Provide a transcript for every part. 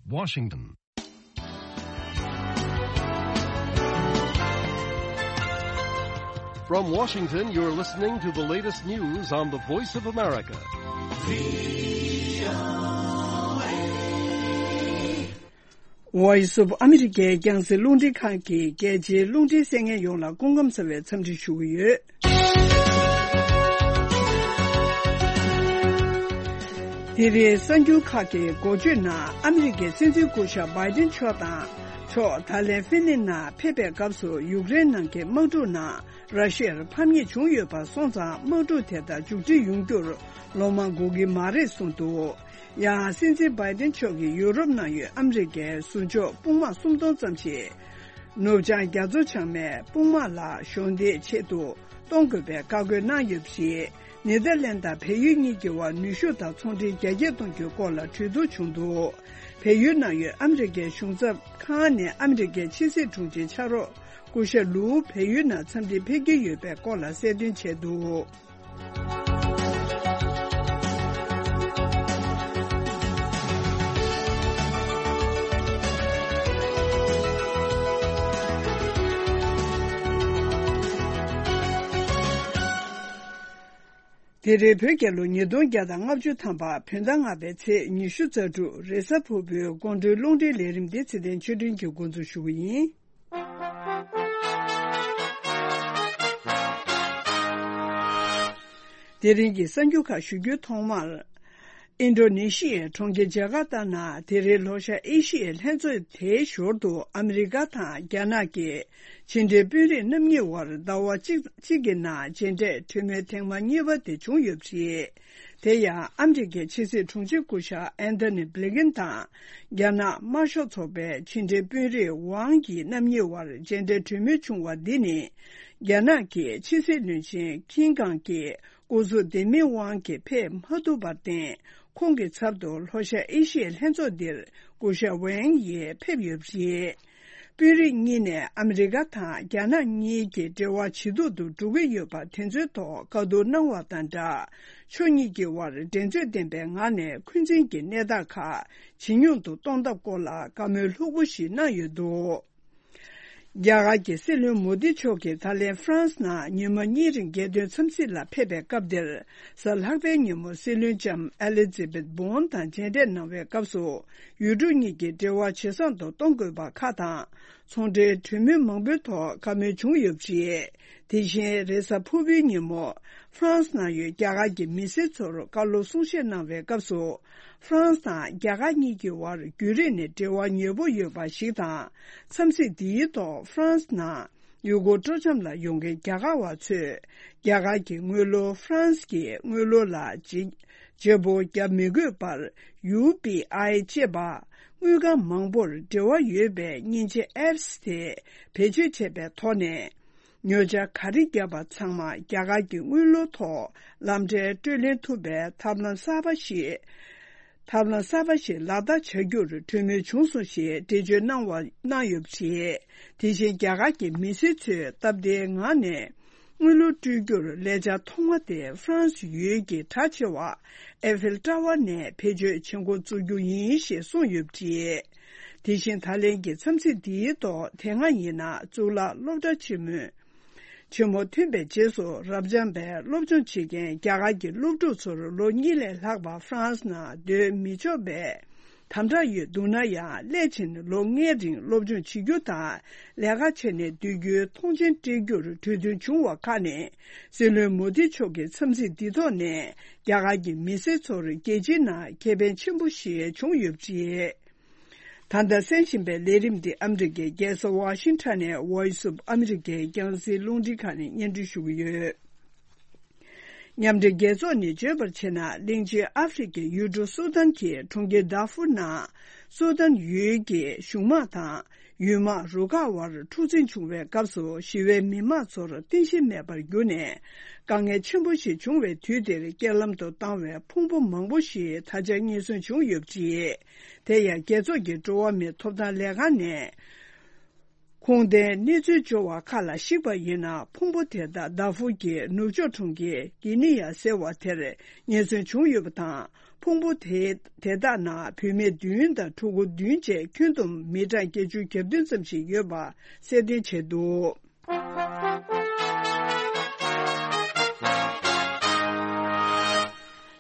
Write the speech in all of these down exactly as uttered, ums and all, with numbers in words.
Washington. From Washington, you're listening to the latest news on the Voice of America. Voice of America རྒྱང་སྲིང་རླུང་འཕྲིན་ཁང་གི་རྒྱལ་སྤྱིའི་རླུང་འཕྲིན་གསན་མཁན་ཡོངས་ལ་སྐུ་ཁམས་བཟང་བའི་འཚམས་འདྲི་ཞུ་གི་ཡོད། དེ་རིང་གསར་འགྱུར་ཁག་གི་འགོ་བརྗོད་ནང་ཨ་མི་རི་ཀའི་སྲིད་འཛིན་སྐུ་ཞབས་བྷའི་ཏིན་མཆོག་དང་མཆོག་ད་ལན་ཧྥི་ལིན་ནང་ཕེབས་པའི་སྐབས་སུ་ཡུཀ་རེན་ནང་གི་དམག་འཁྲུག་ནང་ར་ཤི་ཡར་ཕམ་ཉེས་བྱུང་ཡོད་པ་སོང་ཙང་དམག་འཁྲུག་དེ་དག་མཇུག་སྒྲིལ་ཡོང་རྒྱུར་ལོ་མང་འགོར་གྱི་མ་རེད་གསུངས་འདུག་ཡང་སྲིད་འཛིན་བྷའི་ཏིན་མཆོག་གིས་ཡུ་རོབ་ནང་ཡོད་ཨ་མི་རི་ཀའི་ཟུར་འཇོག་དཔུང་དམག་སུམ་སྟོང་ཙམ་ཞིག་ནུབ་བྱང་རྒྱ་མཚོ་བྱང་མའི་དཔུང་དམག་ལ་གཞོགས་འདེགས་ཆེད་དུ་གཏོང་དགོས་པའི་བཀའ་བཀོད་གནང་ཡོད་པ་རེད། ནེ་དར་ལན་དང་བལ་ཡུལ་གཉིས་ཀྱི་དབར་ནུས་ཤུགས་དང་ཚོང་འབྲེལ་རྒྱ་སྐྱེད་གཏོང་རྒྱུའི་སྐོར་ལ་གྲོས་བསྡུར་བྱུང་འདུག་བལ་ཡུལ་ནང་ཡོད་ཨ་མི་རི་ཀའི་གཞུང་ཚབ་ཁང་ནས་ཨ་མི་རི་ཀའི་ཕྱི་སྲིད་དྲུང་ཆེ་ཕྱག་རོགས་སྐུ་ཞབས་ལུའུ་བལ་ཡུལ་ནང་འཚམས་འདྲིར་ཕེབས་ཀྱི་ཡོད་པའི་སྐོར་ལ་གསལ་སྟོན་བྱས་འདུག་དེ་རིང་བོད་རྒྱལ་ལོ་ཉིས་སྟོང་བརྒྱ་དང་ལྔ་བཅུ་ཐམ་པ་བོད་ཟླ་ལྔ་པའི་ཚེས་ཉི་ཤུ་རྩ་དྲུག་རེས་གཟའ་ཕུར་བུའི་དགོང་དྲོའི་རླུང་འཕྲིན་ལས་རིམ་འདི་ཚེ་བརྟན་ཆོས་སྒྲོན་གྱིས་འགོ་འཛུགས་ཞུ་གི་ཡིན། དེ་རིང་གི་གསར་འགྱུར་ཁག་ཞུ་རྒྱུའི་ཐོག་མར། ཨིན་ཌོ་ནེ་ཤི་ཡའི་གྲོང་ཁྱེར་ཇ་ཀར་ཏ་ནང་དེ་རིང་ལྷོ་ཤར་ཨེ་ཤི་ཡའི་ལྷན་ཚོགས་དེའི་ཞོར་དུ་ཨ་མི་རི་ཀ་དང་རྒྱ་ནག་གི་ཕྱི་འབྲེལ་དཔོན་རིགས་རྣམ་གཉིས་དབར་ཟླ་བ་གཅིག་གཅིག་གི་ནང་མཇལ་འཕྲད་གྲོས་མོལ་ཐེངས་མ་གཉིས་པ་དེ་བྱུང་ཡོད་པ་རེད། དེ་ཡང་ཨ་མི་རི་ཀའི་ཕྱི་སྲིད་དྲུང་ཆེ་སྐུ་ཞབས་ཨན་ཐོ་ནི་བྷི་ལིན་ཀེན་དང་རྒྱ་ནག་དམར་ཤོག་ཚོགས་པའི་ཕྱི་འབྲེལ་དཔོན་རིགས་ཝང་ཡི་རྣམ་གཉིས་དབར་མཇལ་འཕྲད་གྲོས་མོལ་བྱུང་བ་འདི་ནི། རྒྱ་ནག་གི་ཕྱི་སྲིད་བློན་ཆེན་ཀིན་ཀང་གི་སྐུ་གཟུགས་ལྡེ་མིག་དབང་གིས་ཕེབས་མ་ཐུབ་པར་བརྟེན། ཁོང་གི་ཚབ་ཏུ་ལྷོ་ཤར་ཨེ་ཤི་ཡའི་ལྷན་ཚོགས་འདིར་སྐུ་ཞབས་ཝེང་ཡེ་ཕེབས་ཡོད་པ་རེད། དཔོན་རིགས་གཉིས་ནས་ཨ་མི་རི་ཀ་དང་རྒྱ་ནག་གཉིས་ཀྱི་འབྲེལ་བ་ཇེ་སྡུག་ཏུ་འགྲོ་གི་ཡོད་པ་དེ་ཚོའི་ཐོག་བཀའ་བསྡུར་གནང་བ་དང་སྦྲགས། ཕྱོགས་གཉིས་ཀྱི་དབར་འགྲན་རྩོད་ལྡན་པའི་ངང་ནས་འཁོན་འཛིན་གྱི་གནས་སྟངས་ཁག་ཇེ་ཉུང་དུ་གཏོང་ཐབས་སྐོར་ལ་བཀའ་མོལ་ལྷུག་པོ་ཞིག་གནང་ཡོད་འདུག་རྒྱ་གར་གྱི་སྲིད་བློན་མོ་དི་མཆོག་གིས་ད་ལན་ཧྥ་རན་སི་ནང་ཉི་མ་གཉིས་རིང་རྒྱལ་དོན་འཚམས་གཟིགས་ལ་ཕེབས་པའི་སྐབས་དེར། གཟའ་ལྷག་པའི་ཉིན་མོ་སྲིད་བློན་ལྕམ་ཨེ་ལི་ཛི་བེད་བོན་དང་མཇལ་འཕྲད་གནང་བའི་སྐབས་སུ། ཡུལ་གྲུ་གཉིས་ཀྱི་འབྲེལ་བ་ཇེ་བཟང་དུ་གཏོང་དགོས་པ་ཁག་དང་། ཚོང་འབྲེལ་གྲོས་མོལ་མང་པོའི་ཐོག་བཀའ་མོལ་བྱུང་ཡོད་པ་རེད། དེ་བཞིན་རེས་གཟའ་ཕུར་བུའི་ཉིན་མོ། ཧྥ་རན་སི་ནང་ཡོད་རྒྱ་གར་གྱི་མི་སེར་ཚོར་བཀའ་སློབ་གསུང་བཤད་གནང་བའི་སྐབས་སུ། ཧྥ་རན་སི་དང་རྒྱ་གར་གཉིས་ཀྱི་དབར་རྒྱུན་རིང་ནས་འབྲེལ་བ་ཉེ་པོ་ཡོད་པ་ཞིག་དང་། འཚམས་གཟིགས་འདིའི་ཐོག་ཧྥ་རན་སི་ནང་ཡུལ་སྐོར་སྤྲོ་འཆམ་ལ་ཡོང་མཁན་རྒྱ་གར་བ་ཚོས། རྒྱ་གར་གྱི་དངུལ་ལོར་ཧྥ་རན་སི་གི་དངུལ་ལོར་ལ་བརྗེ་བརྗེ་པོ་བརྒྱབ་མི་དགོས་པར། ཡུ་པི་ཨའི་ཅེས་པ། དངུལ་ཁང་མང་པོར་འབྲེལ་བ་ཡོད་པའི་མཉེན་ཆས་ཨེབ་སི་དེ་བེད་སྤྱོད་བྱས་པའི་ཐོག་ནས། ཉོ་ཆ་ག་རེ་བརྒྱབ་པ་ཚང་མ་རྒྱ་གར་གྱི་དངུལ་ལོར་ཐོག་ལམ་འཕྲལ་སྤྲོད་ལེན་ཐུབ་པའི་ཐབས་ལམ་གསར་པ་ཞིག་ཐབས་ལམ་གསར་པ་ཞིག་ལག་བསྟར་བྱ་རྒྱུར་གྲོས་མོལ་བྱུང་སོང་ཞེས་འགྲེལ་བརྗོད་གནང་བ་གནང་ཡོད་པ་རེད། དེ་བཞིན་རྒྱ་གར་གྱི་མི་སེར་ཚོས་སྟབས་བདེའི་ངང་ནས་དངུལ་ལོར་སྤྲོད་རྒྱུར་ལས་འཆར་ཐོག་མ་དེ་ཧྥ་རན་སི་ཡུལ་གྱི་གྲགས་ཆེ་བ་ཨེ་ཧྥེལ་ཊ་ཝར་ནས་བེད་སྤྱོད་བྱེད་འགོ་བཙུགས་རྒྱུ་ཡིན་ཞེས་གསུངས་ཡོད་པ་རེད། དེ་བཞིན་ད་ལན་གྱི་འཚམས་གཟིགས་འདིའི་ཐོག་དེ་སྔ་ཡིན་ན་གཙུག་ལག་སློབ་གྲྭ་ཆེན་མོའི་ཆེན་མོ་ཐོན་པའི་རྗེས་སུ་རབ་འབྱམས་པའི་སློབ་སྦྱོང་བྱེད་མཁན་རྒྱ་གར་གྱི་སློབ་ཕྲུག་ཚོར་ལོ་གཉིས་ལས་ལྷག་པ་ཧྥ་རན་སི་ནང་སྡོད་མི་ཆོག་པའི་དམ་དྲག་ཡོད་འདུག་ན་ཡང་སླད་ཕྱིན་ལོ་ལྔའི་རིང་སློབ་སྦྱོང་བྱེད་རྒྱུ་དང་ལས་ཀ་བྱས་ནས་སྡོད་རྒྱུའི་མཐོང་མཆན་སྤྲད་རྒྱུར་གྲོས་མཐུན་བྱུང་བ་ཁག་ནི་སྲིད་བློན་མོ་དི་མཆོག་གི་འཚམས་གཟིགས་འདི་ཐོག་ནས་རྒྱ་གར་གྱི་མི་སེར་ཚོར་རྒྱལ་སྤྱིའི་ནང་ཁེ་ཕན་ཆེན་པོ་ཞིག་བྱུང་ཡོད་པ་རེད། ད་ལྟ་གསན་བཞིན་པའི་ལས་རིམ་འདི་ཨ་མི་རི་ཀའི་རྒྱལ་ས་ཝ་ཤིང་ཊོན་ནས་Voice of America་རྒྱང་སྲིང་རླུང་འཕྲིན་ཁང་ནས་སྙན་སྒྲོན་ཞུ་གི་ཡོད། མཉམ་འབྲེལ་རྒྱལ་ཚོགས་ནས་བརྗོད་པར་བྱས་ན་གླིང་ཆེན་ཨ་ཧྥེ་རི་ཁའི་ཡུལ་གྲུ་སུ་དཱན་གྱི་གྲོང་ཁྱེར་དཱ་ཧྥུར་ནང་སུ་དཱན་ཡུལ་གྱི་གཞུང་དམག་དང་ཡུལ་དམག་རུ་ཁག་དབར་འཁྲུག་འཛིང་བྱུང་བའི་སྐབས་སུ་ཞི་བའི་མི་མང་ཚོར་རྟེན་གཞི་མེད་པར་གྱུར་ནས་དཀའ་ངལ་ཆེན་པོ་ཞིག་བྱུང་བའི་དུས་འདིར་རྐྱེན་ལམ་དུ་བཏང་བའི་ཕུང་པོ་མང་པོ་ཞིག་ད་ཆ་རྙེད་སོན་བྱུང་ཡོད་པ་རེད། དེ་ཡང་རྒྱལ་ཚོགས་ཀྱི་འགྲོ་བ་མིའི་ཐོབ་ཐང་ལས་ཁང་ནས། ཁུངས་ལྡན་གནས་ཚུལ་འབྱོར་བ་ཁག་ལ་གཞིགས་པ་ཡིན་ན། ཕུང་པོ་དེ་དག་དཱ་ཧྥུར་གྱི་ནུབ་ཕྱོགས་གྲོང་ཁྱེར་གྷི་ནི་ཡ་ཟེར་བ་དེར་ངེས་གསོན་བྱུང་ཡོད་པ་དང་། ཕུང་པོ་དེ་དེ་དག་ནང་བུད་མེད་བདུན་དང་ཕྲུ་གུ་བདུན་བཅས་ཁྱོན་བསྡོམས་མི་གྲངས་བརྒྱད་ཅུ་གྱ་བདུན་ཙམ་ཞིག་ཡོད་པ་གསལ་སྟོན་བྱས་འདུག་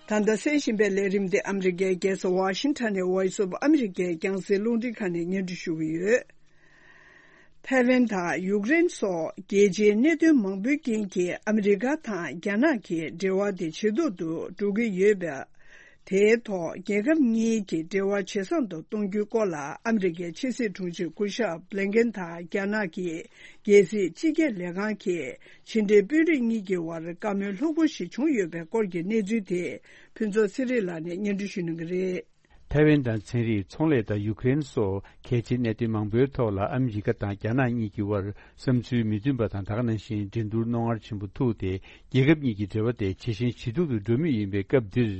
ད་ལྟ་གསན་བཞིན་པའི་ལས་རིམ་འདི་ཨ་མི་རི་ཀའི་རྒྱལ་ས་ཝ་ཤིང་ཊོན་ནས་Voice of America རྒྱང་སྲིང་རླུང་འཕྲིན་ཁང་ནས་སྙན་སྒྲོན་ཞུ་གི་ཡོད། ཐའེ་ཝན་དང་ཡུཀ་རེན་སོགས་རྒྱལ་སྤྱིའི་གནད་དོན་མང་པོའི་རྐྱེན་གྱིས་ཨ་མི་རི་ཀ་དང་རྒྱ་ནག་གི་འབྲེལ་བ་དེ་ཇེ་སྡུག་ཏུ་འགྲོ་གི་ཡོད་པ། དེའི་ཐོག་རྒྱལ་ཁབ་གཉིས་ཀྱི་འབྲེལ་བ་ཇེ་བཟང་དུ་གཏོང་རྒྱུའི་སྐོར་ལ་ཨ་མི་རི་ཀའི་ཕྱི་སྲིད་དྲུང་ཆེ་སྐུ་ཞབས་བྷི་ལིན་ཀེན་དང་རྒྱ་ནག་གི་རྒྱལ་སྲིད་སྤྱི་ཁྱབ་ལས་ཁང་གིས་ཕྱི་འབྲེལ་དཔོན་རིགས་གཉིས་ཀྱི་དབར་བཀའ་མོལ་ལྷུག་པོ་ཞིག་བྱུང་ཡོད་པའི་སྐོར་གྱི་གནས་ཚུལ་དེ་ཕུན་ཚོགས་ཚེ་རིང་ལགས་ནས་སྙན་སྒྲོན་ཞུ་གནང་གི་རེད། ཐའེ་ཝན་དང་ཚན་རིག་ཚོང་ལས་དང་ཡུཀ་རེན་སོགས་གལ་ཆེའི་གནད་དོན་མང་པོའི་ཐོག་ལ་ཨ་མི་རི་ཀ་དང་རྒྱ་ནག་གཉིས་ཀྱི་དབར་བསམ་ཚུལ་མི་མཐུན་པ་དང་། ད་ག་ནང་བཞིན་འགྲན་བསྡུར་རྣོ་ངར་ཆེན་པོ་ཐུག་སྟེ། རྒྱལ་ཁབ་གཉིས་ཀྱི་འབྲེལ་བ་དེ་ཇེ་ཞན་ཇེ་སྡུག་ཏུ་འགྲོ་མུས་ཡིན་པའི་སྐབས་འདིར།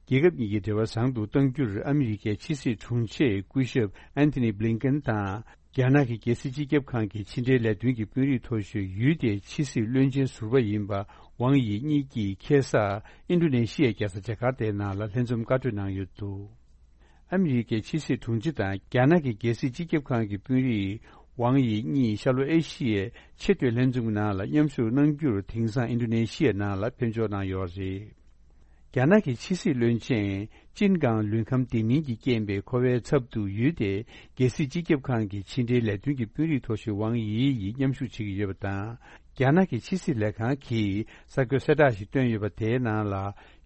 རྒྱལ་ཁབ་གཉིས་ཀྱི་འབྲེལ་བ་བཟང་དུ་གཏང་རྒྱུར་ཨ་མི་རི་ཀའི་ཕྱི་སྲིད་དྲུང་ཆེ་སྐུ་ཞབས་ཨན་ཐི་ནི་བྷི་ལིན་ཀེན་དང་། རྒྱ་ནག་གི་རྒྱལ་སྲིད་སྤྱི་ཁྱབ་ཁང་གི་ཕྱི་འབྲེལ་ལས་དོན་གྱི་དཔོན་རིགས་མཐོ་ཤོས་ཡུལ་དེའི་ཕྱི་སྲིད་བློན་ཆེན་ཟུར་པ་ཡིན་པ་ཝང་དབྱི་གཉིས་ཀྱིས་ཁ་སང་ཨིན་ཌོ་ནེ་ཤི་ཡའི་རྒྱལ་ས་ཇ་ཀར་ཏའི་ནང་ལ་ལྷན་འཛོམས་བཀའ་གྲོས་གནང་ཡོད་འདུག་ཨ་མི་རི་ཀའི་ཕྱི་སྲིད་དྲུང་ཆེ་དང་རྒྱ་ནག་གི་རྒྱལ་སྲིད་སྤྱི་ཁྱབ་ཁང་གི་དཔོན་རིགས་ཝང་དབྱི་གཉིས་ཤར་ལྷོ་ཨེ་ཤི་ཡའི་ཆེས་མཐོའི་ལྷན་འཛོམས་ནང་ལ་མཉམ་ཞུགས་གནང་རྒྱུར་དེང་སང་ཨིན་ཌོ་ནེ་ཤི་ཡའི་ནང་ལ་ཕེབས་འབྱོར་གནང་ཡོད་རེད། རྒྱ་ནག་གི་ཕྱི་སྲིད་བློན་ཆེན་ཅིན་ཀང་ལུན་ཁམས་བདེ་མིན་གྱི་རྐྱེན་པས་འཁོར་བའི་ཚབ་ཏུ་ཡུལ་དེའི་རྒྱལ་སྲིད་སྤྱི་ཁྱབ་ཁང་གི་ཕྱི་འབྲེལ་ལས་དོན་གྱི་དཔོན་རིགས་མཐོ་ཤོས་ཝང་དབྱི་ཡིས་མཉམ་ཞུགས་བྱེད་ཀྱི་ཡོད་པ་དང་། རྒྱ་ནག་གི་ཕྱི་སྲིད་ལས་ཁང་གིས་གསར་འགོད་གསལ་བསྒྲགས་ཤིག་བཏོན་ཡོད་པ། དེའི་ནང་ལ།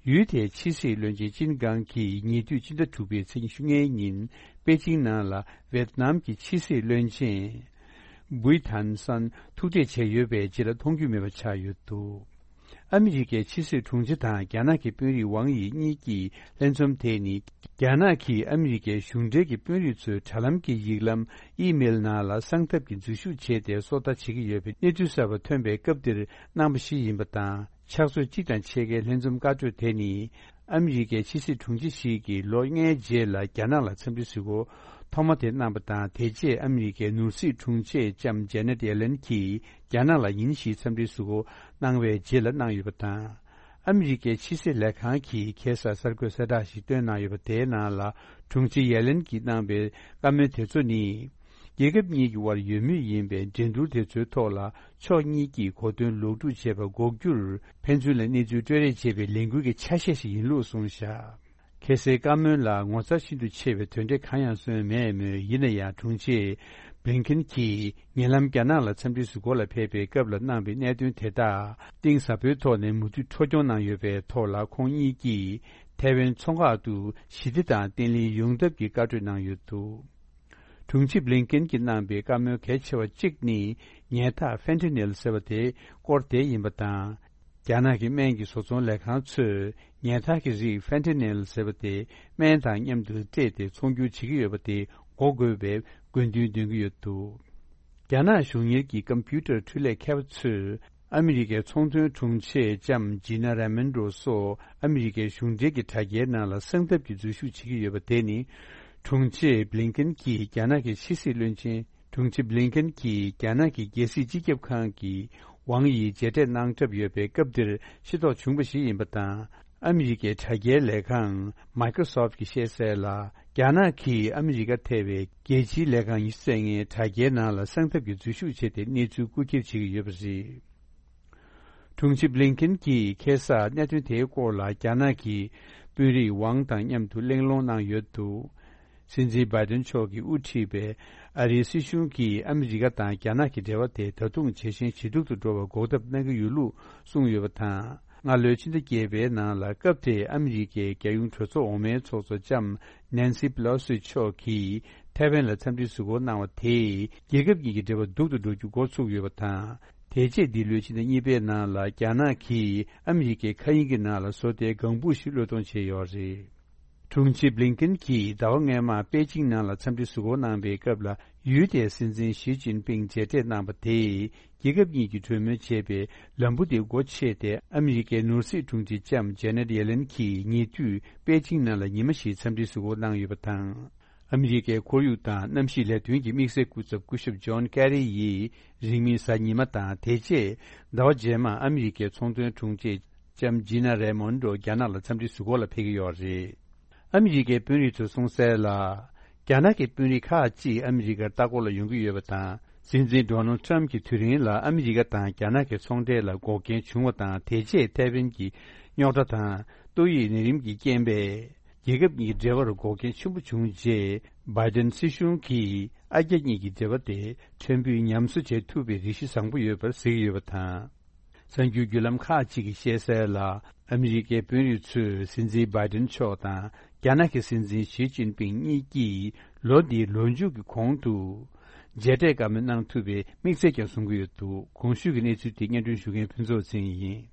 ཡུལ་དེའི་ཕྱི་སྲིད་བློན་ཆེན་ཅིན་ཀང་གིས་ཉེ་དུས་ཕྱི་ཟླ་དྲུག་པའི་ཚེས་ཉི་ཤུ་ལྔའི་ཉིན་པེ་ཅིང་ནང་ལ་ཝེ་ཏི་ནམ་གྱི་ཕྱི་སྲིད་བློན་ཆེན་བུའི་ཐན་སན་ཐུག་འཕྲད་བྱས་ཡོད་པའི་རྗེས་ལ་མཐོང་རྒྱུ་མེད་པ་ཆགས་ཡོད་འདུག་ཨ་མི་རི་ཀའི་ཕྱི་སྲིད་དྲུང་ཆེ་དང་རྒྱ་ནག་གི་དཔོན་རིགས་ཝང་དབྱི་གཉིས་ཀྱི་ལྷན་འཛོམས་དེ་ནི། རྒྱ་ནག་གིས་ཨ་མི་རི་ཀའི་གཞུང་འབྲེལ་གྱི་དཔོན་རིགས་ཚོའི་དྲ་ལམ་གྱི་ཡིག་ལམ་ཨི་མེལ་ནང་ལ་གསང་ཐབས་ཀྱི་འཛུལ་ཞུགས་བྱས་ཏེ། སོ་ལྟ་བྱེད་ཀྱི་ཡོད་པའི་གནས་ཚུལ་གསར་པ་ཐོན་པའི་སྐབས་འདིར་གནང་པ་ཞིག་ཡིན་པ་དང་། ཕྱག་ཚོད་གཅིག་དང་ཕྱེད་ཀའི་ལྷན་འཛོམས་བཀའ་གྲོས་དེ་ནི། ཨ་མི་རི་ཀའི་ཕྱི་སྲིད་དྲུང་ཆེ་ཞིག་གིས་ལོ་ལྔའི་རྗེས་ལ་རྒྱ་ནག་ལ་འཚམས་འདྲི་གཟིགས་སྐོར་ཐོག་མ་དེ་གནང་པ་དང་། དེ་རྗེས་ཨ་མི་རི་ཀའི་ནོར་སྲིད་དྲུང་ཆེ་ལྕམ་ཇེ་ནེ་ཊི་ཡེ་ལེན་གྱིས་རྒྱ་ནག་ལ་ཉིན་བཞིའི་འཚམས་འདྲིའི་གཟིགས་སྐོར་གནང་བའི་རྗེས་ལ་གནང་ཡོད་པ་དང་། ཨ་མི་རི་ཀའི་ཕྱི་སྲིད་ལས་ཁང་གིས་ཁ་སང་གསར་འགོད་གསལ་བསྒྲགས་ཤིག་བཏོན་གནང་ཡོད་པ། དེའི་ནང་ལ་དྲུང་ཆེ་ཡེ་ལེན་གྱིས་གནང་པའི་བཀའ་མོལ་དེ་ཚོ་ནི། རྒྱལ་ཁབ་གཉིས་ཀྱི་དབར་ཡོད་མུས་ཡིན་པའི་འགྲན་བསྡུར་དེ་ཚོའི་ཐོག་ལ་ཕྱོགས་གཉིས་ཀྱིས་གོ་དོན་ལོག་སྒྲུབ་བྱེད་པ་འགོག་རྒྱུར་ཕན་ཚུན་ལ་གནས་ཚུལ་སྤྲོད་རེས་བྱེད་པའི་ལས་འགུལ་གྱི་ཆ་ཤས་ཤིག་ཡིན་ལུགས་གསུངས་བཞག་ཁ་སའི་བཀའ་མོལ་ལ་ངོ་མཚར་ཤིན་ཏུ་ཆེ་བའི་དོན་འབྲས་གང་ཡང་སོན་མེད་མོད། ཡིན་ན་ཡང་དྲུང་ཆེ་བྷི་ལིན་ཀེན་གྱིས་ཉེ་ལམ་རྒྱ་ནག་ལ་འཚམས་འདྲི་གཟིགས་སྐོར་ལ་ཕེབས་པའི་སྐབས་ལ་གནང་པའི་གནད་དོན་དེ་དག་གཏིང་ཟབ་པོའི་ཐོག་ནས་མུ་མཐུད་འཕྲོ་སྐྱོང་གནང་ཡོད་པའི་ཐོག་ལ། ཁོང་གཉིས་ཀྱིས་ཐའེ་ཝན་མཚོ་འགག་ཏུ་ཞི་བདེ་དང་བརྟན་ལྷིང་ཡོང་ཐབས་ཀྱི་བཀའ་གྲོས་གནང་ཡོད་འདུག་དྲུང་ཆེ་བྷི་ལིན་ཀེན་གྱིས་གནང་པའི་བཀའ་མོལ་གལ་ཆེ་བ་གཅིག་ནི། ཉལ་ཐག་ཧྥེན་ཐི་ནིལ་ཟེར་བ་དེའི་སྐོར་དེ་ཡིན་པ་དང་། རྒྱ་ནག་གི་སྨན་གྱི་བཟོ་ཚོང་ལས་ཁང་ཚོས་ཉལ་ཐག་གི་རིགས་ཧྥེན་ཐི་ནིལ་ཟེར་བ་དེ་སྨན་དང་མཉམ་དུ་སྤྲད་དེ་ཚོང་སྒྱུར་བྱེད་ཀྱི་ཡོད་པ་དེ་འགོག་དགོས་པའི་དགོས་འདུན་འདོན་གྱི་ཡོད་འདུག་རྒྱ་ནག་གཞུང་གཉེར་གྱི་ཀམ་པུ་ཊར་འཕྲུལ་ལས་མཁས་པ་ཚོས། ཨ་མི་རི་ཀའི་ཚོང་དོན་དྲུང་ཆེ་ལྕམ་ཇི་ན་རེ་མོན་རོ་སོགས་ཨ་མི་རི་ཀའི་གཞུང་འབྲེལ་གྱི་དྲ་རྒྱའི་ནང་ལ་གསང་ཐབས་ཀྱི་འཛུལ་ཞུགས་བྱེད་ཀྱི་ཡོད་པ་དེ་ནི། དྲུང་ཆེ་བྷི་ལིན་ཀེན་གྱིས་རྒྱ་ནག་གི་ཕྱི་སྲིད་བློན་ཆེན། དྲུང་ཆེ་བྷི་ལིན་ཀེན་གྱིས་རྒྱ་ནག་གི་རྒྱལ་སྲིད་སྤྱི་ཁྱབ་ཁང་གི་ཝང་ཡི་མཇལ་འཕྲད་གནང་གྲབས་ཡོད་པའི་སྐབས་འདིར་ཤེས་རྟོགས་བྱུང་བ་ཞིག་ཡིན་པ་དང་། ཨ་མི་རི་ཀའི་དྲ་རྒྱའི་ལས་ཁང་Microsoft གྱིས་བཤད་གསལ་ལ། རྒྱ་ནག་གིས་ཨ་མི་རི་ཀ་ཐེ་བའི་རྒྱལ་སྤྱིའི་ལས་ཁང་ཉི་ཤུ་རྩ་ལྔའི་དྲ་རྒྱའི་ནང་ལ་གསང་ཐབས་ཀྱི་འཛུལ་ཞུགས་བྱས་ཏེ་གནས་ཚུལ་རྐུ་འཁྱེར་བྱེད་ཀྱི་ཡོད་པ་རེད། དྲུང་ཆེ་བྷི་ལིན་ཀེན་གྱིས་ཁ་སང་གནད་དོན་དེའི་སྐོར་ལ་རྒྱ་ནག་གི་དཔོན་རིགས་ཝང་དང་མཉམ་དུ་གླེང་སློང་གནང་ཡོད་འདུག་སྲིད་འཛིན་བྷའི་ཏན་མཆོག་གིས་དབུ་ཁྲིད་པའི་ཨ་རིའི་སྲིད་གཞུང་གིས་ཨ་མི་རི་ཀ་དང་རྒྱ་ནག་གི་འབྲེལ་བ་དེ་ད་དུང་ཇེ་ཞན་ཇེ་སྡུག་ཏུ་འགྲོ་བར་འགོག་ཐབས་གནང་གི་ཡོད་ལུགས་གསུངས་ཡོད་པ་དང་། སྔ་ལོའི་ཕྱི་ཟླ་བརྒྱད་པའི་ནང་ལ་སྐབས་དེའི་ཨ་མི་རི་ཀའི་རྒྱལ་ཡོངས་གྲོས་ཚོགས་འོག་མའི་ཚོགས་གཙོ་ལྕམ་ནན་སི་པེ་ལོ་སི་མཆོག་གིས་ཐའེ་ཝན་ལ་འཚམས་འདྲིའི་གཟིགས་སྐོར་གནང་བ་དེས་རྒྱལ་ཁབ་གཉིས་ཀྱི་འབྲེལ་བ་སྡུག་ཏུ་འགྲོ་རྒྱུ་འགོ་ཚུགས་ཡོད་པ་དང་། དེ་རྗེས་འདི་ལོའི་ཕྱི་ཟླ་གཉིས་པའི་ནང་ལ་རྒྱ་ནག་གིས་ཨ་མི་རི་ཀའི་མཁའ་དབྱིངས་ཀྱི་ནང་ལ་བཟོ་ལྟའི་ལྒང་བུ་ཞིག་བློས་གཏོང་བྱས་ཡོད་རེད། དྲུང་ཆེ་བྷི་ལིན་ཀེན་གྱིས་ཟླ་བ་སྔོན་མར་པེ་ཅིང་ནང་ལ་འཚམས་འདྲི་གཟིགས་སྐོར་གནང་པའི་སྐབས་ལ། ཡུལ་དེའི་སྲིད་འཛིན་ཞི་ཅིན་ཕིང་མཇལ་འཕྲད་གནང་པ་དེས། རྒྱལ་ཁབ་གཉིས་ཀྱིས་གྲོས་མོལ་བྱས་པའི་ལམ་བུ་དེ་སྒོ་ཕྱེས་ཏེ། ཨ་མི་རི་ཀའི་ནོར་སྲིད་དྲུང་ཆེ་ལྕམ་ཇེ་ནེ་ཊི་ཡེ་ལེན་གྱིས་ཉེ་དུས་པེ་ཅིང་ནང་ལ་ཉི་མ་བཞིའི་འཚམས་འདྲིའི་གཟིགས་སྐོར་གནང་ཡོད་པ་དང་། ཨ་མི་རི་ཀའི་ཁོར་ཡུག་དང་གནམ་གཤིས་ལས་དོན་གྱི་དམིགས་བསལ་སྐུ་ཚབ་སྐུ་ཞབས་ཇོན་ཀེ་རི་ཡིས་རིང་མིན་གཟའ་ཉི་མ་དང་དེ་རྗེས་ཟླ་བ་རྗེས་མར་ཨ་མི་རི་ཀའི་ཚོང་དོན་དྲུང་ཆེ་ལྕམ་ཇི་ན་རེ་མོན་ཌོ་རྒྱ་ནག་ལ་འཚམས་འདྲིའི་གཟིགས་སྐོར་ལ་ཕེབས་ཀྱི་ཡོད་རེད། ཨ་མི་རི་ཀའི་དཔོན་རིགས་ཚོས་གསུངས་གསལ་ལ། རྒྱ་ནག་གི་དཔོན་རིགས་ཁག་ཅིག་ཨ་མི་རི་ཀར་ལྟ་སྐོར་ལ་ཡོང་གི་ཡོད་པ་དང་། སྲིད་འཛིན་ཌོ་ནལ་ཊྲམ་གྱི་དུས་རིང་ལ་ཨ་མི་རི་ཀ་དང་རྒྱ་ནག་གི་ཚོང་འབྲེལ་ལ་འགོག་རྐྱེན་བྱུང་བ་དང་། དེ་རྗེས་ཐའེ་ཝན་གྱི་རྙོག་དྲ་དང་ཏོག་དབྱིབས་ནད་རིམས་ཀྱི་རྐྱེན་པས། རྒྱལ་ཁབ་གཉིས་ཀྱི་འབྲེལ་བར་འགོག་རྐྱེན་ཆེན་པོ་བྱུང་རྗེས། བྷའི་ཏིན་སྲིད་གཞུང་གིས་ཨ་རྒྱ་གཉིས་ཀྱི་འབྲེལ་བ་དེ་ཕྲན་བུ་ཉམས་གསོ་བྱེད་ཐུབ་པའི་རེ་ཞུ་བཟང་པོ་ཡོད་པར་གཟིགས་ཡོད་པ་དང་། གསར་འགྱུར་བརྒྱུད་ལམ་ཁག་ཅིག་གིས་བཤད་གསལ་ལ། ཨ་མི་རི་ཀའི་དཔོན་རིགས་ཚོས་སྲིད་འཛིན་བྷའི་ཏིན་མཆོག་དང་རྒྱ་ནག་གི་སྲིད་འཛིན་ཞི་ཅིན་ཕིང་གཉིས་ཀྱིས་ལོ་འདིའི་ལོ་མཇུག་གི་གོང་དུ་མཇལ་འཕྲད་བཀའ་མོལ་གནང་ཐུབ་པའི་དམིགས་ཚད་ཀྱང་བཟུང་གི་ཡོད་འདུག་གོང་ཞུས་ཀྱི་གནས་ཚུལ་དེ་སྙན་སྒྲོན་ཞུ་མཁན་ཕུན་ཚོགས་ཚེ་རིང་ཡིན།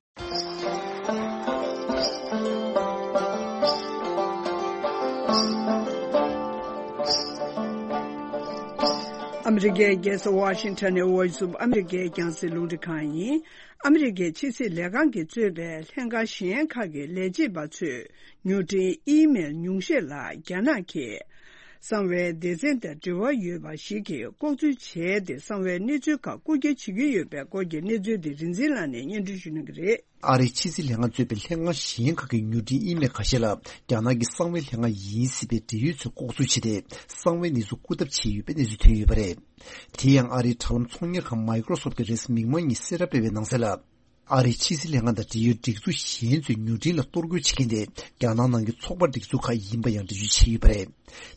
ཨ་མི་རི་ཀའི་རྒྱལ་ས་ཝ་ཤིང་ཊོན་ནས་Voice of America རྒྱང་སྲིང་རླུང་འཕྲིན་ཁང་ཡིན། ཨ་མི་རི་ཀའི་ཕྱི་སྲིད་ལས་ཁང་གིས་གཙོས་པའི་ལྷན་ཁང་གཞན་ཁག་གི་ལས་བྱེད་པ་ཚོས་མྱུར་འཕྲིན་ཨི་མེལ་ཉུང་ཤས་ལ་རྒྱ་ནག་གིས་གསང་བའི་སྡེ་ཚན་དང་འབྲེལ་བ་ཡོད་པ་ཞིག་གིས་ལྐོག་འཛུལ་བྱས་ཏེ། གསང་བའི་གནས་ཚུལ་ཁག་རྐུ་འཁྱེར་བྱེད་ཀྱི་ཡོད་པའི་སྐོར་གྱི་གནས་ཚུལ་དེ་རིག་འཛིན་ལགས་ནས་སྙན་སྒྲོན་ཞུ་གནང་གི་རེད། ཨ་རིའི་ཕྱི་སྲིད་ལྷན་ཁང་གཙོས་པའི་ལྷན་ཁང་གཞན་ཁག་གི་མྱུར་འཕྲིན་ཨི་མེལ་ཁ་ཤས་ལ་རྒྱ་ནག་གི་གསང་བའི་ལྷན་ཁང་ཡིན་སྲིད་པའི་འབྲེལ་ཡོད་ཚོས་ལྐོག་འཛུལ་བྱས་ཏེ། གསང་བའི་གནས་ཚུལ་རྐུ་ཐབས་བྱས་ཡོད་པའི་གནས་ཚུལ་ཐོན་ཡོད་པ་རེད། དེ་ཡང་ཨ་རིའི་དྲ་ལམ་ཚོང་གཉེར་ཁང་Microsoft གིས་རེས་གཟའ་མིག་དམར་ཉིན་གསལ་བསྒྲགས་སྤེལ་བའི་ནང་གསལ་ལ། ཨ་རིའི་ཕྱི་སྲིད་ལྷན་ཁང་དང་འབྲེལ་ཡོད་སྒྲིག་འཛུགས་གཞན་ཚོས་མྱུར་འཕྲིན་ལ་གཏོར་རྒོལ་བྱེད་མཁན་དེ་རྒྱ་ནག་ནང་གི་ཚོགས་པ་སྒྲིག་འཛུགས་ཁག་ཡིན་པ་ཡང་འགྲེལ་བརྗོད་བྱས་ཡོད་པ་རེད།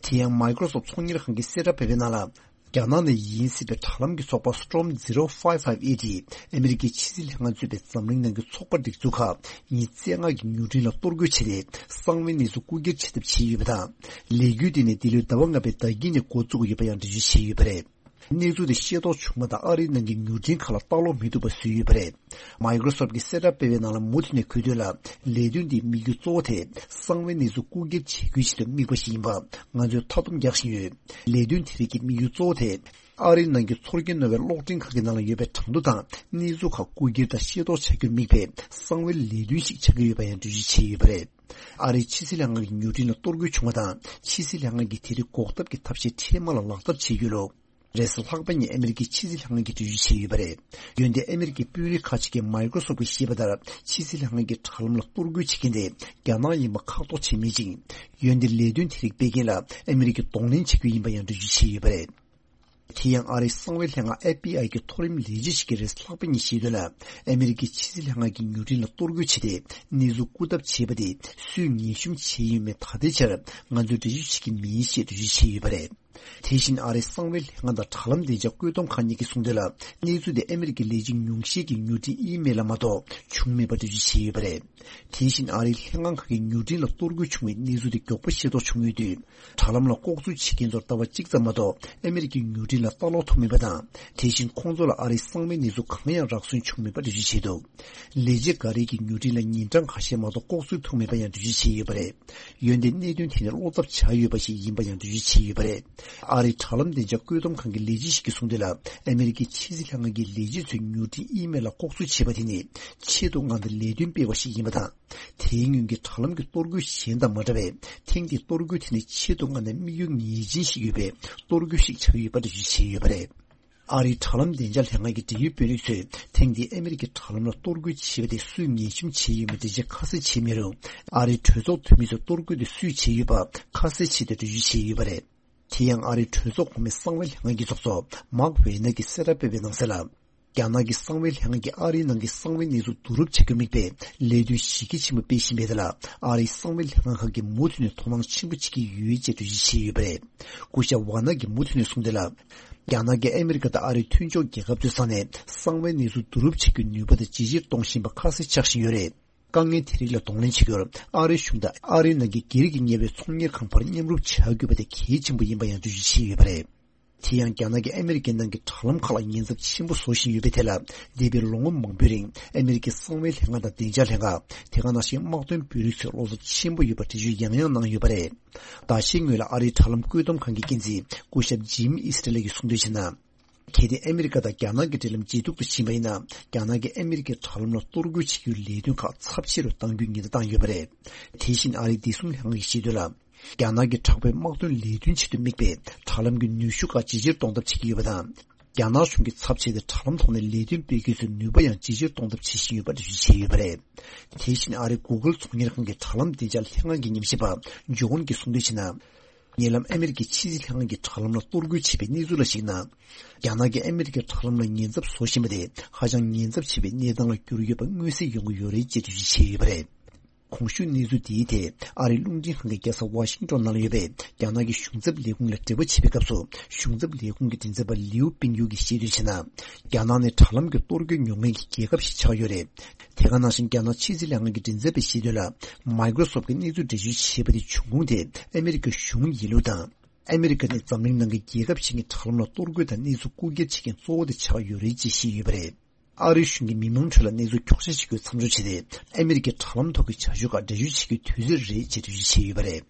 དེ་ཡང་Microsoft ཚོང་གཉེར་ཁང་གིས་གསལ་བསྒྲགས་སྤེལ་བའི་ནང་ལ། རྒྱ་ནག་ནས་ཡིན་སྲིད་པའི་དྲ་ལམ་གྱི་ཚོགས་པ་Storm zero five five eight ཨ་མི་རི་ཀའི་ཕྱི་སྲིད་ལྷན་ཁང་གཙོས་པའི་འཛམ་གླིང་ནང་གི་ཚོགས་པ་སྒྲིག་འཛུགས་ཁག་ཉིས་བརྩེགས་ལྔ་གི་མྱུར་འཕྲིན་ལ་གཏོར་རྒོལ་བྱས་ཏེ། གསང་བའི་གནས་ཚུལ་རྐུ་འཁྱེར་བྱེད་ཐབས་བྱས་ཡོད་པ་དང་། ལས་འགུལ་དེ་ནི་འདི་ལོའི་ཟླ་བ་ལྔ་པའི་ཟླ་དཀྱིལ་ནས་འགོ་བཙུགས་ཡོད་པ་ཡང་འགྲེལ་བརྗོད་བྱས་ཡོད་པ་རེད། གནས་ཚུལ་དེ་ཤེས་རྟོགས་བྱུང་བ་དང་། ཨ་རིའི་ནང་གི་མྱུར་འཕྲིན་ཁག་ལ་ལྟ་ཀློག་མི་ཐུབ་པ་བཟོས་ཡོད་པ་རེད། Microsoft གིས་གསལ་བསྒྲགས་སྤེལ་བའི་ནང་ལ། མུ་མཐུད་ནས་གུས་འདུད་ལ། ལས་དོན་འདིའི་དམིགས་ཡུལ་གཙོ་བོ་དེ་གསང་བའི་གནས་ཚུལ་རྐུ་འཁྱེར་བྱེད་རྒྱུའི་ཆེད་དུ་དམིགས་པ་ཞིག་ཡིན་པ་ང་ཚོས་མཐའ་སྡོམ་རྒྱག་བཞིན་ཡོད། ལས་དོན་དེ་རིགས་ཀྱི་དམིགས་ཡུལ་གཙོ་བོ་དེ། ཨ་རིའི་ནང་གི་ཚོར་སྐྱེན་རྣོ་བའི་གློག་འཕྲིན་ཁང་གི་ནང་ལ་ཡོད་པའི་གྲངས་ཐོ་དང་གནས་ཚུལ་ཁག་རྐུ་འཁྱེར་དང་ཤེས་རྟོགས་བྱ་རྒྱུར་དམིགས་པའི་གསང་བའི་ལས་དོན་ཞིག་ཆགས་ཀྱི་ཡོད་པ་ཡང་འགྲེལ་བརྗོད་བྱས་ཡོད་པ་རེད། ཨ་རིའི་ཕྱི་སྲིད་ལྷན་ཁང་གི་མྱུར་འཕྲིན་ལ་གཏོར་རྒོལ་བྱུང་བ་དང་། ཕྱི་སྲིད་ལྷན་ཁང་གིས་དེ་རིགས་འགོག་ཐབས་ཀྱི་ཐབས་ཤེས་འཕྲལ་མ་ལ་ལག་བསྟར་བྱེད་རྒྱུ་ལོ། རེས་གཟའ་ལྷག་པ་ཉིན་ཨ་མི་རི་ཀའི་ཕྱི་སྲིད་ལྷན་ཁང་གིས་འགྲེལ་བརྗོད་བྱས་ཡོད་པ་རེད། འོན་ཏེ་ཨ་མི་རི་ཀའི་དཔོན་རིགས་ཁག་ཅིག་གིས་Microsoft གིས་བཤད་པ་ལྟར། ཕྱི་སྲིད་ལྷན་ཁང་གིས་དྲ་ལམ་ལ་གཏོར་རྒོལ་བྱེད་མཁན་དེ་རྒྱ་ནག་ཡིན་པ་ཁག་ཐོག་བྱས་མེད་ཅིང་། འོན་ཏེ་ལས་དོན་དེ་རིགས་སྤེལ་མཁན་ལ་ཨ་མི་རི་ཀས་གདོང་ལེན་བྱེད་རྒྱུ་ཡིན་པ་ཡང་འགྲེལ་བརྗོད་བྱས་ཡོད་པ་རེད། དེ་ཡང་ཨ་རིའི་གསང་བའི་ལྷན་ཁང་ཨེཕ་པི་ཨའི་གི་མཐོ་རིམ་ལས་བྱེད་ཞིག་གིས་རེས་ལྷག་པ་ཉིན་བཤད་དོན་ལ། ཨ་མི་རི་ཀའི་ཕྱི་སྲིད་ལྷན་ཁང་གིས་མྱུར་འཕྲིན་ལ་གཏོར་རྒོལ་བྱས་ཏེ། གནས་ཚུལ་རྐུ་ཐབས་བྱས་པ་དེ་སུས་ངན་ཤུམ་བྱས་ཡོད་མེད་ད་ལྟའི་ཆར་ང་ཚོས་འགྲེལ་བརྗོད་བྱེད་ཀྱི་མིན་ཞེས་འགྲེལ་བརྗོད་བྱས་ཡོད་པ་རེད། དེ་བཞིན་ཨ་རིའི་གསང་བའི་ལྷན་ཁང་དང་དྲ་ལམ་བདེ་འཇགས་བཀོད་འདོམས་ཁང་གཉིས་ཀྱིས་གསུངས་དོན་ལ། གནས་ཚུལ་དེ་ཨ་མི་རི་ཀའི་ལས་བྱེད་ཉུང་ཤས་ཀྱི་མྱུར་འཕྲིན་ཨི་མེལ་ལ་མ་གཏོགས་བྱུང་མེད་པ་འགྲེལ་བརྗོད་བྱས་ཡོད་པ་རེད། དེ་བཞིན་ཨ་རིའི་ལྷན་ཁང་ཁག་གི་མྱུར་འཕྲིན་ལ་གཏོར་རྒོལ་བྱུང་བའི་གནས་ཚུལ་དེ་མགྱོགས་པོ་ཤེས་རྟོགས་བྱུང་ཡོད་དུས། དྲ་ལམ་ལ་ལྐོག་འཛུལ་བྱེད་མཁན་ཚོར་ལྟ་བ་གཅིག་ཙམ་མ་གཏོགས་ཨ་མི་རི་ཀའི་མྱུར་འཕྲིན་ལ་ལྟ་ཀློག་ཐུབ་མེད་པ་དང་། དེ་བཞིན་ཁོང་ཚོ་ལ་ཨ་རིའི་གསང་བའི་གནས་ཚུལ་གང་ཡང་རག་སོན་བྱུང་མེད་པ་འགྲེལ་བརྗོད་བྱས་འདུག་ལས་བྱེད་འགའ་རེས་ཀྱི་མྱུར་འཕྲིན་ལ་ཉིན་གྲངས་ཁ་ཤས་མ་གཏོགས་ལྐོག་འཛུལ་ཐུབ་མེད་པ་ཡང་འགྲེལ་བརྗོད་བྱས་ཡོད་པ་རེད། འོན་ཏེ་གནད་དོན་དེ་ནི་བློ་འཚབ་བྱ་ཡོད་པ་ཞིག་ཡིན་པ་ཡང་འགྲེལ་བརྗོད་བྱས་ཡོད་པ་རེད། ཨ་རིའི་དྲ་ལམ་བདེ་འཇགས་བཀོད་འདོམས་ཁང་གི་ལས་བྱེད་ཞིག་གིས་གསུངས་དོན་ལ། ཨ་མི་རི་ཀའི་ཕྱི་སྲིད་ལྷན་ཁང་གི་ལས་བྱེད་ཚོས་མྱུར་འཕྲིན་ཨི་མེལ་ལ་ལྐོག་འཛུལ་བྱས་པ་དེ་ནི་ཆེད་དུ་མངགས་ཏེ་ལས་དོན་སྤེལ་བ་ཞིག་ཡིན་པ་དང་། དེའི་སྔོན་གྱི་དྲ་ལམ་གྱི་གཏོར་རྒོལ་གཞན་དང་མ་འདྲ་བའི་ཐེངས་འདིའི་གཏོར་རྒོལ་དེ་ནི་ཆེད་དུ་མངགས་ནས་དམིགས་ཡུལ་ངེས་ཅན་ཞིག་ཡོད་པའི་གཏོར་རྒོལ་ཞིག་ཆགས་ཡོད་པ་འགྲེལ་བརྗོད་བྱས་ཡོད་པ་རེད། ཨ་རིའི་དྲ་ལམ་བདེ་འཇགས་ལྷན་ཁང་གི་འབྲེལ་ཡོད་དཔོན་རིགས་ཚོས་ཐེངས་འདིའི་ཨ་མི་རི་ཀའི་དྲ་ལམ་ལ་གཏོར་རྒོལ་བྱས་པ་དེ་སུས་ངན་ཤུམ་བྱས་ཡོད་མེད་འགྲེལ་བཤད་ཁ་གསལ་བྱས་མེད་རུང་། ཨ་རིའི་གྲོས་ཚོགས་འཐུས་མི་ཚོས་གཏོར་རྒོལ་དེ་སུས་བྱས་ཡོད་པ་ཁ་གསལ་ཆེད་དུ་འགྲེལ་བརྗོད་བྱས་ཡོད་པ་རེད། དེ་ཡང་ཨ་རིའི་གྲོས་ཚོགས་གོང་མའི་གསང་བའི་ལྷན་ཁང་གི་ཚོགས་གཙོ་མཱག་ཝེ་ནར་གྱིས་གསལ་བསྒྲགས་སྤེལ་བའི་ནང་གསལ་ལ། རྒྱ་ནག་གི་གསང་བའི་ལྷན་ཁང་གིས་ཨ་རིའི་ནང་གི་གསང་བའི་གནས་ཚུལ་བསྡུ་རུབ་བྱ་རྒྱུར་དམིགས་པའི་ལས་དོན་གཞི་རྒྱ་ཆེན་པོ་སྤེལ་བཞིན་པའི་ཐད་ལ། ཨ་རིའི་གསང་བའི་ལྷན་ཁང་ཁག་གིས་མུ་མཐུད་ནས་དོ་སྣང་ཆེན་པོ་བྱེད་ཀྱི་ཡོད་ཅེས་འགྲེལ་བརྗོད་བྱས་ཡོད་པ་རེད། སྐུ་ཞབས་ཝ་ནག་གིས་མུ་མཐུད་ནས་གསུངས་དོན་ལ། རྒྱ་ནག་གིས་ཨ་མི་རི་ཀ་དང་ཨ་རིའི་མཐུན་ཕྱོགས་རྒྱལ་ཁབ་ཚོའི་ས་ནས་གསང་བའི་གནས་ཚུལ་བསྡུ་རུབ་བྱེད་རྒྱུའི་ནུས་པ་དེ་ཇེ་ཆེར་གཏོང་བཞིན་པ་ཁ་གསལ་ཆགས་བཞིན་ཡོད་རེད། དཀའ་ངལ་དེ་རིགས་ལ་གདོང་ལེན་བྱེད་རྒྱུར་ཨ་རིའི་གཞུང་དང་ཨ་རིའི་ནང་གི་སྒེར་གྱི་གཉེར་བའི་ཚོང་གཉེར་ཁང་བར་མཉམ་རུབ་བྱ་དགོས་པ་དེ་གལ་ཆེན་པོ་ཡིན་པ་ཡང་འགྲེལ་བརྗོད་བྱས་ཡོད་པ་རེད། དེ་ཡང་རྒྱ་ནག་གིས་ཨ་མི་རི་ཀའི་ནང་གི་དྲ་ལམ་ཁག་ལ་ཉེན་ཚབས་ཆེན་པོ་བཟོ་བཞིན་ཡོད་པའི་ཐད་ལ། འདས་པའི་ལོ་ངོ་མང་པོའི་རིང་ཨ་མི་རི་ཀའི་གསང་བའི་ལྷན་ཁང་དང་བདེ་འཇགས་ལྷན་ཁང་། དེ་ག་ནང་བཞིན་དམག་དོན་དཔོན་རིགས་ཚོས་བློ་འཚབ་ཆེན་པོ་ཡོད་པ་འགྲེལ་བརྗོད་ཡང་ཡང་གནང་ཡོད་པ་རེད། ཟླ་ཤས་སྔོན་ལ་ཨ་རིའི་དྲ་ལམ་བཀོད་འདོམས་ཁང་གི་འགན་འཛིན་སྐུ་ཞབས་ཇིམ་ཨིས་ཊི་ལེ་ཡིས་གསུངས་དོན་བྱས་ན། གལ་ཏེ་ཨ་མི་རི་ཀ་དང་རྒྱ་ནག་གི་འབྲེལ་ལམ་ཇེ་སྡུག་ཏུ་ཕྱིན་པ་ཡིན་ན། རྒྱ་ནག་གིས་ཨ་མི་རི་ཀའི་དྲ་ལམ་ལ་གཏོར་རྒོལ་བྱེད་རྒྱུའི་ལས་དོན་ཁག་ཚབས་ཆེ་རུ་གཏང་རྒྱུའི་ཉེན་བརྡ་བཏང་ཡོད་པ་རེད། དེ་བཞིན་ཨ་རིའི་བདེ་སྲུང་ལྷན་ཁང་གིས་བཤད་དོན་ལ། རྒྱ་ནག་གི་དྲག་པོའི་དམག་དོན་ལས་དོན་ཆེད་དུ་དམིགས་པའི་དྲ་ལམ་གྱི་ནུས་ཤུགས་ཁག་ཇེ་ཆེར་གཏོང་ཐབས་བྱེད་ཀྱི་ཡོད་པ་དང་། རྒྱ་ནག་གཞུང་གི་ཚབ་བྱས་ཏེ་དྲ་ལམ་ཐོག་ནས་ལས་དོན་སྤེལ་རྒྱུའི་ནུས་པ་ཡང་ཇེ་ཆེར་གཏོང་ཐབས་བྱེད་བཞིན་ཡོད་པ་འགྲེལ་བརྗོད་བྱས་ཡོད་པ་རེད། དེ་བཞིན་ཨ་རིའི་གུ་གལ་ཚོང་གཉེར་ཁང་གི་དྲ་ལམ་བདེ་འཇགས་ལྷན་ཁང་གི་ཉམས་ཞིབ་པ་ཇོ་ཝན་གྱིས་གསུངས་དོན་བྱས་ན། ཉེ་ལམ་ཨ་མེ་རི་ཁའི་ཕྱི་སྲིད་ལྷན་ཁང་གི་དྲ་ལམ་ལ་གཏོར་རྒོལ་བྱས་པའི་གནས་ཚུལ་ལ་གཞིགས་ན། རྒྱ་ནག་གིས་ཨ་མེ་རི་ཁའི་དྲ་ལམ་ལ་ཉེན་ཚབས་བཟོ་བཞིན་པ་དེ་ཧ་ཅང་ཉེན་ཚབས་ཆེ་བའི་གནས་སྟངས་ལ་གྱུར་ཡོད་པ་མངོན་གསལ་ཡོང་གི་ཡོད་རེད་ཅེས་འགྲེལ་བརྗོད་བྱས་ཡོད་པ་རེད། གོང་ཞུས་གནས་ཚུལ་འདིའི་ཐད་ཨ་རིའི་རླུང་འཕྲིན་ཁང་གི་རྒྱལ་ས་ཝ་ཤིང་ཊོན་ནང་ལ་ཡོད་པའི་རྒྱ་ནག་གི་གཞུང་ཚབ་ལས་ཁུངས་ལ་འབྲེལ་བ་བྱེད་པའི་སྐབས་སུ། གཞུང་ཚབ་ལས་ཁུངས་ཀྱི་མགྲིན་ཚབ་པ་ལིའུ་པིན་ཡུ་གིས་བཤད་དོན་བྱས་ན། རྒྱ་ནག་ནི་དྲ་ལམ་གྱི་གཏོར་རྒོལ་མྱོང་མཁན་གྱི་རྒྱལ་ཁབ་ཞིག་ཆགས་ཡོད་རེད། དེ་ག་ནང་བཞིན་རྒྱ་ནག་ཕྱི་སྲིད་ལྷན་ཁང་གི་མགྲིན་ཚབ་པས་བཤད་དོན་ལ། Microsoft གི་གནས་ཚུལ་འགྲེལ་བརྗོད་བྱས་པ་དེ་བྱུང་ཁུངས་དེ་ཨ་མེ་རི་ཁའི་གཞུང་ཡིན་ལུགས་དང་། ཨ་མེ་རི་ཁ་ནི་འཛམ་གླིང་ནང་གི་རྒྱལ་ཁབ་ཞིག་གི་དྲ་ལམ་ལ་གཏོར་རྒོལ་དང་གནས་ཚུལ་རྐུ་འཁྱེར་བྱེད་མཁན་གཙོ་བོ་དེ་ཆགས་ཡོད་རེད་ཅེས་བཤད་ཡོད་པ་རེད། ཨ་རིའི་གཞུང་གིས་མི་མང་ཁྲོད་ལ་གནས་ཚུལ་འཁྱོག་བཤད་བྱེད་རྒྱུའི་མཚམས་འཇོག་བྱས་ཏེ། ཨ་མེ་རི་ཁའི་དྲ་ལམ་ཐོག་གི་བྱ་སྤྱོད་ཁག་འགྲེལ་བརྗོད་བྱེད་རྒྱུའི་དུས་ཚོད་རེད་ཅེས་འགྲེལ་བརྗོད་བྱས་ཡོད་པ་རེད།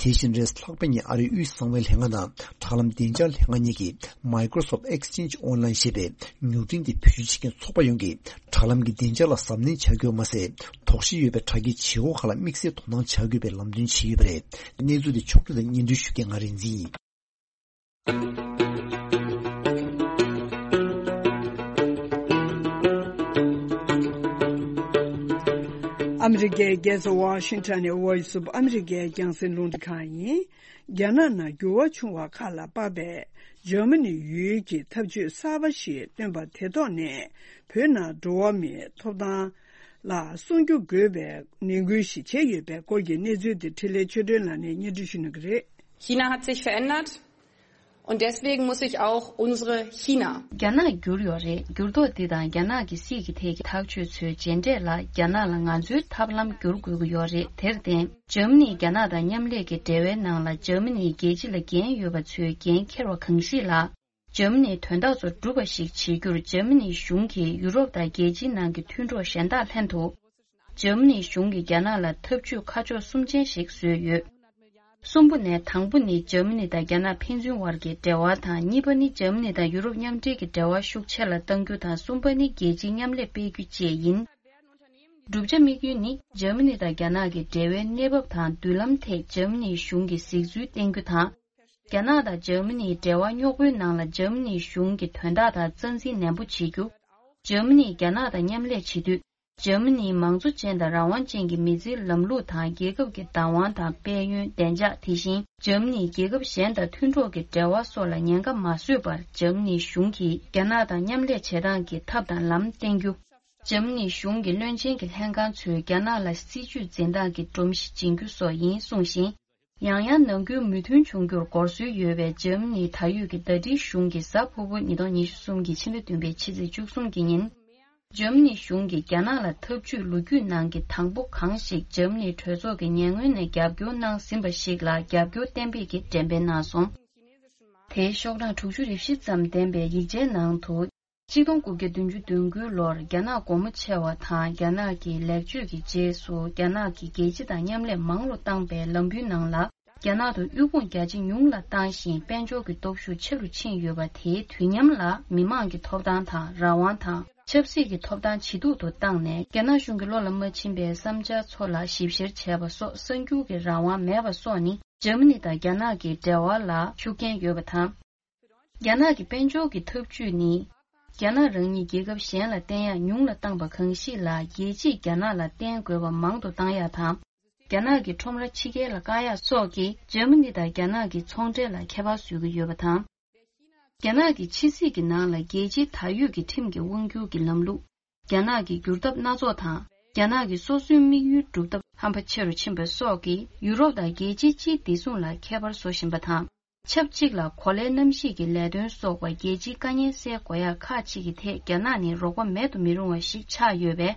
དེ་བཞིན་རེས་ལྷག་པ་ཉིན་ཨ་རིའི་དབུས་གསང་བའི་ལྷན་ཁང་དང་དྲ་ལམ་བདེ་འཇགས་ལྷན་ཁང་གཉིས་ཀྱིས་Microsoft Exchange Online ཞེས་པའི་མྱུར་འཕྲིན་དེ་བེད་སྤྱོད་བྱེད་མཁན་ཚོགས་པ་ཡོངས་ཀྱིས་དྲ་ལམ་གྱི་བདེ་འཇགས་ལ་གཟབ་ནན་བྱ་དགོས་མ་ཟད། དོགས་གཞི་ཡོད་པའི་དྲ་རྒྱའི་བྱེད་སྒོ་ཁག་ལ་དམིགས་བསལ་དོ་སྣང་བྱ་དགོས་པའི་ལམ་སྟོན་བྱས་ཡོད་པ་རེད། གནས་ཚུལ་དེ་ཕྱོགས་སྒྲིག་དང་སྙན་སྒྲོན་ཞུ་མཁན་ང་རིག་འཛིན་ཡིན། ཨ་མི་རི་ཀའི་རྒྱལ་ས་ཝ་ཤིང་ཊོན་ནས་Voice of America རྒྱང་སྲིང་རླུང་འཕྲིན་ཁང་ཡིན། རྒྱ་ནག་ནང་འགྱུར་བ་བྱུང་བ་ཁག་ལ་དཔག་པའི་འཇར་མ་ནི་ཡུལ་གྱི་ཐབས་ཇུས་གསར་པ་ཞིག་བཏོན་པ་དེ་ཐོག་ནས་བོད་ནང་འགྲོ་བ་མིའི་ཐོབ་ཐང་ལ་སྲུང་སྐྱོབ་དགོས་པའི་ནན་སྐུལ་ཞིག་བྱས་ཡོད་པའི་སྐོར་གྱི་གནས་ཚུལ་དེ་འཕྲིན་ལས་ཆོས་སྒྲོན་ལགས་ནས་སྙན་སྒྲོན་ཞུ་གནང་གི་རེད། China hat sich verändert und deswegen muss sich auch unsere China. རྒྱ་ནག་འགྱུར་ཡོད་རེད། འགྱུར་ལྡོག་འདི་དང་རྒྱ་ནག་གི་སྲིད་ཀྱི་ཐད་ཀྱི་ཐག་གཅོད་ཚོའི་རྗེས་འབྲས་ལ་རྒྱ་ནག་ལ་ང་ཚོའི་ཐབས་ལམ་བསྒྱུར་དགོས་ཀྱི་ཡོད་རེད། དེར་བརྟེན། འཇར་མ་ནི་རྒྱ་ནག་དང་མཉམ་ལས་ཀྱི་འབྲེལ་བའི་ནང་ལ་འཇར་མ་ནིའི་རྒྱལ་སྤྱི་ལ་འགན་ཡོད་པ་ཚོས་འགན་འཁྱེར་བ་གང་ཞིག་ལ། འཇར་མ་ནིའི་དོན་དག་ཚོ་འགྲུབ་པ་ཞིག་བྱེད་རྒྱུར་འཇར་མ་ནིའི་གཞུང་གིས་ཡུ་རོབ་དང་རྒྱལ་སྤྱིའི་ནང་གི་མཐུན་གྲོགས་གཞན་དག་ལྷན་དུ། འཇར་མ་ནིའི་གཞུང་གིས་རྒྱ་ནག་ལ་ཐབས་ཇུས་ཁ་ཕྱོགས་གསུམ་ཅན་ཞིག་བཟོས་ཡོད། གསུམ་པོ་ནས་དང་པོ་ནི་འཇར་མ་ནི་དང་རྒྱ་ནག་ཕན་ཚུན་བར་གྱི་འབྲེལ་བ་དང་། གཉིས་པ་ནི་འཇར་མ་ནི་དང་ཡུ་རོབ་མཉམ་འབྲེལ་གྱི་འབྲེལ་བ་ཤུགས་ཆེ་ལ་གཏང་རྒྱུ་དང་། གསུམ་པ་ནི་རྒྱལ་སྤྱིའི་མཉམ་ལས་སྤེལ་རྒྱུ་བཅས་ཡིན། བསྒྲུབ་བྱ་དམིགས་ཡུལ་ནི་འཇར་མ་ནི་དང་རྒྱ་ནག་གི་འབྲེལ་བའི་གནས་བབ་དང་མདུན་ལམ་ཐད་འཇར་མ་ནིའི་གཞུང་གི་གཟིགས་ཚུལ་བསྟན་རྒྱུ་དང་། རྒྱ་ནག་དང་འཇར་མ་ནིའི་འབྲེལ་བ་རྙོག་པོའི་ནང་ལ་འཇར་མ་ནིའི་གཞུང་གི་དོན་དག་དང་རྩ་འཛིན་ནན་པོ་བྱེད་རྒྱུ། འཇར་མ་ནིས་རྒྱ་ནག་དང་མཉམ་ལས་བྱེད་དུས། འཇར་མ་ནིའི་མང་གཙོ་ཅན་དང་རང་དབང་ཅན་གྱི་མི་ཚེའི་ལམ་ལུགས་དང་། རྒྱལ་ཁབ་ཀྱི་བདག་དབང་དང་དཔལ་ཡོན། བདེ་འཇགས། དེ་བཞིན་འཇར་མ་ནིས་རྒྱལ་ཁབ་གཞན་དང་མཐུན་གྲོགས་ཀྱི་འབྲེལ་བ་སོགས་ལ་ཉེན་ཁ་མ་བཟོས་པར། འཇར་མ་ནིའི་གཞུང་གིས་རྒྱ་ནག་དང་མཉམ་ལས་བྱེད་སྟངས་ཀྱི་ཐབས་དང་ལམ་བསྟན་རྒྱུ། འཇར་མ་ནིའི་གཞུང་གི་བློན་ཆེན་གྱི་ལྷན་ཁང་ཚོས་རྒྱ་ནག་ལ་སྲིད་ཇུས་འཛིན་སྟངས་ཀྱི་སྒྲོམ་གཞི་སྦྱིན་རྒྱུ་སོགས་ཡིན་གསུངས་ཤིང་། ཡང་ཡང་ནང་ཁུལ་མོས་མཐུན་བྱུང་རྒྱུར་སྒོར་སྲོལ་ཡོད་པའི་འཇར་མ་ནིའི་ད་ཡོད་ཀྱི་ཟླ་སྒྲིལ་གཞུང་གིས་གཟའ་ཕུར་བུ་ཉིས་སྟོང་ཉི་ཤུ་རྩ་གསུམ་གྱི་ཕྱི་ཟླ་བདུན་པའི་ཕྱི་ཚེས་བཅུ་གསུམ་གྱི་ཉིན། འཇར་མ་ནིའི་གཞུང་གིས་རྒྱ་ནག་ལ་འཐབ་ཇུས་ལོ་རྒྱུས་ནང་གི་དང་པོ་གང་ཞིག་འཇར་མ་ནིའི་གྲོས་ཚོགས་ཀྱིས་ཉེ་སྔོན་ནས་རྒྱབ་སྐྱོར་གནང་ཟིན་པ་ཞིག་ལ་རྒྱབ་སྐྱོར་གཏན་འབེབས་ཀྱི་འགྲེམས་སྤེལ་གནང་སོང་། དེའི་ཤོག་གྲངས་དྲུག་ཅུ་རེ་བཞི་ཙམ་ལྡན་པའི་ཡིག་ཆའི་ནང་དུ། གཅིག་སྟོང་དགུ་བརྒྱ་བདུན་ཅུ་དོན་དགུ་ལོར་རྒྱ་ནག་སྒོ་མོ་ཕྱེ་བ་དང་། རྒྱ་ནག་གི་ལེགས་བཅོས་ཀྱི་རྗེས་སུ་རྒྱ་ནག་གིས་རྒྱལ་སྤྱི་དང་མཉམ་ལས་མང་རུ་བཏང་པའི་ལམ་བུའི་ནང་ལ། རྒྱ་ནག་ཏུ་དབུལ་ཕོངས་རྒྱ་ཇེ་ཉུང་ལ་བཏང་ཞིང་། དཔལ་འབྱོར་གྱི་སྟོབས་ཤུགས་ཆེ་རུ་ཕྱིན་ཡོད་པ། དེའི་དུས་མཉམ་ལ་མི་དམངས་ཀྱི་ཐོབ་ཐང་དང་རང་དབང་དང་ཆབ་སྲིད་ཀྱི་ཐོབ་ཐང་ཇེ་སྡུག་ཏུ་བཏང་ནས། རྒྱ་ནག་གཞུང་གི་བློ་ལ་མ་ཕྱིན་པའི་བསམ་འཆར་ཚོ་ལ་ཞིབ་བཤེར་བྱས་པ་སོགས། གསར་འགྱུར་གྱི་རང་དབང་མེད་པ་སོགས་ནི་འཇར་མ་ནི་དང་རྒྱ་ནག་གི་འབྲེལ་བ་ལ་ཤུགས་རྐྱེན་ཡོད་པ་དང་། རྒྱ་ནག་གི་དཔལ་འབྱོར་གྱི་འཐབ་ཇུས་ནི། རྒྱ་ནག་རང་ཉིད་རྒྱལ་ཁབ་གཞན་ལ་བརྟེན་ཡག་ཉུང་ལ་བཏང་པ་གང་ཞིག་ལ། རྒྱལ་སྤྱིས་རྒྱ་ནག་ལ་བརྟེན་དགོས་པ་མང་དུ་བཏང་ཡག་དང་། རྒྱ་ནག་གི་ཁྲོམ་ར་ཕྱི་རྒྱལ་ལ་བཀག་ཡག་སོགས་ཀྱིས་འཇར་མ་ནི་དང་རྒྱ་ནག་གི་ཚོང་འབྲེལ་ལ་ཁྱད་པར་བཟོ་གི་ཡོད་པ་དང་། རྒྱ་ནག་གི་ཕྱི་སྲིད་ཀྱི་ནང་ལ་རྒྱལ་སྤྱིའི་ད་ཡོད་ཀྱི་ཁྲིམས་ཀྱི་དབང་སྒྱུར་གྱི་ལམ་ལུགས། རྒྱ་ནག་གི་བསྒྱུར་ཐབས་སྣ་ཚོགས་དང་། རྒྱ་ནག་གི་སོ་སོའི་དམིགས་ཡུལ་སྒྲུབ་ཐབས་ཧམ་པ་ཆེ་རུ་ཕྱིན་པ་སོགས་ཀྱིས་ཡུ་རོབ་དང་རྒྱལ་སྤྱིའི་སྤྱིའི་བདེ་སྲུང་ལ་ཁྱད་པར་བཟོ་བཞིན་པ་དང་། ཆབས་ཅིག་ལ་གོ་ལའི་གནམ་གཤིས་ཀྱི་ལས་དོན་སོགས་པ་རྒྱལ་སྤྱིའི་དཀའ་ངལ་སེལ་དགོས་ཡག་ཁག་ཅིག་གི་ཐད་རྒྱ་ནག་ནི་རོགས་པ་མེད་དུ་མི་རུང་བ་ཞིག་ཆགས་ཡོད་པས།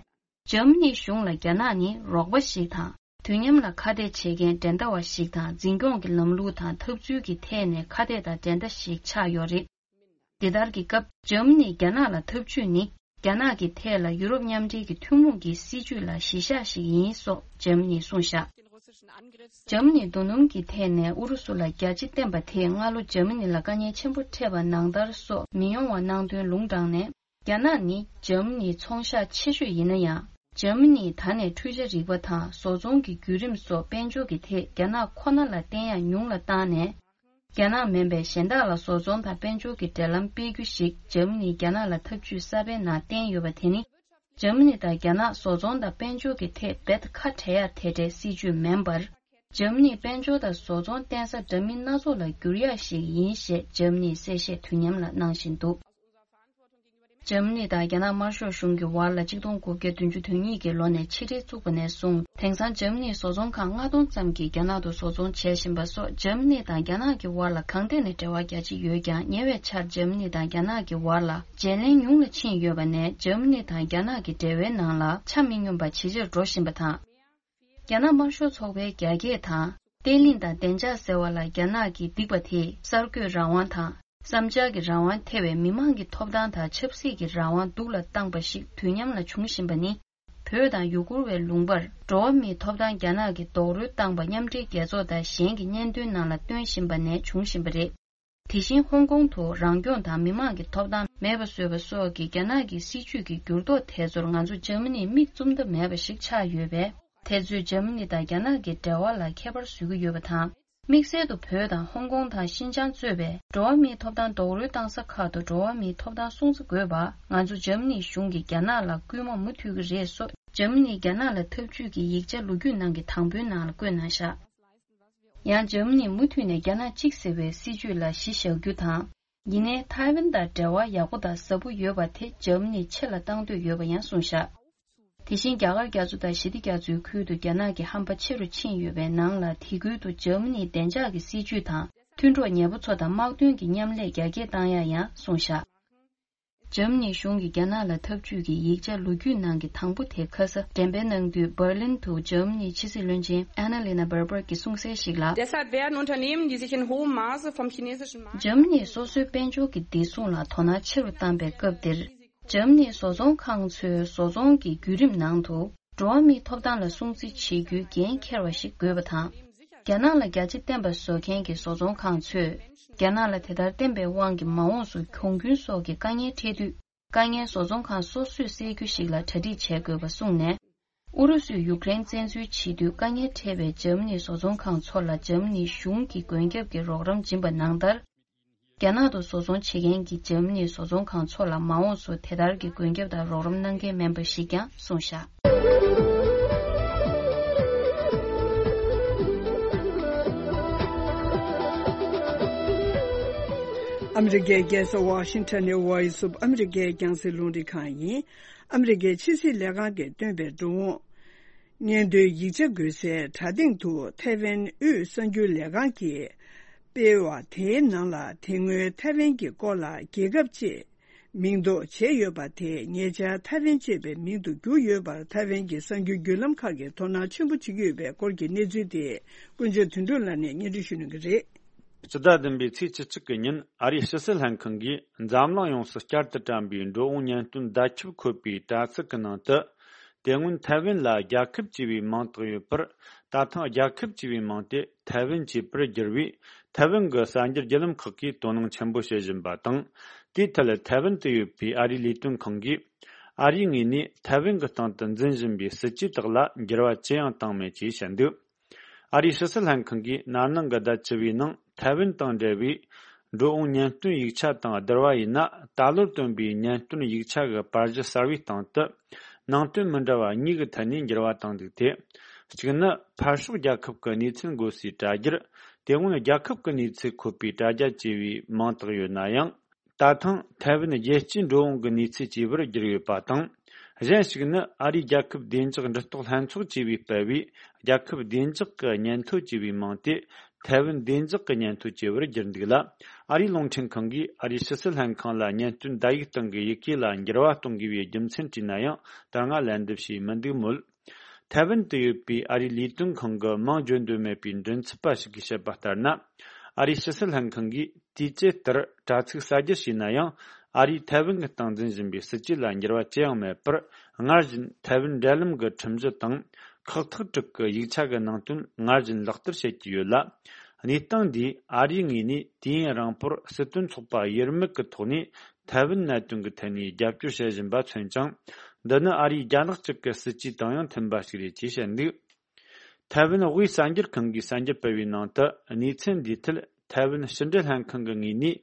འཇར་མ་ནིའི་གཞུང་ལ་རྒྱ་ནག་ནི་རོགས་པ་ཞིག་དང་། དུས་མཉམ་ལ་ཁ་གཏད་བྱེད་མཁན་འགྲན་ཟླ་བ་ཞིག་དང་། འཛིན་སྐྱོང་གི་ལམ་ལུགས་དང་འཐབ་རྩོད་ཀྱི་ཐད་ནས་ཁ་གཏད་དང་འགྲན་ཟླ་ཞིག་ཆགས་ཡོད་རེད། འདི་ལྟར་གྱི་སྐབས་འཇར་མ་ནིས་རྒྱ་ནག་ལ་འཐབ་ཇུས་ནི། རྒྱ་ནག་གི་ཐད་ལ་ཡུ་རོབ་མཉམ་འབྲེལ་གྱི་ཐུན་མོང་གི་སྲིད་ཇུས་ལ་གཞི་བཞག་ཞིག་ཡིན་སོགས་འཇར་མ་ནིས་གསུངས་བཞག་འཇར་མ་ནིས་རྡོ་སྣུམ་གྱི་ཐད་ནས་ཨུ་རུ་སུ་ལ་རྒྱ་ཇེ་བརྟན་པ་དེས་སྔ་ལོ་འཇར་མ་ནི་ལ་དཀའ་ངལ་ཆེན་པོ་འཕྲད་པ་ནང་ལྟར་སོགས་མི་ཡོང་བ་གནང་དོན་ལུང་དྲངས་ནས། རྒྱ་ནག་ནི་འཇར་མ་ནིའི་ཚོང་ཤག་ཆེ་ཤོས་ཡིན་ན་ཡང་། འཇར་མ་ནིས་ད་ནས་འཕྲུལ་ཆ་རིག་པ་དང་བཟོ་ཚོང་གི་བརྒྱུད་རིམ་སོགས་དཔལ་འབྱོར་གྱི་ཐད་རྒྱ་ནག་ཁོ་ན་ལ་བརྟེན་ཡག་ཉུང་ལ་བཏང་ནས། རྒྱ་ནག་མིན་པའི་གཞན་དག་ལ་བཟོ་ཚོང་དང་དཔལ་འབྱོར་གྱི་འབྲེལ་ལམ་སྤེལ་རྒྱུ་ཞིག་འཇར་མ་ནིས་རྒྱ་ནག་ལ་ཐབས་ཇུས་གསར་པའི་ནང་བསྟན་ཡོད་པ་དེ་ནི། འཇར་མ་ནི་དང་རྒྱ་ནག་བཟོ་ཚོང་དང་དཔལ་འབྱོར་གྱི་ཐད་རྦད་ཁ་བྲལ་ཡག་དེ་འདྲའི་སྲིད་ཇུས་མིན་པར། འཇར་མ་ནིས་དཔལ་འབྱོར་དང་བཟོ་ཚོང་བརྟེན་ས་འདྲ་མིན་སྣ་ཚོགས་ལ་བསྒྱུར་ཡག་ཞིག་ཡིན་ཞེས་འཇར་མ་ནིས་གསལ་བཤད་དུས་མཉམ་ལ་གནང་བཞིན་འདུག་འཇར་མ་ནི་དང་རྒྱ་ནག་དམར་ཤོག་གཞུང་གི་བར་ལ་ཆིག་སྟོང་དགུ་བརྒྱ་བདུན་ཅུ་དོན་གཉིས་ཀྱི་ལོ་ནས་ཕྱི་འབྲེལ་བཙུགས་པ་ནས་བཟུང་། དེང་སང་འཇར་མ་ནིའི་བཟོ་ཚོང་ཁང་ལྔ་སྟོང་ཙམ་གྱིས་རྒྱ་ནག་ཏུ་བཟོ་ཚོང་བྱེད་བཞིན་པ་སོགས། འཇར་མ་ནི་དང་རྒྱ་ནག་གི་བར་ལ་གང་ཐད་ནས་འབྲེལ་བ་རྒྱ་ཆེ་ཡོད་ཀྱང་། ཉེ་བའི་ཆར་འཇར་མ་ནི་དང་རྒྱ་ནག་གི་བར་ལ་བརྗེ་ལེན་ཉུང་ལ་ཕྱིན་ཡོད་པ་ནས། འཇར་མ་ནི་དང་རྒྱ་ནག་གི་འབྲེལ་བའི་ནང་ལ་ཆ་མི་སྙོམས་པ་ཇེ་ཆེར་འགྲོ་བཞིན་པ་དང་། རྒྱ་ནག་དམར་ཤོག་ཚོགས་པའི་རྒྱ་སྐྱེད་དང་། བརྟན་ལྷིང་དང་བདེ་འཇགས་ཟེར་བ་ལ་རྒྱ་ནག་གིས་སྡིགས་པ་དེས་གསར་འགོད་རང་དབང་དང་། བསམ་འཆར་གྱི་རང་དབང་ཐེ་བའི་མི་མང་གི་ཐོབ་ཐང་དང་ཆབ་སྲིད་ཀྱི་རང་དབང་སྡུག་ལ་བཏང་པ་ཞིག་དུས་མཉམ་ལ་འབྱུང་བཞིན་པ་ནི། བོད་དང་ཡུ་གུར་བའི་ལུང་པར་འགྲོ་བ་མིའི་ཐོབ་ཐང་རྒྱ་ནག་གིས་རྡོག་རོལ་བཏང་པ་མཉམ་འབྲེལ་རྒྱལ་ཚོགས་དང་གཞན་གྱི་སྙན་ཐོའི་ནང་ལ་བཏོན་བཞིན་པ་ནས་བྱུང་བཞིན་པ་རེད། དེ་བཞིན་ཧོང་ཀོང་དུ་རང་སྐྱོང་དང་མི་མང་གི་ཐོབ་ཐང་མེད་པ་བཟོས་པ་སོགས་ཀྱི་རྒྱ་ནག་གི་སྲིད་ཇུས་ཀྱི་འགྱུར་ལྡོག་དེ་ཚོར་ང་ཚོ་འཇར་མ་ནི་མིག་བཙུམ་ཐབས་མེད་པ་ཞིག་ཆགས་ཡོད་པས། དེ་ཚོས་འཇར་མ་ནི་དང་རྒྱ་ནག་གི་འབྲེལ་བ་ལ་ཁྱད་པར་བཟོ་གི་ཡོད་པ་དང་། དམིགས་བསལ་དུ་བོད་དང་ཧོང་ཀོང་དང་ཤིན་ཅང་གཙོས་པའི་འགྲོ་བ་མིའི་ཐོབ་ཐང་རྡོག་རོལ་བཏང་ས་ཁག་ཏུ་འགྲོ་བ་མིའི་ཐོབ་ཐང་སྲུང་བརྩི་དགོས་པ། ང་ཚོ་འཇར་མ་ནིའི་གཞུང་གིས་རྒྱ་ནག་ལ་སྐུལ་མ་མུ་མཐུད་ཀྱི་རེད་སོགས། འཇར་མ་ནིས་རྒྱ་ནག་ལ་འཐབ་ཇུས་ཀྱི་ཡིག་ཆ་ལོ་རྒྱུས་ནང་གི་དང་པོའི་ནང་ལ་བཀོད་གནང་བཞག་ཡང་འཇར་མ་ནིས་མུ་མཐུད་ནས་རྒྱ་ནག་གཅིག་ཟེར་བའི་སྲིད་ཇུས་ལ་གཞི་བཞག་རྒྱུ་དང་། ཡིན་ནའི་ཐའེ་ཝན་དང་འབྲེལ་བ་ཡག་པོ་དང་ཟབ་པོ་ཡོད་པ་དེ་འཇར་མ་ནིས་ཆེ་ལ་བཏང་འདོད་ཡོད་པ་ཡང་གསུངས་བཞག་དེ་བཞིན་རྒྱ་གར་རྒྱ་མཚོ་དང་ཞི་བདེ་རྒྱ་མཚོའི་ཁུལ་དུ་རྒྱ་ནག་གི་ཧམ་པ་ཆེ་རུ་ཕྱིན་ཡོད་པའི་ནང་ལ། དེ་ཁུལ་དུ་འཇར་མ་ནིའི་བདེ་འཇགས་ཀྱི་སྲིད་ཇུས་དང་། མཐུན་གྲོགས་ཉེ་པོ་ཚོ་དང་དམག་དོན་གྱི་མཉམ་ལས་རྒྱ་སྐྱེད་བཏང་ཡག་ཡང་གསུངས་བཞག་འཇར་མ་ནིའི་གཞུང་གིས་རྒྱ་ནག་ལ་འཐབ་ཇུས་ཀྱི་ཡིག་ཆ་ལོ་རྒྱུས་ནང་གི་དང་པོ་དེ་ཁ་ས་འགྲེམས་སྤེལ་གནང་དུས། འབར་ལིན་དུ་འཇར་མ་ནིའི་ཕྱི་སྲིད་བློན་ཆེན་ཨ་ན་ལི་ན་བྷར་བྷར་གྱིས་གསུངས་གསལ་ཞིག་ལ། Deshalb werden Unternehmen, die sich in hohem Maße vom chinesischen Markt འཇར་མ་ནིས་སོ་སོའི་དཔལ་འབྱོར་གྱི་བདེ་སྲུང་ལ་དོ་སྣང་ཆེ་རུ་བཏང་པའི་སྐབས་འདིར། འཇར་མ་ནིའི་བཟོ་ཚོང་ཁང་ཚོའི་བཟོ་ཚོང་གི་བརྒྱུད་རིམ་ནང་དུ། འགྲོ་བ་མིའི་ཐོབ་ཐང་ལ་སྲུང་བརྩི་བྱེད་རྒྱུའི་འགན་འཁྱེར་བ་ཞིག་དགོས་པ་དང་། རྒྱ་ནག་ལ་རྒྱ་ཆེ་བརྟན་པ་བཟོ་མཁན་གྱི་བཟོ་ཚོང་ཁང་ཚོས། རྒྱ་ནག་ལ་དེ་ལྟར་བརྟེན་པའི་དབང་གིས་མ་འོངས་སུ་གྱོང་གུན་སོགས་ཀྱི་དཀའ་ངལ་འཕྲད་དུས། དཀའ་ངལ་བཟོ་ཚོང་ཁང་སོ་སོས་སེལ་རྒྱུ་ཞིག་ལ་གྲ་སྒྲིག་བྱེད་དགོས་པ་གསུངས་ནས། ཨུ་རུ་སུས་ཡུཀ་རེན་བཙན་འཛུལ་བྱེད་དུས་དཀའ་ངལ་འཕྲད་པའི་འཇར་མ་ནིའི་བཟོ་ཚོང་ཁང་ཚོ་ལ་འཇར་མ་ནིའི་གཞུང་གིས་མགོན་སྐྱབས་ཀྱི་རོགས་རམ་སྦྱིན་པ་ནང་ལྟར། རྒྱ་ནག་ཏུ་བཟོ་ཚོང་བྱེད་མཁན་གྱི་འཇར་མ་ནིའི་བཟོ་ཚོང་ཁང་ཚོ་ལ་མ་འོངས་སུ་དེ་ལྟར་གྱི་མགོན་སྐྱབས་དང་རོགས་རམ་གནང་གལ་མིན་པ་ཞིག་ཀྱང་གསུངས་བཞག་ཨ་མི་རི་ཀའི་རྒྱལ་ས་ཝ་ཤིང་ཊོན་ནས་Voice of America་རྒྱང་སྲིང་རླུང་འཕྲིན་ཁང་ཡིན། ཨ་མི་རི་ཀའི་ཕྱི་སྲིད་ལས་ཁང་གིས་བཏོན་པའི་འགྲོ་འོང་སྙན་ཐོའི་ཡིག་ཆ་འགོད་སའི་དྲ་སྟེང་དུ་ཐའེ་ཝན་དབུས་གསར་འགྱུར་ལས་ཁང་གིས་སྤེལ་བ་དེའི་ནང་ལ། དེ་སྔོན་ཐའེ་ཝན་གྱི་སྐོར་ལ་རྒྱལ་ཁབ་ཅེས་མིང་འདོགས་བྱས་ཡོད་པ་དེ་ཉེ་ཆར་ཐའེ་ཝན་ཅེས་པའི་མིང་དུ་བསྒྱུར་ཡོད་པར་ཐའེ་ཝན་གྱི་གསར་འགྱུར་བརྒྱུད་ལམ་ཁག་གིས་དོ་སྣང་ཆེན་པོ་བྱེད་ཀྱི་ཡོད་པའི་སྐོར་གྱི་གནས་ཚུལ་དེ་ཀུན་མཁྱེན་དོན་གྲུབ་ལགས་ནས་སྙན་སྒྲོན་ཞུ་གནང་གི་རེད། སྤྱི་ཟླ་བདུན་པའི་ཚེས་བཅུ་གཅིག་གི་ཉིན། ཨ་རིའི་ཕྱི་སྲིད་ལྷན་ཁང་གིས་འཛམ་གླིང་ཡོངས་སུ་བསྐྱར་དུ་བཀྲམ་པའི་འགྲོ་འོང་སྙན་སྟོན་བརྡ་ཁྱབ་འཁོད་པའི་དྲ་ཚིགས་ཀྱི་ནང་དུ། དེ་སྔོན་ཐའེ་ཝན་ལ་རྒྱལ་ཁབ་ཅེས་པའི་མིང་བཏགས་ཡོད་པར། ད་ཐེངས་རྒྱལ་ཁབ་ཅེས་པའི་མིང་དེ་ཐའེ་ཝན་ཅེས་པར་བསྒྱུར་བས། ཐའེ་ཝན་གྱི་གསར་འགྱུར་བརྒྱུད་ལམ་ཁག་གིས་དོ་སྣང་ཆེན་པོ་བྱེད་བཞིན་པ་དང་། དེའི་ཐད་ཐའེ་ཝན་དུ་ཡོད་པའི་ཨ་རིའི་ལས་དོན་ཁང་གིས། ཨ་རིའི་ངོས་ནས་ཐའེ་ཝན་གྱི་སྟེང་དུ་འཛིན་བཞིན་པའི་སྲིད་ཇུས་དག་ལ་འགྱུར་བ་ཅི་ཡང་བཏང་མེད་ཅེས་བཤད་འདུག་ཨ་རིའི་ཕྱི་སྲིད་ལྷན་ཁང་གིས་ན་ནིང་གི་ཟླ་བཅུ་བའི་ནང་ཐའེ་ཝན་དང་འབྲེལ་བའི་འགྲོ་འོང་སྙན་སྟོན་ཡིག་ཆ་དང་བསྡུར་བ་ཡིན་ན། ད་ལོར་བཏོན་པའི་སྙན་སྟོན་ཡིག་ཆ་གི་པར་གཞི་གསར་བའི་སྟེང་དུ་ནང་དོན་མི་འདྲ་བ་གཉིས་ཀྱི་ཐད་ནས་འགྱུར་བ་བཏང་འདུག་སྟེ། གཅིག་ནི། ཕར་ཕྱོགས་རྒྱལ་ཁབ་ཀྱི་གནས་ཚུལ་འགོད་སའི་དྲ་རྒྱར། དེ་སྔོན་རྒྱལ་ཁབ་ཀྱི་གནས་ཚུལ་འཁོད་པའི་དྲ་རྒྱ་ཅེས་པའི་མིང་བཏགས་ཡོད་ན་ཡང་། ད་ཐེངས་ཐའེ་ཝན་རྒྱལ་སྤྱིའི་འགྲོ་འོང་གི་གནས་ཚུལ་ཅེས་པར་བསྒྱུར་ཡོད་པ་དང་། གཞན་ཞིག་ནི། ཨ་རིའི་རྒྱལ་ཁབ་བདེ་འཇགས་འགྲུལ་རྟོག་ལྷན་ཚོགས་ཅེས་པས་སྤེལ་བའི་རྒྱལ་ཁབ་བདེ་འཇགས་ཀྱི་སྙན་ཐོ་ཅེས་པའི་མིང་དེ། ཐའེ་ཝན་བདེ་འཇགས་ཀྱི་སྙན་ཐོ་ཅེས་པར་བསྒྱུར་འདུག་ལ། ཨ་རིའི་རླུང་འཕྲིན་ཁང་གིས་ཨ་རིའི་ཕྱི་སྲིད་ལྷན་ཁང་ལ་སྙན་སྟོན་བརྡ་ཡིག་སྟེང་གི་ཡི་གེ་ལ་འགྱུར་བ་གཏོང་དགོས་པའི་རྒྱུ་མཚན་དྲིས་ན་ཡང་། ད་སྔ་ལན་འདེབས་བྱས་མི་འདུག་མོད། ཐའེ་ཝན་དུ་ཡོད་པའི་ཨ་རིའི་ལས་དོན་ཁང་གི་མིང་བརྗོད་འདོད་མེད་པའི་མགྲིན་ཚབ་པ་ཞིག་གིས་བཤད་པ་ལྟར་ན། ཨ་རིའི་ཕྱི་སྲིད་ལྷན་ཁང་གིས་དུས་བཅད་ལྟར་དྲ་ཚིགས་གསར་བསྒྱུར་བྱས་ན་ཡང་། ཨ་རིས་ཐའེ་ཝན་གྱི་སྟེང་འཛིན་བཞིན་པའི་སྲིད་ཇུས་ལ་འགྱུར་བ་ཅི་ཡང་མེད་པར། སྔར་བཞིན་ཐའེ་ཝན་འབྲེལ་ལམ་གྱི་ཁྲིམས་གཞི་དང་། ཁག་ཐེག་དྲུག་གི་ཡིག་ཆ་གི་ནང་དོན་སྔར་བཞིན་ལག་བསྟར་བྱེད་ཀྱི་ཡོད་ལ། གནས་སྟངས་འདིས་ཨ་རིའི་ངོས་ནས་དུས་ཡུན་རིང་པོར་སྲིད་དོན་ཚོགས་པ་དབྱེར་མེད་ཀྱི་ཐོག་ནས་ཐའེ་ཝན་གནད་དོན་གྱི་ཐད་ནས་རྒྱབ་སྐྱོར་བྱེད་བཞིན་པ་མཚོན་ཅིང་། འདི་ནི་ཨ་རིའི་རྒྱ་ནག་གཅིག་གི་སྲིད་ཇུས་དང་ཡང་མཐུན་པ་ཞིག་རེད་ཅེས་བཤད་འདུག་ཐའེ་ཝན་དབུས་གསར་འགྱུར་ཁང་གིས་གསར་འགྱུར་སྤེལ་བའི་ནང་དུ། གནས་ཚུལ་འདིའི་ཐད་ཐའེ་ཝན་ཕྱི་འབྲེལ་ལྷན་ཁང་གི་ངོས་ནས་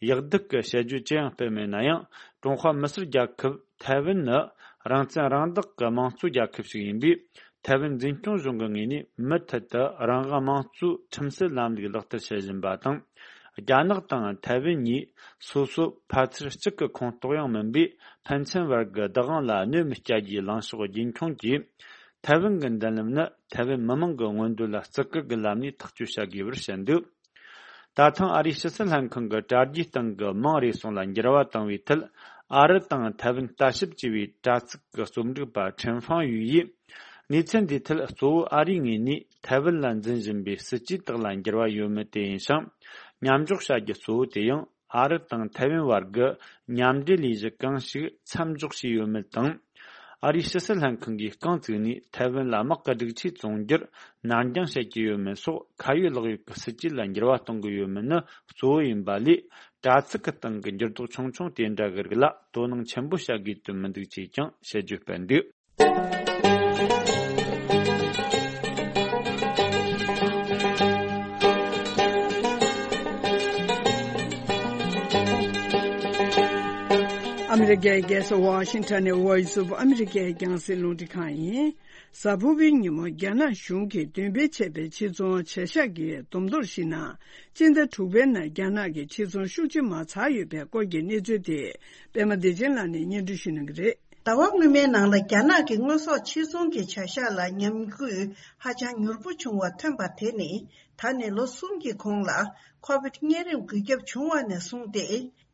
ཡག་སྡུག་གི་དཔྱད་བརྗོད་ཅི་ཡང་སྤེལ་མེད་ན་ཡང་། ཀྲུང་ཧྭ་མི་སེར་རྒྱལ་ཁབ་ཐའེ་ཝན་ནི་རང་བཙན་རང་བདག་གི་དམངས་གཙོ་རྒྱལ་ཁབ་ཞིག་ཡིན་པས། ཐའེ་ཝན་འཛིན་སྐྱོང་གཞུང་གི་ངོས་ནས་མུ་མཐུད་དུ་རང་དབང་དམངས་གཙོའི་ཁྲིམས་སྲོལ་ལམ་ལུགས་ལག་བསྟར་བྱེད་བཞིན་པ་དང་། རྒྱ་ནག་དང་ཐའེ་ཝན་གཉིས་སོ་སོ་ཕལ་ཆེར་གཅིག་གི་ཁོངས་གཏོགས་ཡང་མིན་པས། ཕན་ཚུན་བར་གྱི་བདག་དབང་ལ་གནོད་མི་སྐྱེལ་རྒྱུའི་ལངས་ཕྱོགས་རྒྱུན་འཁྱོངས་ཀྱིས། ཐའེ་ཝན་གྱི་མདུན་ལམ་ནི་ཐའེ་ཝན་མི་དམངས་ཀྱི་མངོན་འདོད་ལ་བརྩི་བཀུར་གྱི་ལམ་ནས་ཐག་གཅོད་བྱ་དགོས་པར་བཤད་འདུག་ད་ཐེངས་ཨ་རིའི་ཕྱི་སྲིད་ལྷན་ཁང་གི་དྲ་རྒྱའི་སྟེང་གི་མིང་རེ་ཟུང་ལ་འགྱུར་བ་བཏང་བའི་ཐད། ཨ་རི་དང་ཐའེ་ཝན་ལྟ་ཞིབ་ཅེས་པའི་དྲ་ཚིགས་ཀྱི་རྩོམ་སྒྲིག་པ་ཁྲེན་ཧྥང་ཡུས་ཡིས། གནས་ཚུལ་འདིའི་ཐད་གཙོ་བོ་ཨ་རིའི་ངོས་ནས་ཐའེ་ཝན་ལ་འཛིན་བཞིན་པའི་སྲིད་ཇུས་དག་ལ་འགྱུར་བ་ཡོད་མེད་དེ་ཡིན་ཞིང་། མཉམ་འཇོག་བྱ་རྒྱུ་གཙོ་བོ་དེ་ཡང་ཨ་རི་དང་ཐའེ་ཝན་བར་གྱི་མཉམ་འབྲེལ་ལས་གཞི་གང་ཞིག་མཚམས་འཇོག་བྱས་ཡོད་མེད་དང་། ཨ་རིའི་ཕྱི་སྲིད་ལྷན་ཁང་གིས་རྐང་བཙུགས་ནས་ཐའེ་ཝན་ལ་དམག་གི་སྒྲིག་ཆས་བཙོང་རྒྱུར་ནར་འགྱངས་བྱེད་ཀྱི་ཡོད་མེད་སོགས་ཁ་ཡོད་ལག་ཡོད་ཀྱི་སྲིད་ཇུས་ལ་འགྱུར་བ་གཏོང་གི་ཡོད་མེད་ནི་གཙོ་བོ་ཡིན་པ་ལས། དྲ་ཚིགས་ཀྱི་སྟེང་གི་འགྱུར་ལྡོག་ཆུང་ཆུང་དེ་འདྲ་གི་རིགས་ལ་དོ་སྣང་ཆེན་པོ་བྱ་དགོས་དོན་མི་འདུག་ཅེས་ཀྱང་དཔྱད་བརྗོད་སྤེལ་འདུག་ཨ་མི་རི་ཀའི་རྒྱལ་ས་ཝ་ཤིང་ཊོན་ནས་Voice of America་རྒྱང་སྲིང་རླུང་འཕྲིན་ཁང་ཡིན། གཟའ་ཕུར་བུའི་ཉིན་མོ་རྒྱ་ནག་གཞུང་གིས་འདོན་སྤེལ་བྱས་པའི་ཕྱིར་ཚོང་བྱ་གཞག་གི་བསྡོམས་ཐོར་གཞིགས་ན། སྤྱི་ཟླ་དྲུག་པའི་ནང་རྒྱ་ནག་གིས་ཕྱིར་ཚོང་ཤུགས་ཆེ་མ་ཚར་ཡོད་པའི་སྐོར་གྱི་གནས་ཚུལ་དེ་པད་མ་བདེ་ཆེན་ལགས་ནས་སྙན་སྒྲོན་ཞུ་གནང་གི་རེད། ཟླ་བ་སྔོན་མའི་ནང་ལ་རྒྱ་ནག་གི་དངོས་ཟོག་ཕྱིར་ཚོང་གི་བྱ་གཞག་ལ་ཉམས་རྒུད་ཧ་ཅང་མྱུར་པོ་བྱུང་བ་ཐོན་པ་དེ་ནི་ད་ནས་ལོ་གསུམ་གྱི་གོང་ལ་ཁོ་བིད་གཉན་རིམས་འགོས་ཁྱབ་བྱུང་བ་ནས་བཟུང་སྟེ་